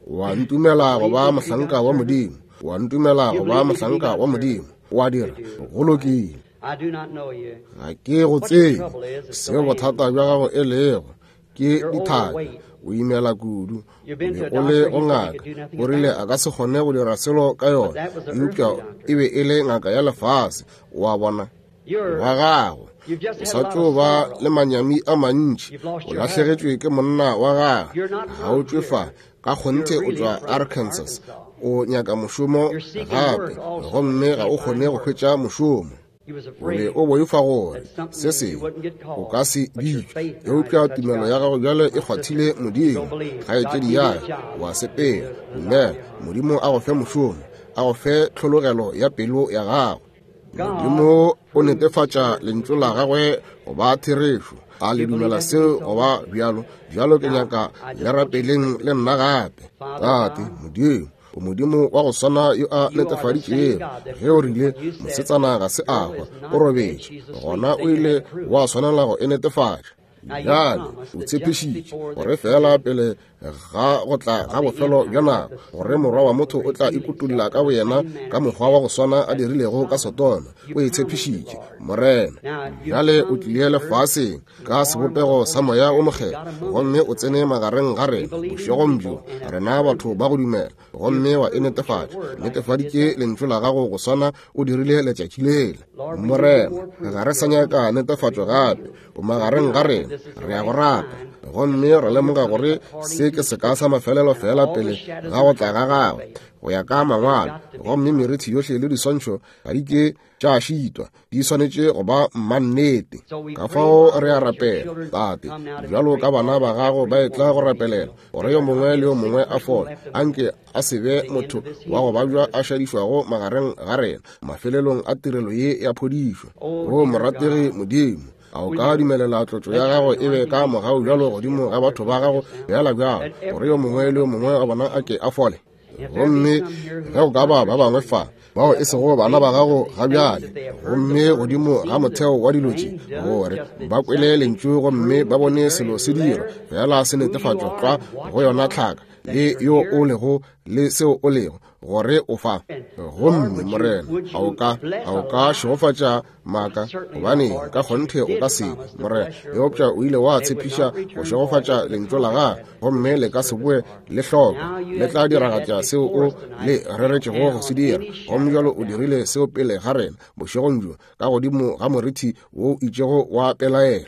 Wa ntumela go ba mohlanka wa Modimo? Wa ntumela go ba mohlanka wa Modimo? Wa dira. Go lokile. I do not know you. Ga ke go tsebe seo bothata bja gago e lego. Ke dithaka, o imela kudu, o be o le go ngaka, o rile a ka se kgone go dira selo ka yona, eupša e be e le ngaka ya lefase. Wa bona wa gago o sa tšo ba le manyami a mantši, o lahlegetšwe ke monna wa gagwe, ga o tšwe fa, ka kgonthe o tšwa Arkansas, o nyaka mošomo gape, gomme ga o kgone go hwetša mošomo. O be o boifa gore se sengwe o ka se bitšwe, eupša tumelo ya gago bjale e kgwathile Modimo. Kgaetšedi ya ka, wa sepela. Dumela. Modimo a go fe mošomo, a go fe tlhologelo ya pelo ya gago. Modimo o netefatša lentšu la gagwe go ba therešo. A le dumela seo go ba bjalo? Bjalo ke nyaka le rapeleng le nna gape. Tate Modimo, o Modimo wa go swana yo a netefaditšego ge o rile mosetsana ga se a hwa, o robetše, gona o ile wa swanela go e netefatša. Bjale o tshepišitše gore fela pele ga go tla ga bofelo bja nako, gore morwa wa motho o tla ikutulla ka boyena ka mokgwa wa go swana a dirilego ka Sodoma. O e tshepišitše, Morena. Bjale o tlile lefaseng ka sebopego sa Moya o Mokgethwa, gomme o tsene magareng ga rena bošegong bjo, rena batho ba go dumela, gomme wa e netefatša. Netefaditše lentšu la gago go swana o dirile letšatši lela. Morena, ga re sa nyaka netefatšo gape. O magareng ga rena, re ya go rata, gomme re lemoga gore se ke seka sa mafelelo fela pele ga go tla ga gagwe go ya ka mangwalo, gomme merithi yohle le diswantšho ga di ke tša šitwa, di swanetše go ba mannete. Ka fao re a rapela, Tate, bjalo ka bana ba gago ba etla go rapelela gore yo mongwe le yo mongwe a fole, anke a se be motho wa go babja a šadišwago magareng ga rena mafelelong a tirelo ye ya phodišo. O morategi Modimo, a o ka dumelela tlotšo ya gago e be ka mogau bjalo godimo ga batho ba gago bjala bjalo, gore yo mongwe le yo mongwe wa bona a ke a fole? Gomme ge go ka ba ba bangwe fa bao e sego bana ba gago ga bjale, gomme godimo ga motheo wa dilo tše, gore ba kwele lentšu gomme ba bone selo se dira fela se netefatšwa tlwa go yona tlhaka le yo o lego le seo o lego, gore o fa. Gomme Morena, a o ka, a o ka šegofatša maaka, gobane ka kgonthe o ka se, Morena, eupša o ile wa tshepiša go šegofatša lentšu la gago, gomme le ka se boe le hloka, le tla diragatša seo o le reretšego go se dira. Gomme bjalo o dirile seo pele ga rena bošegong bjo, ka godimo ga morithi wo itšego wa pelaelo.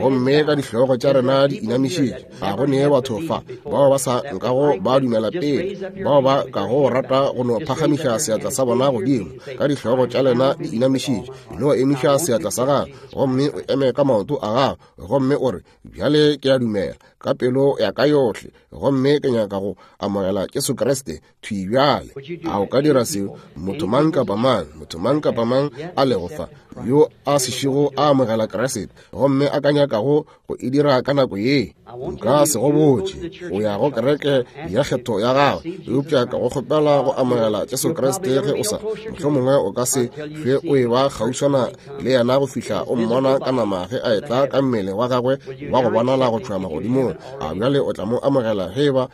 Gomme ka dihlogo tša rena di inamišitše, ga go nee batho fa bao ba sa nkago ba dumela pele, bao ba kago rata go no phagamiša seatla sa bona godimo. Ka dihlogo tša lena di inamišitše, no emiša seatla sa gago gomme o eme ka maoto a gago, gomme o re, bjale ke a dumela ka pelo ya ka yohle, gomme ke nyaka go amogela Jesu Kriste thwi bjale. A o ka dira seo? Motho mang kapa mang, motho mang kapa mang a lego fa yo a sešego a amogela Kriste gomme a ka nyakago go e dira ka nako ye, nka se go botše o ya go kereke ya kgetho ya gago, eupša ka go kgopela go amogela Jesu Kriste ge o sa, mohlomongwe o ka se hlwe o e ba kgauswana le yena go fihla o mmona ka nama ge a etla ka mmele wa gagwe wa go bonala go tšwa magodimong. A bjale o tla mo amogela ge eba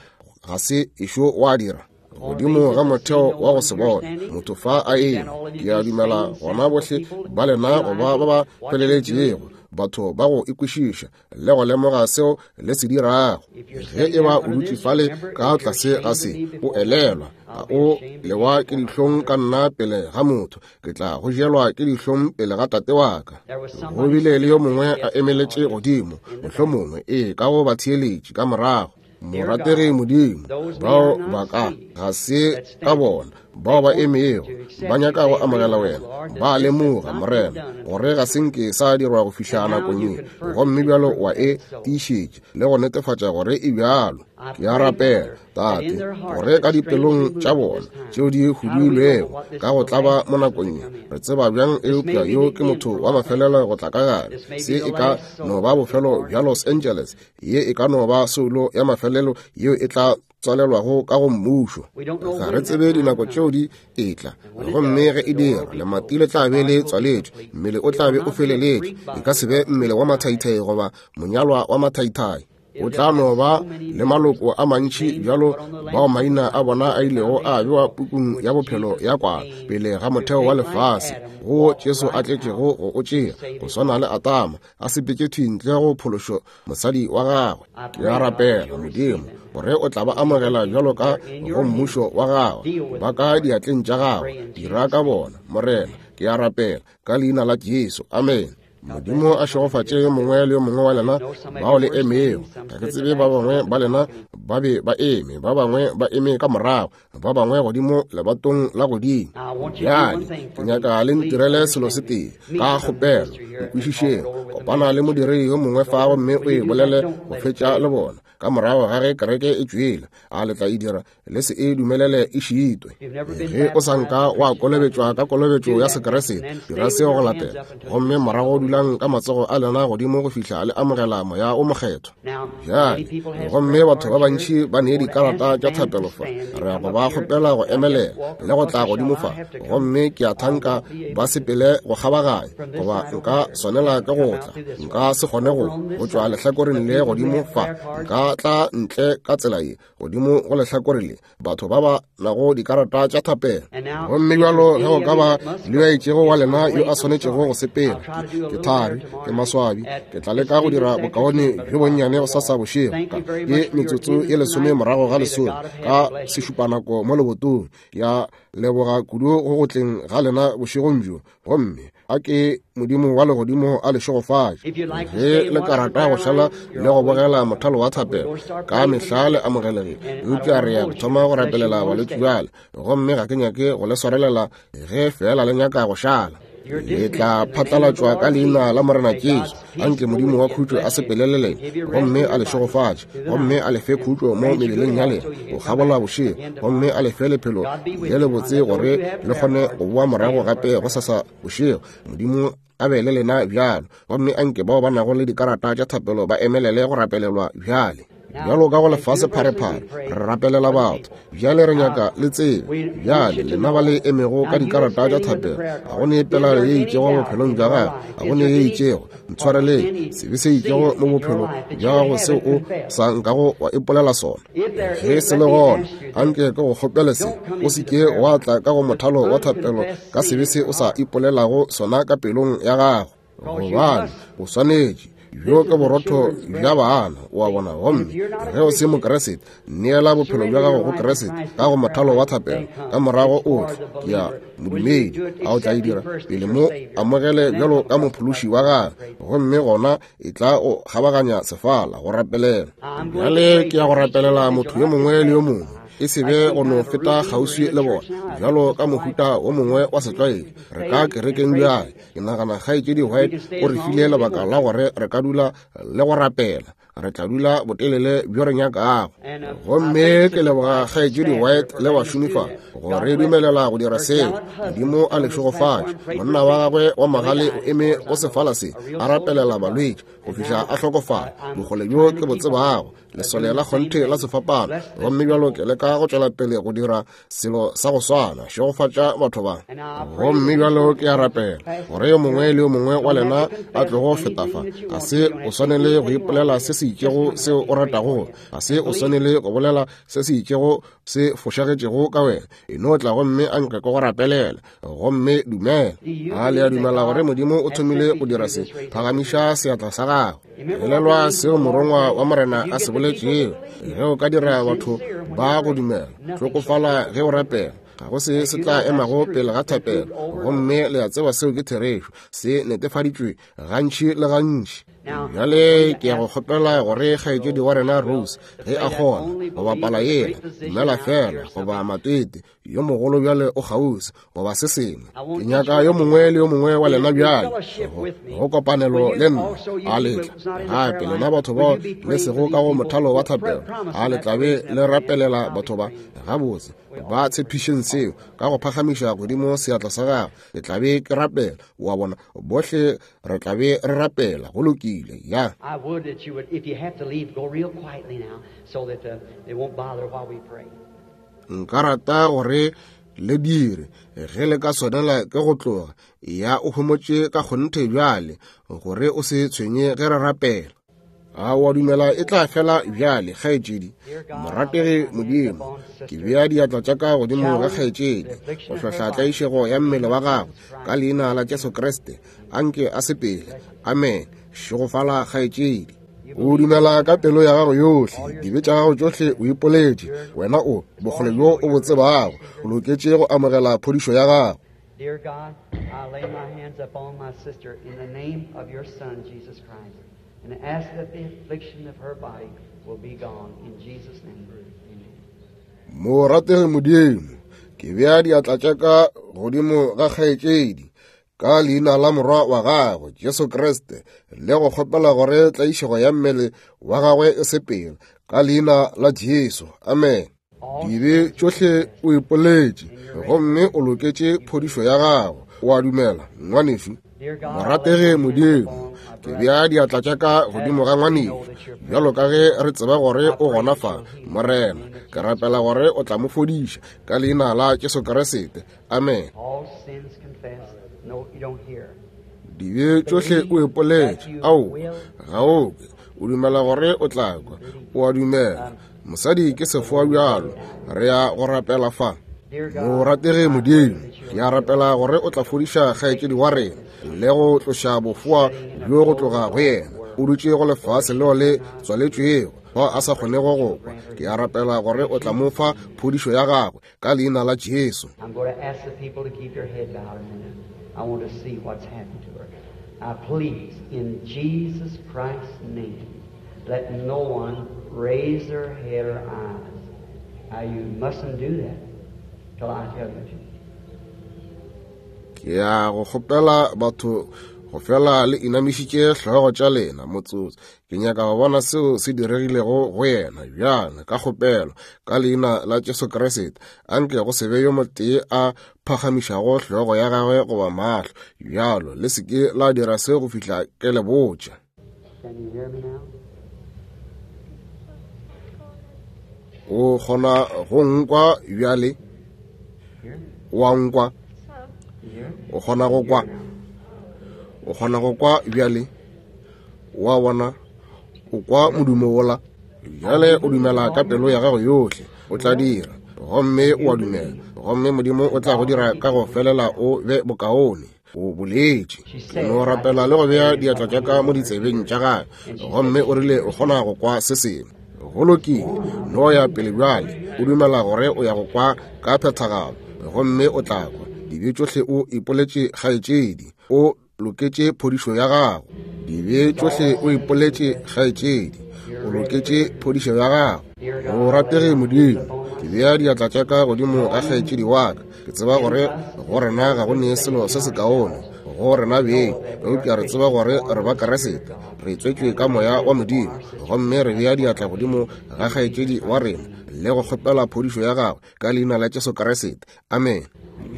ga se ešo wa dira? Godimo ga motheo wa go se bone motho fa a eme, ke a dumela gona bohle ba lena goba ba ba feleletšego, batho ba go ikwešiša le go lemoga seo le se dirago. Ge e ba o dutše fale ka tlase ga se, o elelwa, a o lewa ke dihlong ka nna pele ga motho, ke tla go jelwa ke dihlong pele ga tate wa ka. Go bile le yo mongwe a emeletše godimo, mohlomongwe ee ka go batheeletši ka morago. Morategi Modimo, bao ba ka ga se ka bona bao ba emego ba nyaka go amogela wena, ba lemoga Morena gore ga se nke sa dirwa go fihla nakong ye, gomme bjalo wa e tiišetše le go netefatša gore e bjalo. Ke a rapela, Tate, gore ka dipelong tša bona tšeo di huduilwego ka go tlaba mo nakong ye, re tseba bjang eupša yo ke motho wa mafelelo go tla ka gare. Se e ka no ba bofelo bja Los Angeles, ye e ka no ba soulo ya mafelelo yeo e tla tswalelwago ka go mmušo. Ga re tsebe dinako tšeo di etla, gomme ge e dira, lemati le tla be le tswaletšwe, mmele o tla be o feleletše. E ka se be mmele wa mathaithai goba monyalwa wa mathaithai. O tla no ba le maloko a mantši bjalo bao maina a bona a ilego a bewa pukung ya bophelo ya kwana pele ga motheo wa lefase, go Jesu a tletšego go o tšea, go swana le Adama a sepetše thwi ntle go phološo mosadi wa gagwe. Ke a rapela Modimo gore o tla ba amogela bjalo ka go mmušo wa gagwe, ba ka diatleng tša gagwe, dira ka bona Morena. Ke a rapela ka leina la Jesu, amen. Modimo a šegofatše yo mongwe le yo mongwe wa lena bao le emego. Ga ke tsebe ba bangwe ba lena ba be ba eme, ba bangwe ba eme ka morago, ba bangwe godimo lebatong la godimo. Bjale ke nyaka le ntirele selo se tee ka kgopelo, nkwešišeng. Kopana le modiredi yo mongwe fa gomme o e bolele go fetša le bona ka morago ga ge kereke e tšwele. A le tla e dira? Le se e dumelele e šitwe. Ge o sa nka wa kolobetšwa ka kolobetšo ya Sekeresete, dira seo go latela, gomme morago dulang ka matsogo a lena godimo go fihla le amogela Moya o Mokgethwa. Bjale gomme batho ba bantši ba nee dikarata tša thapelo fa, re ya go ba kgopela go emelela le go tla godimo fa, gomme ke a thanka ba sepele go kgabaganya, goba nka swanela ke go tla, nka se kgone go go tšwa lehlakoreng le godimo fa, nka tla ntle ka tsela ye godimo go lehlakore le batho ba ba nago dikarata tša thapelo. Gomme bjalo ge go ka ba le yo itšego wa lena yo a swanetšego go sepela, ke thari, ke maswabi, ke tla leka go dira bokaone bjo bonnyane go sasa bošego ka ye metsotso ye lesome morago ga lesome ka sešupanako mo lebotong. Ya leboga kudu go go tleng ga lena bošegong bjo, gomme a ke Modimo wa legodimo a le šegofatše. Ge le ka rata go šala le go bogela mothalo wa thapelo ka mehla le amogelegile, eupša re ya go thoma go rapelela balwetši bjale, gomme ga ke nyake go le swarelela ge fela le nyaka go šala. Le tla phatlalatšwa ka leina la Morena Jesu. Anke Modimo wa khutšo a sepelele lena gomme a le šegofatše, gomme a le fe khutšo mo mebeleng ya lena go kgabola bošego, gomme a le fe lephelo le lebotse gore le kgone go boa morago gape go sasa bošego. Modimo a be le lena bjalo, gomme anke bao ba nago le dikarata tša thapelo ba emelele go rapelelwa bjale. Bjalo ka go lefase pharephare, re rapelela batho. Bjale re nyaka le tsebe. Bjale lena ba le emego ka dikarata tša thapelo, ga go ne pelaelo ye itšego bophelong bja gago, ga go ne ye itšego, ntshwareleng, sebe se itšego mo bophelong bja gago seo o sa nkago wa ipolela sona. Ge se le gona, anke ke go kgopele se, o se ke wa tla ka go mothalo wa thapelo ka sebe se o sa ipolelago sona ka pelong ya gago, gobane o swanetše. Bjo ke borotho bja bana, o a bona. Gomme ge o se Mokriste, neela bophelo bja gago go Kriste ka go mothalo wa thapelo, ka morago o tle ke ya modumedi. A o tla e dira pele mo amogele bjalo ka mophološi wa gagwe, gomme gona e tla o kgabaganya sefala go rapelela. Bjale ke ya go rapelela motho yo mongwe le yo mongwe, e se be go no feta kgauswi le bona bjalo ka mohuta wo mongwe wa setlwaedi. Re ka kerekeng bjale. Ke nagana kgaetšedi White o re file lebaka la gore re ka dula le go rapela. Re tla dula botelele bjo re nyakago. Gomme ke leboga kgaetšedi White le bašomi fa go re dumelela go dira seo. Modimo a le šegofatše. Monna wa gagwe wa magale o eme go sefala se a rapelela balwetši go fihla a hlokofala. Bokgole bjo ke bo tsebago, lesole la kgonthe la sefapano. Gomme bjalo ke leka go tšwela pele go dira selo sa go swana, šegofatša batho ba. Gomme bjalo ke a rapela gore yo mongwe le yo mongwe wa lena a tlogo feta fa, ga se o swanele go ipolela se se itšego seo o ratago, ga se o swanele go bolela se se itšego se fošagetšego ka wena. E no tla gomme a nke ke go rapelela, gomme dumela. A le a dumela gore Modimo o thomile go dira se? Phagamiša seatla sa gago. Elelwa seo morongwa wa Morena a se boletšego. Ge o ka dira batho ba go dumela, hlokofala ge o rapela. Ga go se se tla emago pele ga thapelo. Gomme le a tseba seo ke therešo, se netefaditšwe gantši le gantši. Bjale ke ya go kgopela gore kgaetšedi wa rena Rose, ge a kgona go bapala yela dumela fela goba matete yo mogolo bjale o kgauswi goba se sengwe. Ke nyaka yo mongwe le yo mongwe wa lena bjale go kopanelo le nna. A letla gape lena batho bao le sego ka go mothalo wa thapelo, a le tlabe le rapelela batho ba gabotse. Ba tshepišeng seo ka go phagamiša godimo seatla sa gago. Ke tlabe ke rapela, wa bona, bohle re tlabe re rapela. Go lokile. Ya. I would that you would, if you have to leave, go real quietly now so that uh, they won't bother while we pray. Nka rata gore le dire ge le ka swanela ke go tloga, ya o homotše ka kgonthe bjale gore o se tshwenye ge re rapela. A wa dumela e tla fela bjale, kgaetšedi? Morategi Modimo, ke bea diatla tša ka godimo ga kgaetšedi go hlohla tlaišego ya mmele wa gagwe ka leina la Jesu Kriste. Anke a sepele. Amen. Šegofala kgaetšedi. O dumela ka pelo ya gago yohle, dibe tša gago tšohle o ipoletše. Wena o bokgole bjo o bo tsebago, o loketše go amogela phodišo ya gago. Dear God, I lay my hands upon my sister in the name of your Son, Jesus Christ, and ask that the affliction of her body will be gone. In Jesus' name, amen. Morategi Modimo, ke bea diatla tša ka godimo ga kgaetšedi ka leina la morwa wa gagwe Jesu Kriste, le go kgopela gore tlaišego ya mmele wa gagwe e sepele ka leina la Jesu. Amen. Dibe tšohle o ipoletše, gomme o loketše phodišo ya gago. O a dumela, ngwanešu? Morategi Modimo, ke bea diatla tša ka godimo ga ngwanešu bjalo ka ge re tseba gore o gona fa. Morena, ke rapela gore o tla mo fodiša ka leina la Jesu Kriste. Amen. No, you don't hear. Dibe tšohle o ipoletše. Ao, ga o kwe. O dumela gore o tla kwa. O a dumela. Mosadi ke sefoa bjalo. Re ya go rapela fa. Morategi Modimo, ke a rapela gore o tla fodiša kgaetšedi wa rena le go tloša bofoa bjo go tloga go yena. O dutše go lefase leo le tswaletšwego bao a sa kgonego go kwa. Ke a rapela gore o tla mo fa phodišo ya gagwe ka leina la Jesu. I'm going to ask the people to keep their head bowed a minute. I want to see what's happened to her. I please, in Jesus Christ's name, let no one raise their head or eyes. Now, you mustn't do that till I tell you to. Ke ya go kgopela batho go fela le inamišitše hlogo tša lena motsotso. Ke nyaka go bona seo se diregilego go yena bjale ka kgopelo ka leina la Jesu Kriste. Anke go se be yo motee a phagamišago hlogo ya gagwe goba mahlo bjalo. Le se ke la dira seo go fihla ke le botša. Can you hear me now? O kgona go nkwa bjale? Wa nkwa? O kgona go kwa? O kgona go kwa bjale? Wa bona? O kwa modumo wola? Bjale o dumela ka pelo ya gago yohle, o tla dira. Gomme o a dumela, gomme Modimo o tla go dira ka go felela o be bokaone. O boletše. Ke no rapela le go bea diatla tša ka mo ditsebeng tša gagwe, gomme o rile o kgona go kwa se sengwe. Go lokile, no ya pele bjale, o dumela gore o ya go kwa ka phethagalo, gomme o tla kwa. Dibe tšohle o ipoletše kgaetšedi, o loketše phodišo ya gago. Dibe tšohle o ipoletše kgaetšedi, o loketše phodišo ya gago. O ratege Modimo, ke bea diatla tša ka godimo ga kgaetšedi wa ka. Ke tseba gore go rena ga go ne selo se sekaone go rena beng, eupša re tseba gore re ba Keresete, re tswetšwe ka moya wa Modimo, gomme re bea diatla godimo ga kgaetšedi wa rena le go kgopela phodišo ya gagwe ka leina la Jesu Keresete. Amen.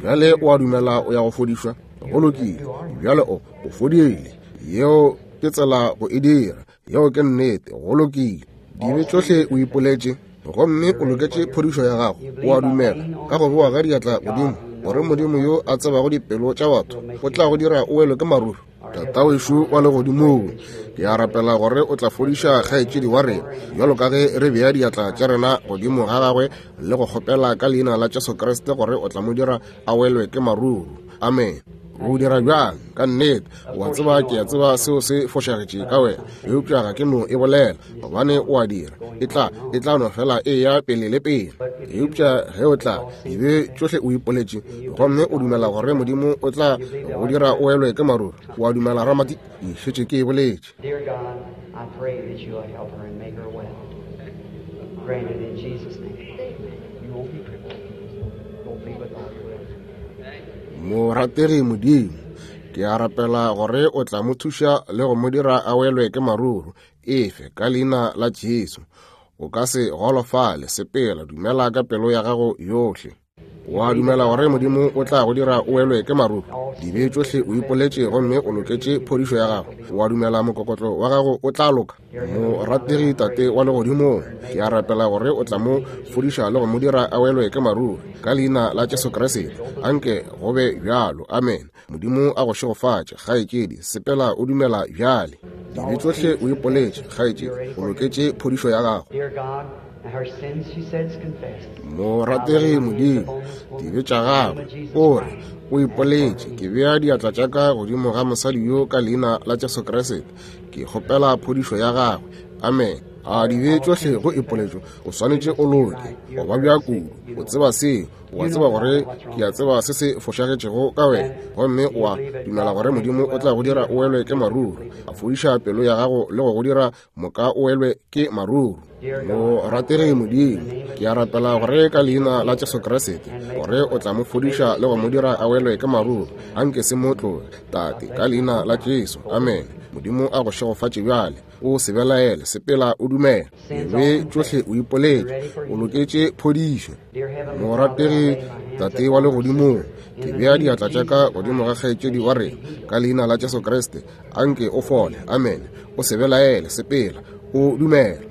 Bjale o a dumela o ya go fodišwa? Go lokile, bjale o o fodile. Yeo ke tsela go e dira. Yeo ke nnete. Go lokile. Dibe tšohle o ipoletše, gomme o loketše phodišo ya gago. O a dumela ka go boa ga diatla godimo gore Modimo yo a tsebago dipelo tša batho o tla go dira o welwe ke maruru. Tata wešo wa legodimong, ke a rapela gore o tla fodiša kgaetšedi wa rena bjalo ka ge re bea diatla tša rena godimo ga gagwe le go kgopela ka leina la Jesu Kriste gore o tla mo dira a welwe ke maruru. Amen. O dira bjang? Ka nnete, o a tseba ke a tseba seo se fošagetše ka wena, eupša ga ke no e bolela gobane o a dira. E tla e tla no fela e ya pele le pele. Eupša ge o tla dibe tšohle o ipoletše, gomme o dumela gore Modimo o tla go dira o welwe ke maruru, o a dumela Ramati? Ke šetše ke e boletše. Dear God, I pray that you'll help her and make her well. Grant it in Jesus' name. You won't be crippled. Go be with all your will. Morategi Modimo, ke a rapela gore o tla mo thuša le go mo dira a welwe ke maruru. Efe ka leina la Jesu. O ka se golofale, sepela, dumela ka pelo ya gago yohle. O a dumela gore Modimo o tla go dira o welwe ke maruru? Dibe tšohle o ipoletše, gomme o loketše phodišo ya gago. O a dumela mokokotlo wa gago o tla loka? Morategi Tate wa legodimong, ke a rapela gore o tla mo fodiša le go mo dira a welwe ke maruru ka leina la Jesu Kriste. Anke go be bjalo. Amen. Modimo a go šegofatše, kgaetšedi. Sepela o dumela bjale. Dibe tšohle o ipoletše, kgaetšedi, o loketše phodišo ya gago. Dear God, her sins, she said, is confessed. Morategi Modimo, dibe tša gagwe o re o ipoletše. Ke bea diatla tša ka godimo ga mosadi yo ka leina la Jesu Kriste. Ke kgopela phodišo ya gagwe. Amen. A dibe tšohle go ipoletšo, o swanetše o loke. O babja kudu, o tseba seo. O a tseba gore ke a tseba se se fošagetšego ka wena, gomme o a dumela gore Modimo o tla go dira o welwe ke maruru, a fodiša pelo ya gago le go go dira moka o welwe ke maruru. Morategi Modimo, ke a rapela gore ka leina la Jesu Kriste gore o tla mo fodiša le go mo dira a welwe ke maruru. Anke se mo tloge, Tate, ka leina la Jesu. Amen. Modimo a go šegofatše bjale. O se belaele, sepela o dumela. Dibe tšohle o ipoletše, o loketše phodišo. Morategi Tate wa legodimong, ke bea diatla tša ka godimo ga kgaetšedi wa rena ka leina la Jesu Kriste. Anke o fole. Amen. O se belaele, sepela o dumela.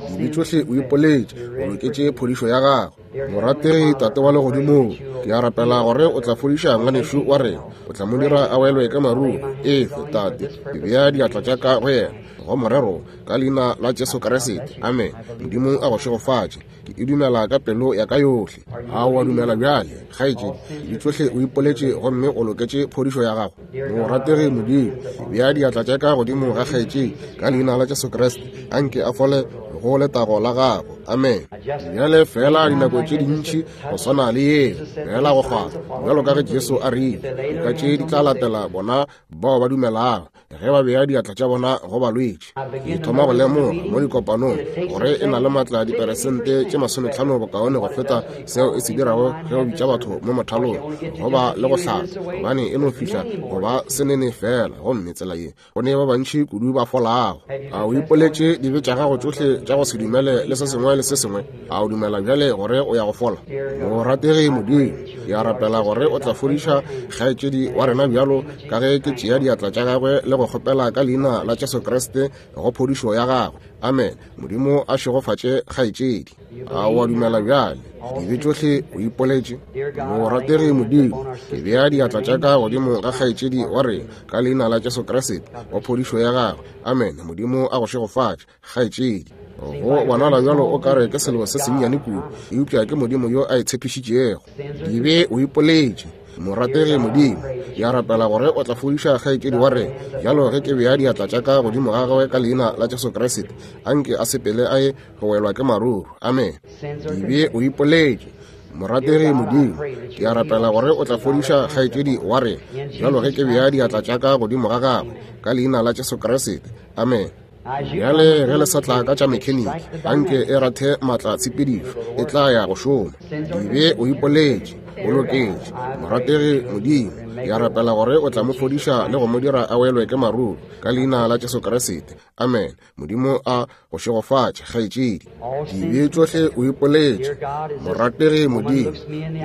Dibe tšohle o ipoletše, o loketše phodišo ya gago. Morategi Tate wa legodimong, ke a rapela gore o tla fodiša ngwanešu wa rena, o tla mo dira a welwe ke maruru. Efe, Tate, ke bea diatla tša ka go yena go morero ka leina la Jesu Kriste. Amen. Modimo a go šegofatše. Ke e dumela ka pelo ya ka yohle. A o a dumela bjale, kgaetšedi? Dibe tšohle o ipoletše, gomme o loketše phodišo ya gago. Morategi Modimo, ke bea diatla tša ka godimo ga kgaetšedi ka leina la Jesu Kriste. Anke a fole go letago la gago. Amen. Bjale fela dinako tše dintši go swana le yeo, fela go kgwatha, bjalo ka ge Jesu a rile, dika tše di tla latela bona bao ba dumelago ge ba bea diatla tša bona go balwetši. Ke thoma go lemoga mo dikopanong gore e na le maatla diperesente tše masometlhano bokaone go feta seo e se dirago ge o bitša batho mo mothalong goba le go hlapa, gobane e no fihla go ba senene fela, gomme tsela ye go ne ba bantši kudu ba folago. A o ipoletše dibe tša gago tšohle tša go se dumele le se sengwe le se sengwe? A o dumela bjale gore o ya go fola? Morategi Modimo, ke a rapela gore o tla fodiša kgaetšedi wa rena bjalo ka ge ke tšea diatla tša gagwe le le go kgopela ka leina la Jesu Kriste go phodišo ya gagwe. Amen. Modimo a šegofatše kgaetšedi. A wa dumela bjale? Dibe tšohle o ipoletše. Morategi Modimo, ke bea diatla tša ka godimo ga kgaetšedi wa rena ka leina la Jesu Kriste go phodišo ya gagwe. Amen. Modimo a go šegofatše kgaetšedi. Go bonala bjalo o kare ke selo se sennyane kudu, eupša ke Modimo yo a e tshepišitšego. Dibe o ipoletše. Morategi Modimo, ke a rapela gore o tla fodiša kgaetšedi wa rena bjalo ge ke bea diatla tša ka godimo ga gagwe ka leina la Jesu Kriste. Anke a sepele a ye go welwa ke maruru. Amen. Dibe o ipoletše. Morategi Modimo, ke a rapela gore o tla fodiša kgaetšedi wa rena bjalo ge ke bea diatla tša ka godimo ga gagwe ka leina la Jesu Kriste. Amen. Bjale ge le sa tla ka tša mekheniki, anke e rathe maatla tshepedišo, e tla ya go šoma. Dibe o ipoletše. O loketše. Morategi Modimo, ke a rapela gore o tla mo fodiša le go mo dira a welwe ke maruru ka leina la Jesu Kriste. Amen. Modimo a go šegofatše kgaetšedi. Dibe tšohle o ipoletše. Morategi Modimo,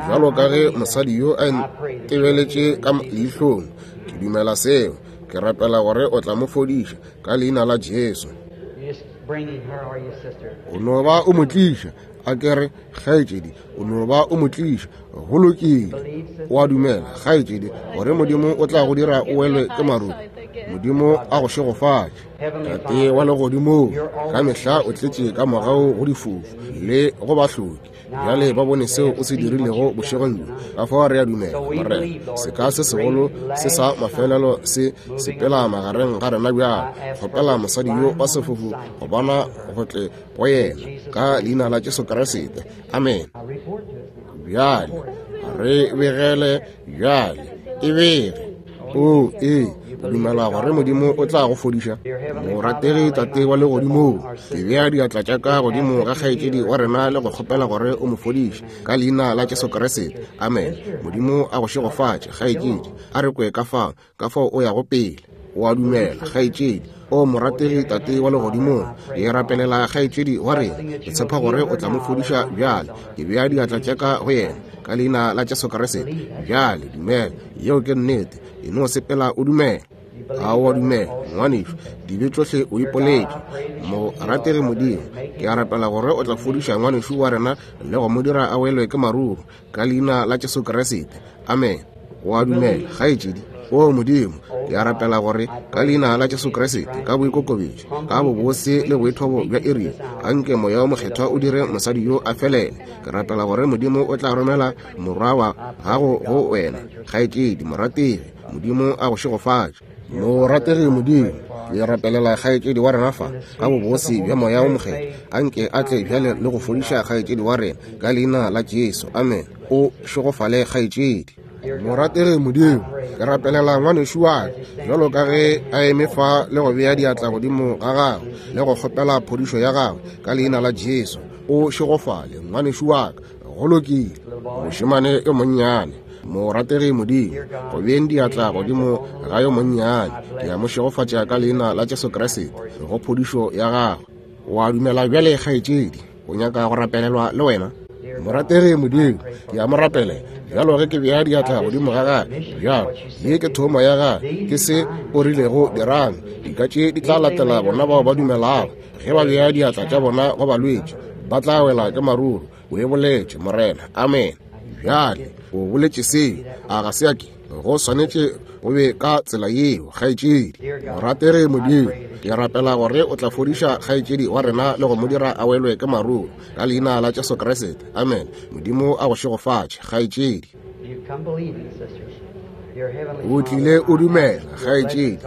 bjalo ka ge mosadi yo a ntebeletše ka leihlong, ke dumela seo. Ke rapela gore o tla mo fodiša ka leina la Jesu. O no ba o mo tliša. A ke re kgaetšedi, o no ba o mo tliša. Go lokile. O a dumela kgaetšedi gore Modimo o tla go dira o welwe ke maruru. Modimo a go šegofatše. Tate wa legodimong, ka mehla o tletše ka mogau go difofu le go bahloki. Bjale ba bone seo o se dirilego bošegong bjo. Ka fao re a dumela, Morena, seka se segolo se sa mafelelo se sepela magareng ga rena bjale. Kgopela mosadi yo wa sefofu go bona go tle go yena ka leina la Jesu Kriste. Amen. Bjale re begele bjale e bege. O ee, o dumela gore Modimo o tla go fodiša. Morategi Tate wa legodimong, ke bea diatla tša ka godimo ga kgaetšedi wa rena le go kgopela gore o mo fodiše ka leina la Jesu Kriste. Amen. Modimo a go šegofatše kgaetšedi. A re kwe ka fao, ka fao o yago pele. O a dumela kgaetšedi. O morategi Tate wa legodimong, ke rapelela kgaetšedi wa rena. Ke tshepa gore o tla mo fodiša bjale. Ke bea diatla tša ka go yena ka leina la Jesu Kriste. Bjale dumela, yeo ke nnete. E no sepela o dumela. A o a dumela ngwanešu? Dibe tšohle o ipoletše. Morategi Modimo, ke a rapela gore o tla fodiša ngwanešu wa rena le go mo dira a welwe ke maruru ka leina la Jesu Kriste. Amen. O a dumela kgaetšedi? O Modimo, ke a rapela gore ka leina la Jesu Kriste, ka boikokobetšo, ka bobose le boithobo bja iri, anke Moya o Mokgethwa o dire mosadi yo a felele. Ke rapela gore Modimo o tla romela morwa wa gago go wena kgaetšedi morategi. Modimo a go šegofatše. Morategi Modimo, ke rapelela kgaetšedi wa rena fa ka bobose bja Moya o Mokgethwa. Anke a tle bjale le go fodiša kgaetšedi wa rena ka leina la Jesu. Amen. O šegofale kgaetšedi. Morategi Modimo, ke rapelela ngwanešu wa ka bjalo ka ge a eme fa le go bea diatla godimo ga gagwe le go kgopela phodišo ya gagwe ka leina la Jesu. O šegofale ngwanešu wa ka. Go lokile. Mošemane yo monnyane. Morategi Modimo, go beeng diatla godimo ga yo monnyane, ke a mo šegofatša ka leina la Jesu Kriste go phodišo ya gagwe. O a dumela bjale kgaetšedi? O nyaka go rapelelwa le wena? Morategi Modimo, ke a mo rapela bjalo ge ke bea diatla godimo ga gagwe. Bjalo ye ke thomo ya gagwe, ke se o rilego dirang. Dika tše di tla latela bona bao ba dumelago. Ge ba bea diatla tša bona go balwetši, ba tla wela ke maruru. O e boletše, Morena. Amen. Bjale o boletše seo, a ga se a ke? Go swanetše go be ka tsela yeo kgaetšedi. Morategi Modimo, ke rapela gore o tla fodiša kgaetšedi wa rena le go mo dira a welwe ke maruru ka leina la Jesu Kriste. Amen. Modimo a go šegofatše kgaetšedi. O tlile o dumela kgaetšedi.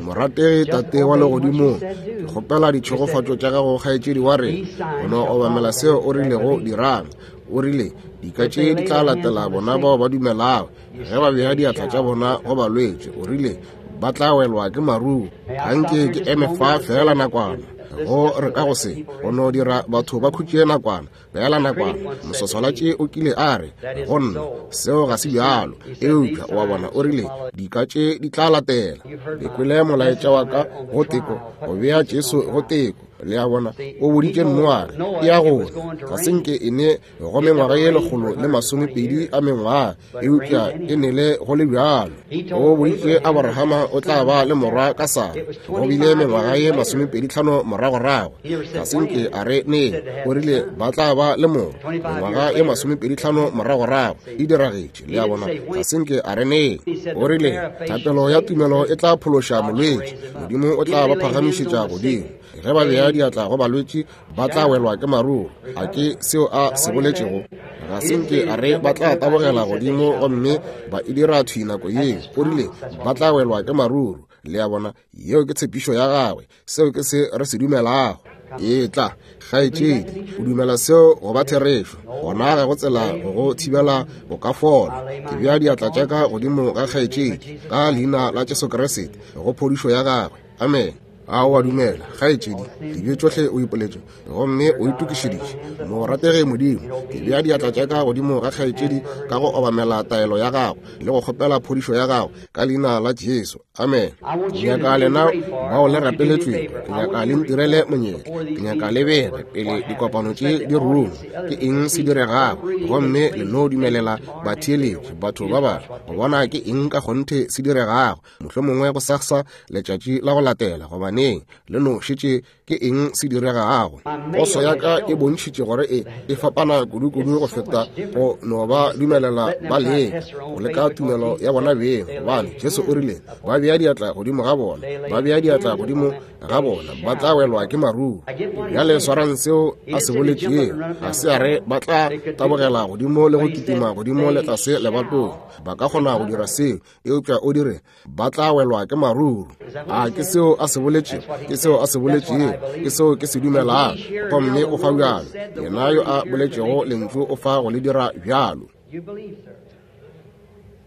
Morategi Tate wa legodimong, ke kgopela ditšhegofatšo tša gago kgaetšedi wa rena. O no obamela seo o rilego dirang. O rile dika tše di tla latela bona bao ba dumelago. Ge ba bea diatla tša bona go balwetši, o rile ba tla welwa ke maruru. Anke ke eme fa fela nakwana. Go re ka go se go no dira batho ba khutše nakwana, beela nakwana. Moswaswalatši o kile a re go nna seo ga se bjalo, eupša wa bona o rile dika tše di tla latela. Le kwele molaetša wa ka go teko, go bea Jesu go teko. Le a bona, o boditše Noage e ya go ga se nke e ne go mengwaga ye lekgolo le masomepedi a mengwaga, eupša e nele go le bjalo. O boditše Abrahama o tla ba le morwa ka Sara, go bile mengwaga ye masomepedi tlhano moragorago, ga se nke a re neng, o rile ba tla ba le morwa mengwaga ye masomepedi tlhano moragorago, e diragetše. Le a bona, ga se nke a re neng, o rile thapelo ya tumelo e tla phološa molwetši, Modimo o tla ba phagamišetša godimo. Ge ba bea diatla go balwetši ba tla welwa ke maruru. A ke seo a se boletšego? Ga se nke a re ba tla tabogela godimo gomme ba e dira thwi nako yeo. O rile ba tla welwa ke maruru. Le a bona, yeo ke tshepišo ya gagwe, seo ke se re se dumelago. Etla, kgaetšedi, o dumela seo go ba therešo, gona ga go tsela go go thibela go ka fola. Ke bea diatla tša ka godimo ga kgaetšedi ka leina la Jesu Kriste go phodišo ya gagwe. Amen. A o a dumela, kgaetšedi? Dibe tšohle o ipoletše gomme o itokišeditše. Morategi Modimo, ke bea diatla tša ka godimo ga kgaetšedi ka go obamela taelo ya gago le go kgopela phodišo ya gago ka leina la Jesu. Amen. Ke nyaka lena bao le rapeletšwego, ke nyaka le ntirele monyetla, ke nyaka le bege pele dikopano tše di rungwa ke eng se diregago, gomme le no dumelela batheeletši batho ba bangwe go bona ke eng ka kgonthe se diregago, mohlomongwe go sasa letšatši la go latela, gobaneng le no šetše ke eng se diregago. Poso ya ka e bontšhitše gore e e fapana kudu-kudu go feta go no ba dumelela ba leka go leka tumelo ya bona beng, gobane Jesu o rile ba bea diatla godimo ga bona, ba bea diatla godimo ga bona ba tla welwa ke maruru. Bjale swarang seo a se boletšego. Ga se a re ba tla tabogela godimo le go kitima godimo le tlase lebatong, ba ka kgona go dira seo, eupša o dire ba tla welwa ke maruru. A ke seo a se boletšego? Ke seo a se boletšego, ke seo ke se dumelago, gomme o fa bjalo. Yena yo a boletšego lentšu o fa go le dira bjalo.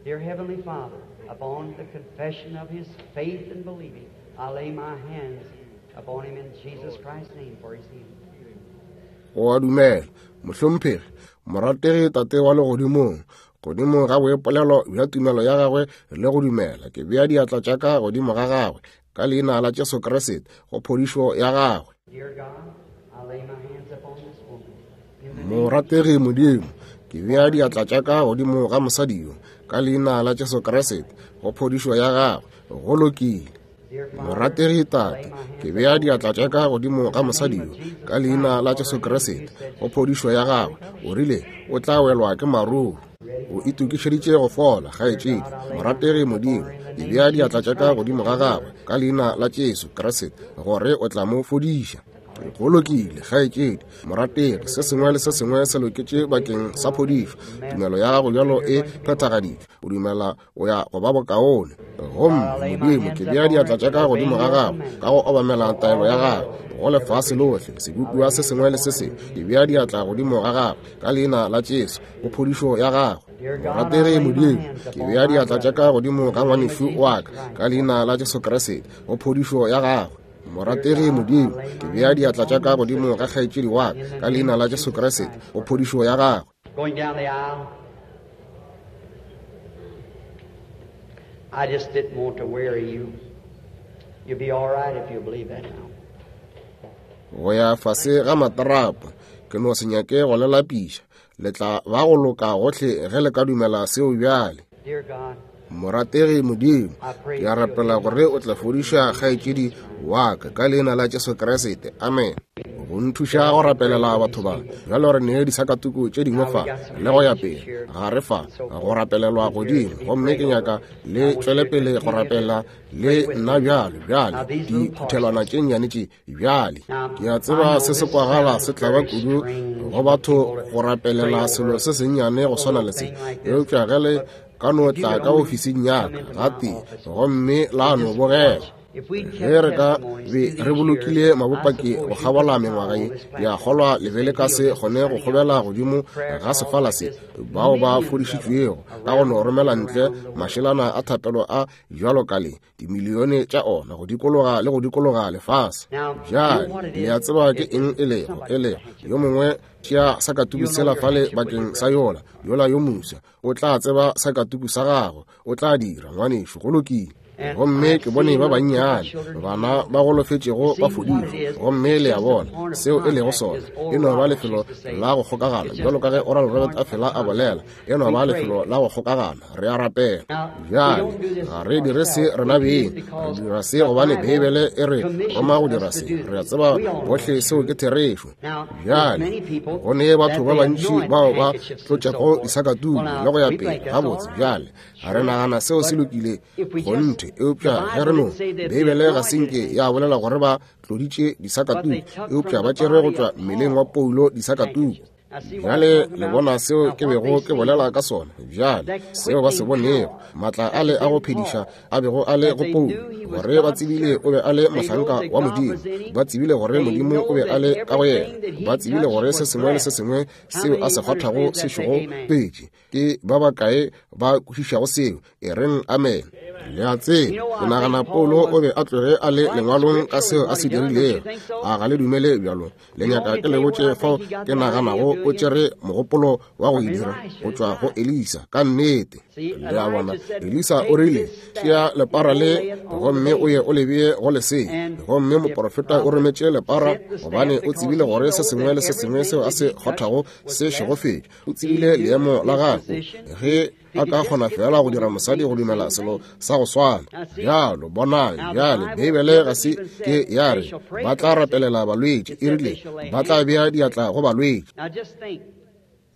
Dear Heavenly Father, upon the confession of his faith and believing, I lay my hands upon him in Jesus Christ's name for his healing. O a dumela, mohlomphegi, morategi Tate wa legodimong, godimo ga boipolelo bja tumelo ya gagwe le go dumela, ke bea diatla tša ka godimo ga gagwe ka leina la Jesu Kriste go phodišo ya gagwe. Dear God, I lay my hands upon this woman. In the name Morategi Modimo, ke bea diatla tša ka godimo ga mosadi yo ka leina la Jesu Kriste go phodišo ya gagwe. Go lokile. Dear Father, Morategi Tate, ke bea diatla tša ka godimo ga mosadi yo ka leina la Jesu Kriste go phodišo ya gagwe. O rile o tla welwa ke maruru. O itokišeditše go fola, kgaetšedi. Morategi Modimo, ke bea diatla tša ka godimo ga gagwe ka leina la Jesu Kriste gore o tla mo fodiša. Go lokile, kgaetšedi. Morategi, se sengwe le se sengwe se loketše bakeng sa phodišo. Tumelo ya gago bjalo e phethagaditšwe. O dumela o ya go ba bokaone. Gomme Modimo, ke bea diatla tša ka godimo ga gago ka go obamela taelo ya gago go lefase lohle, sebopiwa se sengwe le se sengwe. Ke bea diatla godimo ga gago ka leina la Jesu go phodišo ya gago. Morategi Modimo, ke bea diatla tša ka godimo ga ngwanešu wa ka ka leina la Jesu Kriste go phodišo ya gago. Morategi Modimo, ke bea diatla tša ka godimo ga kgaetšedi wa ka ka leina la Jesu Kriste go phodišo ya gagwe. Going down the aisle, I just didn't want to weary you. You'll be all right if you believe that now. Go ya fase ga matrapo, ke no se nyake go le lapiša. Le tla ba go loka gohle ge le ka dumela seo bjale. Dear God, Morategi Modimo, ke a rapela gore o tla fodiša kgaetšedi wa ka ka leina la Jesu Kriste. Amen. Go nthuša go rapelela batho ba bjalo re ne disakatuku tše dingwe fa le go ya pele ga re fa go rapelelwa godimo, gomme ke nyaka le tšwele pele go rapela le nna bjalo bjale diphuthelwana tše nnyane tše bjale. Ke a tseba se se kwagala se tlaba kudu go batho go rapelela selo se sennyane go swana le se, eupša ge le ka no tla ka ofising ya ka gatee gomme la no bogela. Ge re ka be re bolokile mabopaki go kgabola mengwaga ye, ke a kgolwa le be le ka se kgone go kgobela godimo ga sefala se bao ba fodišitšwego ka go no romela ntle mašelana a thapelo a bjalo ka le dimilione tša ona go dikologa le go dikologa lefase. Bjale le a tseba ke eng e lego, e lego yo mongwe tšea sakatuku sela fale bakeng sa yola yola yo moswa, o tla tseba sakatuku sa gago, o tla dira ngwanešu. Go lokile. Gomme ke bone ba bannyane bana ba golofetšego ba fodile. Gomme le a bona seo e lego sona, e no ba lefelo la go kgokagana, bjalo ka ge Oral Robert a fela a bolela, e no ba lefelo la go kgokagana. Re a rapela. Bjale ga re dire se rena beng, re dira se gobane Beibele e re roma go dira se. Re a tseba bohle seo ke therešo. Bjale go ne batho ba bantši bao ba tlotšago disakatuku le go ya pele. Gabotse, bjale ga re nagana seo se lokile kgonthe, eupša ge re no, Beibele ga se nke ya bolela gore ba tloditše disakatuku, eupša ba tšere go tšwa mmeleng wa Paulo disakatuku. Bjale le bona seo ke bego ke bolela ka sona. Bjale seo ba se bonego, maatla a le a go phediša a bego a le go Paulo, gore ba tsebile o be a le mohlanka wa Modimo, ba tsebile gore Modimo o be a le ka go yena, ba tsebile gore se sengwe le se sengwe seo a se kgwathago se šego petše. Ke ba bakae ba kwešišago seo? E reng amen. Le a tseba, ke nagana Paulo o be a tloge a le lengwalong ka seo a se dirilego. A ga le dumele bjalo? Le nyaka ke le botše fao ke naganago o tšere mogopolo wa go e dira go tšwa go Elisa. Ka nnete. Le a bona, Elisa o rile, tšea lepara le gomme o ye o le bee go lesea. Gomme moprofeta o rometše lepara gobane o tsebile gore se sengwe le se sengwe seo a se kgothago se šegofetše. O tsebile leemo la gagwe. Ge a ka kgona fela go dira mosadi go dumela selo sa go swana. Bjalo bonang, bjale Beibele ga se ke ya re ba tla rapelela balwetši, e rile ba tla bea diatla go balwetši.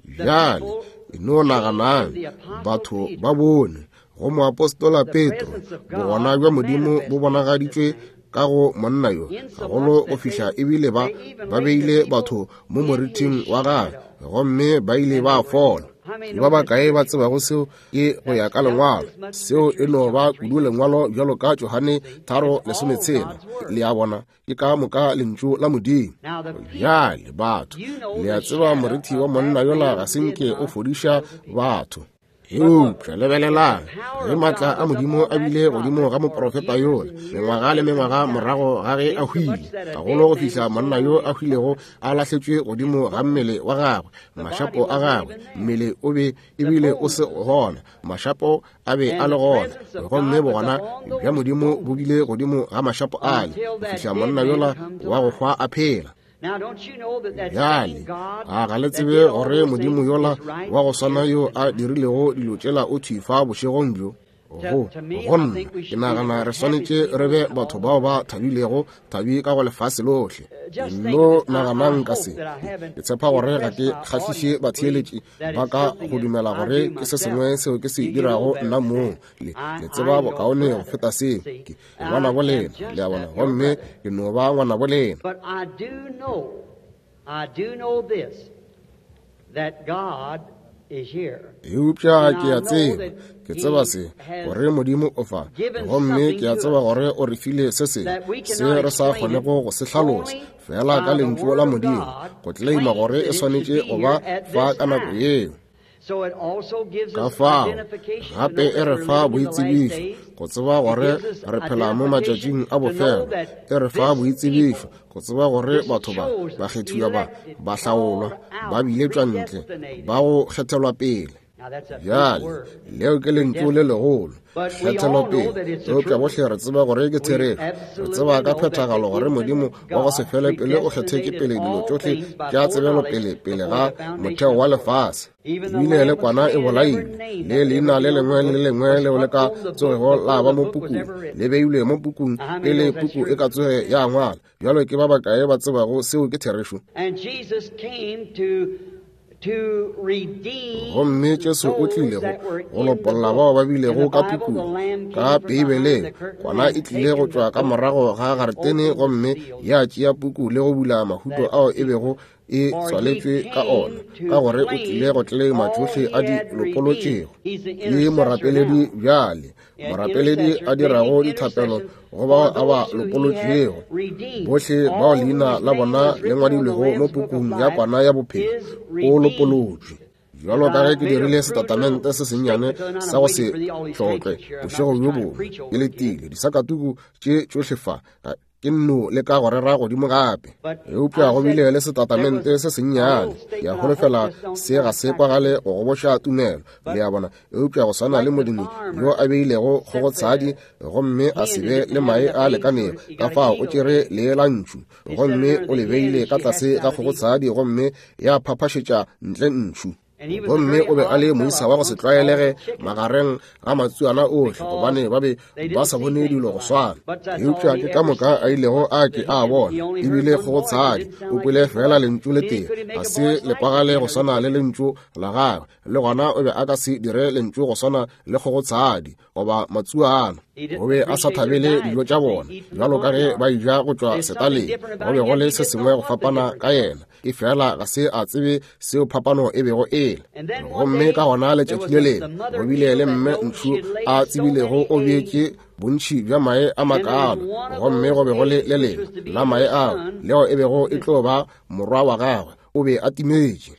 Bjale e no naganang, batho ba bone go moapostola Petro bogona bja Modimo bo bonagaditšwe ka go monna yo gagolo go fihla ebile ba ba beile batho mo moriting wa gagwe, gomme ba ile ba fola. Ke ba bakae ba tsebago seo ke go ya ka lengwalo? Seo e no ba kudu lengwalo bjalo ka Johane tharo lesometshela. Le a bona, ke ka moka lentšu la Modimo. Bjale batho, le a tseba morithi wa monna yola ga se nke o fodiša batho. Eupša lebelelang, ge maatla a Modimo a bile godimo ga moprofeta yola mengwaga le mengwaga morago ga ge a hwile, gagolo go fihla monna yo a hwilego a lahletšwe godimo ga mmele wa gagwe, mašapo a gagwe, mmele o be ebile o se gona, mašapo a be a le gona, gomme bogona bja Modimo bo bile godimo ga mašapo ale go fihla monna yola wa go hwa a phela. Bjale a ga le tsebe gore Modimo yola wa go swana yo a dirilego dilo tšela o thwi fa bošegong bjo? Go go nna ke nagana re swanetše re be batho bao ba thabilego, thabi ka go lefase lohle. No naganang ka se. Ke tshepa gore ga ke kgahliše batheeletši ba ka go dumela gore ke se sengwe seo ke se dirago nna mong. Le le tseba bokaone go feta seo. Ke ngwanabo lena, le a bona, gomme ke no ba ngwanabo lena. But I do know, I do know this, that God is here. Eupša ke a tseba, ke tseba se, gore Modimo o fa, gomme ke a tseba gore o re file se sengwe se re sa kgonego go se hlalosa fela ka lentšu la Modimo, go tleleima gore e swanetše go ba fa ka nako yeo. So it also gives Ka us fao identification to gape know e that re we're fa living in the last boitsebišo days. go tseba It gore gives us re phela mo identification matšatšing a to know bofelo. that E re fa this boitsebišo people, go tseba gore this batho ba chosen, bakgethiwa ba elected, ba hlaolwa, called out, ba biletšwa ntle, predestinated. ba go kgethelwa pele. Now that's a big Bjale word. leo ke lentšu le legolo, But we all know kgethelopele. that it's the Eupša truth. bohle re tseba gore ke We therešo. Re absolutely tseba ka know that the phethagalo gore Modimo infinite wa go se God fele pele o kgethetše predestinated pele dilo all tšohle things by tša foreknowledge tsebelopele pele before ga the foundation motheo of wa the world. lefase. Even the Ebile le Lamb was kwana e slain, and every bolailwe, name le that leina ever le be on the lengwe le book le lengwe was leo le put ka on the book tsogego la before ba the mo book was pukung, ever written. le beilwe mo pukung Now, how many pele knows that's puku e true? ka tsoge ya ngwala. Bjalo ke ba bakae ba tsebago seo ke therešo? And Jesus came to to redeem Gomme Jesu o those tlile go that were go in the lopolla book. bao ba In the bilego ka Bible, the pukung. Lamb Ka came from behind Beibeleng the curtain kwana and e tlile go taken the tšwa ka book morago ga and garetene opened the gomme seals ya tšea puku le go bula mahuto that ao e bego e For he tswaletšwe ka came ona, to ka gore o claim tlile go tleleima all tšohle he a di had redeemed. lopolotšego. He's the Ke intercessor morapeledi now. bjale, An morapeledi intercessor a dirago making dithapelo intercession go bao for a ba those who he had lopolotšego. redeemed. Bohle bao All leina whose la name bona was le written on the ngwadilwego mo Lamb's book of pukung ya life kwana ya bophelo is o redeemed. lopolotšwe. Bjalo If ka I ge ke made a dirile crude little setatamente se sennyane statement tonight, sa I'm go waiting se for the, all these hlotlwe handkerchiefs here. I'm not bošego just bjo trying to bongwe, preach ke over again. letile disakatuku tše tšohle fa. Ke nno le ka go rera godimo gape. Eupša go bile le setatamente se sennyane. Ke a holofela se ga se kwagale go goboša tumelo, le a bona. Eupša go swana le molemi yo a beilego kgogotshadi gomme a se be le mae a lekanego, ka fao o tšere lee la ntšhu gomme o le beile ka tlase ga kgogotshadi gomme ya phaphašetša ntle ntšhu. Gomme o be a le moisa wa go se tlwaelege magareng ga matsuana ohle, gobane ba be ba sa bone dilo go swana. Eupša ke ka moka a ilego a ke a bona, ebile kgogotshadi o kwele fela lentšu le tee, ga se le kwagale go swana le lentšu la gagwe, le gona o be a ka se dire lentšu go swana le kgogotshadi goba matsuana. O be a sa thabele dijo tša bona bjalo ka ge ba eja go tšwa setaleng. Go be go le se sengwe go fapana ka yena, e fela ga se a tsebe seo phapano e bego e le. Gomme ka gona letšatši le lengwe go bile le mme ntšhu a tsebilego o bjetše bontši bja mae a makalo, gomme go be go le le lengwe la mae ao leo e bego e tlo ba morwa wa gagwe, o be a timetše.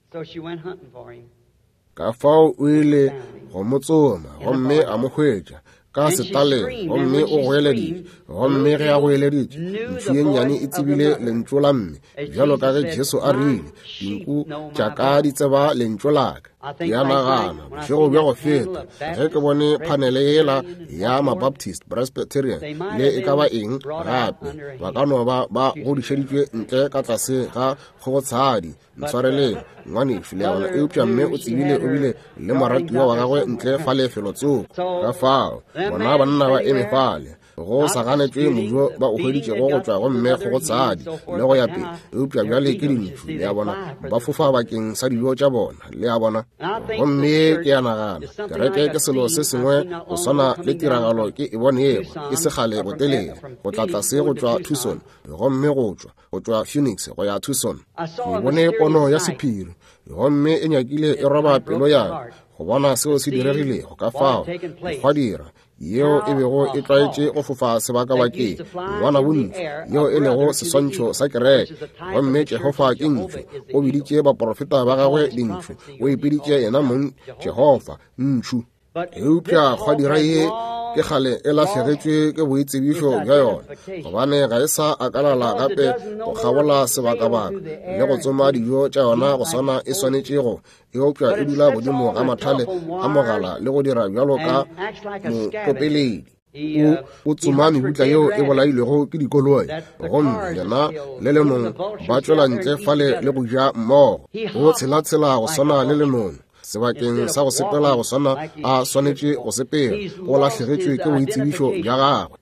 Ka fao o ile go mo tsoma gomme a mo hwetša ka setaleng, gomme o goeleditše. Gomme ge a goeleditše, ntšhu ye nnyane e tsebile lentšu la mme, bjalo ka ge Jesu a rile, dinku tša ka di tseba lentšu la ka. Ke a nagana bošego bja go feta ge ke bone phanele yela ya Mabaptist, Presbyterian le e ka ba eng gape, ba ka no ba ba godišeditšwe ntle ka tlase ga kgogotshadi. Ntshwareleng ngwanešu, le a bona. Eupša mme o tsebile o bile le moratiwa wa gagwe ntle fale felotsoko. Ka fao bona banna ba eme fale go sa ganetšwe mojo ba o hweditšego go tšwa go mme kgogotshadi le go ya pele. Eupša bjale ke dintšhu, le a bona, ba fofa bakeng sa dijo tša bona, le a bona. Gomme ke a nagana kereke ke selo se sengwe go swana le tiragalo ke e bonego e se kgale botelele, go tla tlase go tšwa Tucson gomme go tšwa go tšwa Phoenix go ya Tucson. Ke bone pono ya sephiri gomme e nyakile e roba pelo ya ka go bona seo se diregilego. Ka fao dikgwadira yeo e bego e tlwaetše go fofa sebakabakeng, ngwana bontši yeo e lego seswantšho sa kereke, gomme Jehofa ke ntšhu. O biditše baprofeta ba gagwe dintšhu, o ipiditše yena mong Jehofa ntšhu. Eupša kgwadira ye ke kgale e lahlegetšwe ke boitsebišo bja yona, gobane ga e sa akalala gape go kgabola sebakabaka le go tsoma dijo tša yona go swana e swanetšego, eupša e dula godimo ga mathale a mogala le go dira bjalo ka motopeledi. O, o tsoma mebutla yeo e bolailwego ke dikoloi, gomme yena le lenong ba tšwela ntle fale le go ja mmogo. O tshelatshela go swana le lenong sebakeng sa go sepela go swana a swanetše go sepela. O lahlegetšwe ke boitsebišo bja gagwe.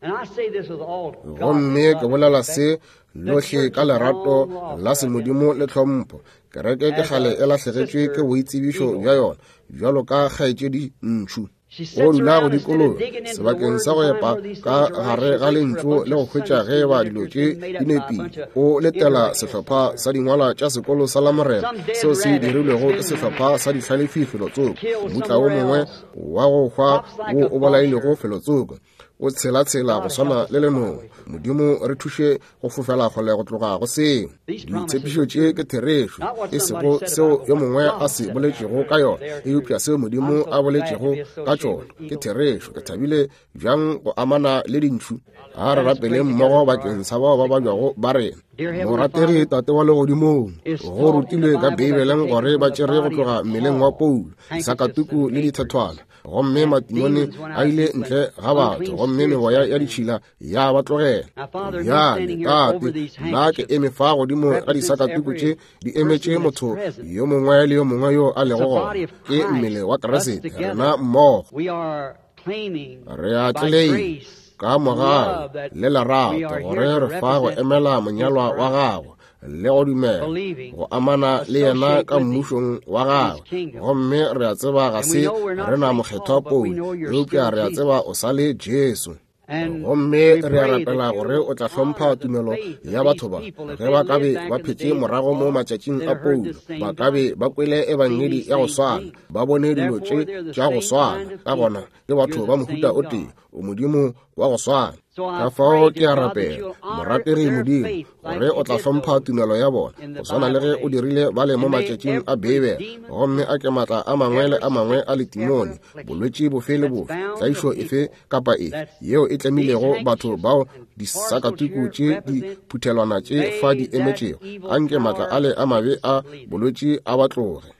Gomme ke bolela se lohle ka lerato la semodimo le tlhompho. Kereke ke kgale e lahlegetšwe ke boitsebišo bja yona bjalo ka kgaetšedi ntšhu. O dula go dikologa sebakeng sa go epa ka gare ga lentšu le go hwetša ge ba dilo tše di nepile. O letela sehlopha sa dingwalwa tša sekolo sa Lamorena seo se dirilwego ke sehlopha sa dihlalefi felotsoko, mmutla wo mongwe wa go hwa wo o bolailego felotsoko. O tshelatshela go swana le lenong. Modimo re thuše go fofela kgole go tloga go seo. Ditshepišo tše ke therešo, e sego seo yo mongwe a se boletšego ka yona, eupša seo Modimo a boletšego ka tšona ke therešo. Ke thabile bjang go amana le dintšhu. A re rapeleng mmogo bakeng sa bao ba babjago ba rena. Morategi Tate wa legodimong, go rutilwe ka Beibeleng gore ba tšere go tloga mmeleng wa Paulo disakatuku le dithethwana, gomme matimone a ile ntle ga batho, gomme meboya ya ditšhila ya ba tlogela. Bjale Tate, nna ke eme fa godimo ga disakatuku tše di emetše motho yo mongwe le yo mongwe yo a lego gona. Ke mmele wa Kriste, rena mmogo re a tleleima ka mogau le lerato gore re fa go emela monyalwa wa gagwe le go dumela go amana le yena ka mmušong wa gagwe. Gomme re a tseba ga se re na mokgethwa Paulo, eupša re a tseba o sa le Jesu. Gomme re a rapela gore o tla hlompha tumelo ya batho ba. Ge ba ka be ba phetše morago mo matšatšing a Paulo, ba ka be ba kwele ebangedi ya go swana, ba bone dilo tše tša go swana. Ka gona ke batho ba mohuta o tee, o Modimo wa go swana. Ka fao ke a rapela, morategi Modimo, gore o tla hlompha tumelo ya bona, go swana le ge o dirile bale mo matšatšing a Beibele, gomme a ke maatla a mangwe le a mangwe a letimone, bolwetši bofe le bofe, tlaišo efe kapa efe yeo e tlemilego batho bao disakatuku tše di phuthelwana tše fa di emetšego, anke maatla ale a mabe a bolwetši a ba tloge.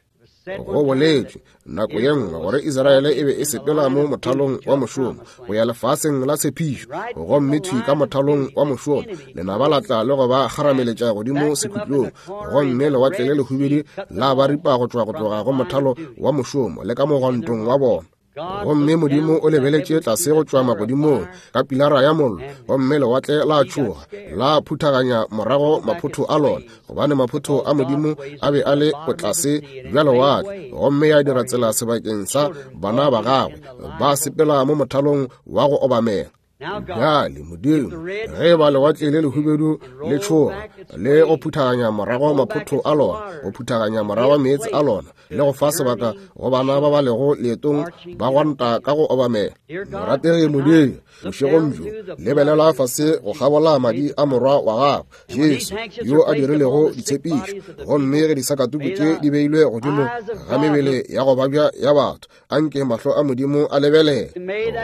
Go boletšwe nako ye nngwe gore Israele e be e sepela mo mothalong wa mošomo go ya lefaseng la tshepišo, gomme thwi ka mothalong wa mošomo lenaba la tla le go ba kgarameletša godimo sekhutlong, gomme lewatle le lehubedu la ba ripa go tšwa go tloga go mothalo wa mošomo le ka mogwantong wa bona. Gomme Modimo o lebeletše tlase go tšwa magodimong ka pilara ya mollo, gomme lewatle la tšhoga la phuthaganya morago maphotho a lona, gobane maphotho a Modimo a be a le botlase bja lewatle, gomme ya dira tsela sebakeng sa bana ba gagwe ba sepela mo mothalong wa go obamela. Bjale Modimo, ge ba lewatle le lehubedu le tšhoga le go phuthaganya morago maphotho a lona, go phuthaganya morago meetse a lona, le go fa sebaka go bana ba ba lego leetong ba gwanta ka go obamela. Morategi Modimo, bošegong bjo lebelela fase go kgabola madi a morwa wa gago Jesu, yo a dirilego ditshepišo, gomme ge disakatuku tše di beilwe godimo ga mebele ya go babja ya batho, anke mahlo a Modimo a lebelele,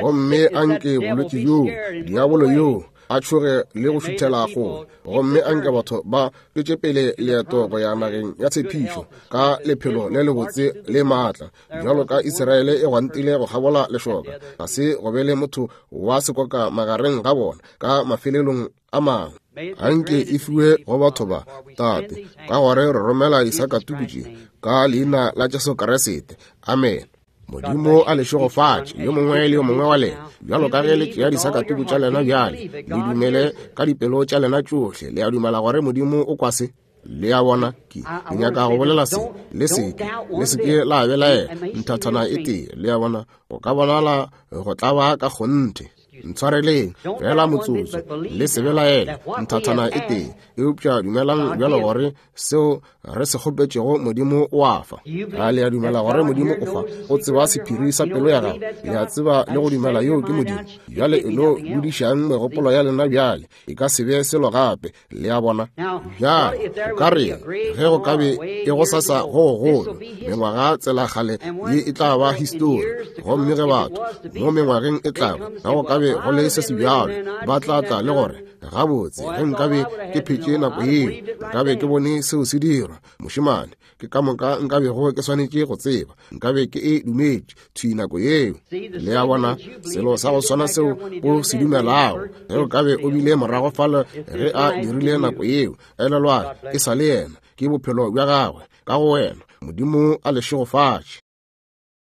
gomme anke bolwetši bjo, diabolo yo a tšhoge le go šuthela kgole, gomme anke batho ba tšwetše pele leeto go ya nageng ya tshepišo ka lephelo le lebotse le maatla, bjalo ka Israele e gwantile go kgabola lešoka, ga se go be le motho wa sekoka magareng ga bona ka mafelelong a mangwe. Anke e fiwe go batho ba, Tate, ka gore re romela disakatuku tše ka leina la Jesu Kriste. Amen. Modimo a le šegofatše yo mongwe le yo mongwe wa lena, bjalo ka ge le tšea disakatuku tša lena bjale, le dumele ka dipelo tša lena tšohle. Le a dumela gore Modimo o kwa se? Le a bona, ke ke nyaka go bolela se, le seke le seke la belaela nthathana e tee. Le a bona, go ka bonala go tlaba ka kgonthe. Ntshwareleng fela motsotso, le se belaele nthathana e tee, eupša dumelang bjalo gore seo re se kgopetšego Modimo o a fa. A le a dumela gore Modimo o fa? O tseba sephiri sa pelo ya gago. Le a tseba le go dumela yo ke Modimo. Bjale e no budišang megopolo ya lena bjale, e ka se be selo gape. Le a bona? Bjale o ka re ge go ka be e go sasa go gogolo, mengwaga tsela kgale ye e tla ba histori, gomme ge batho mo mengwageng e tlago ga go ka be go le se se bjalo, ba tla tla le gore gabotse ge nkabe ke phetše nako yeo, nkabe ke bone seo se dirwa. Mošemane, ke ka moka nkabego ke swanetše go tseba, nkabe ke e dumetše thwi nako yeo. Le a bona, selo sa go swana seo o se dumelago, ge o kabe o bile morago fale ge a dirile nako yeo, elelwa e sa le yena, ke bophelo bja gagwe ka go wena. Modimo a le šegofatše.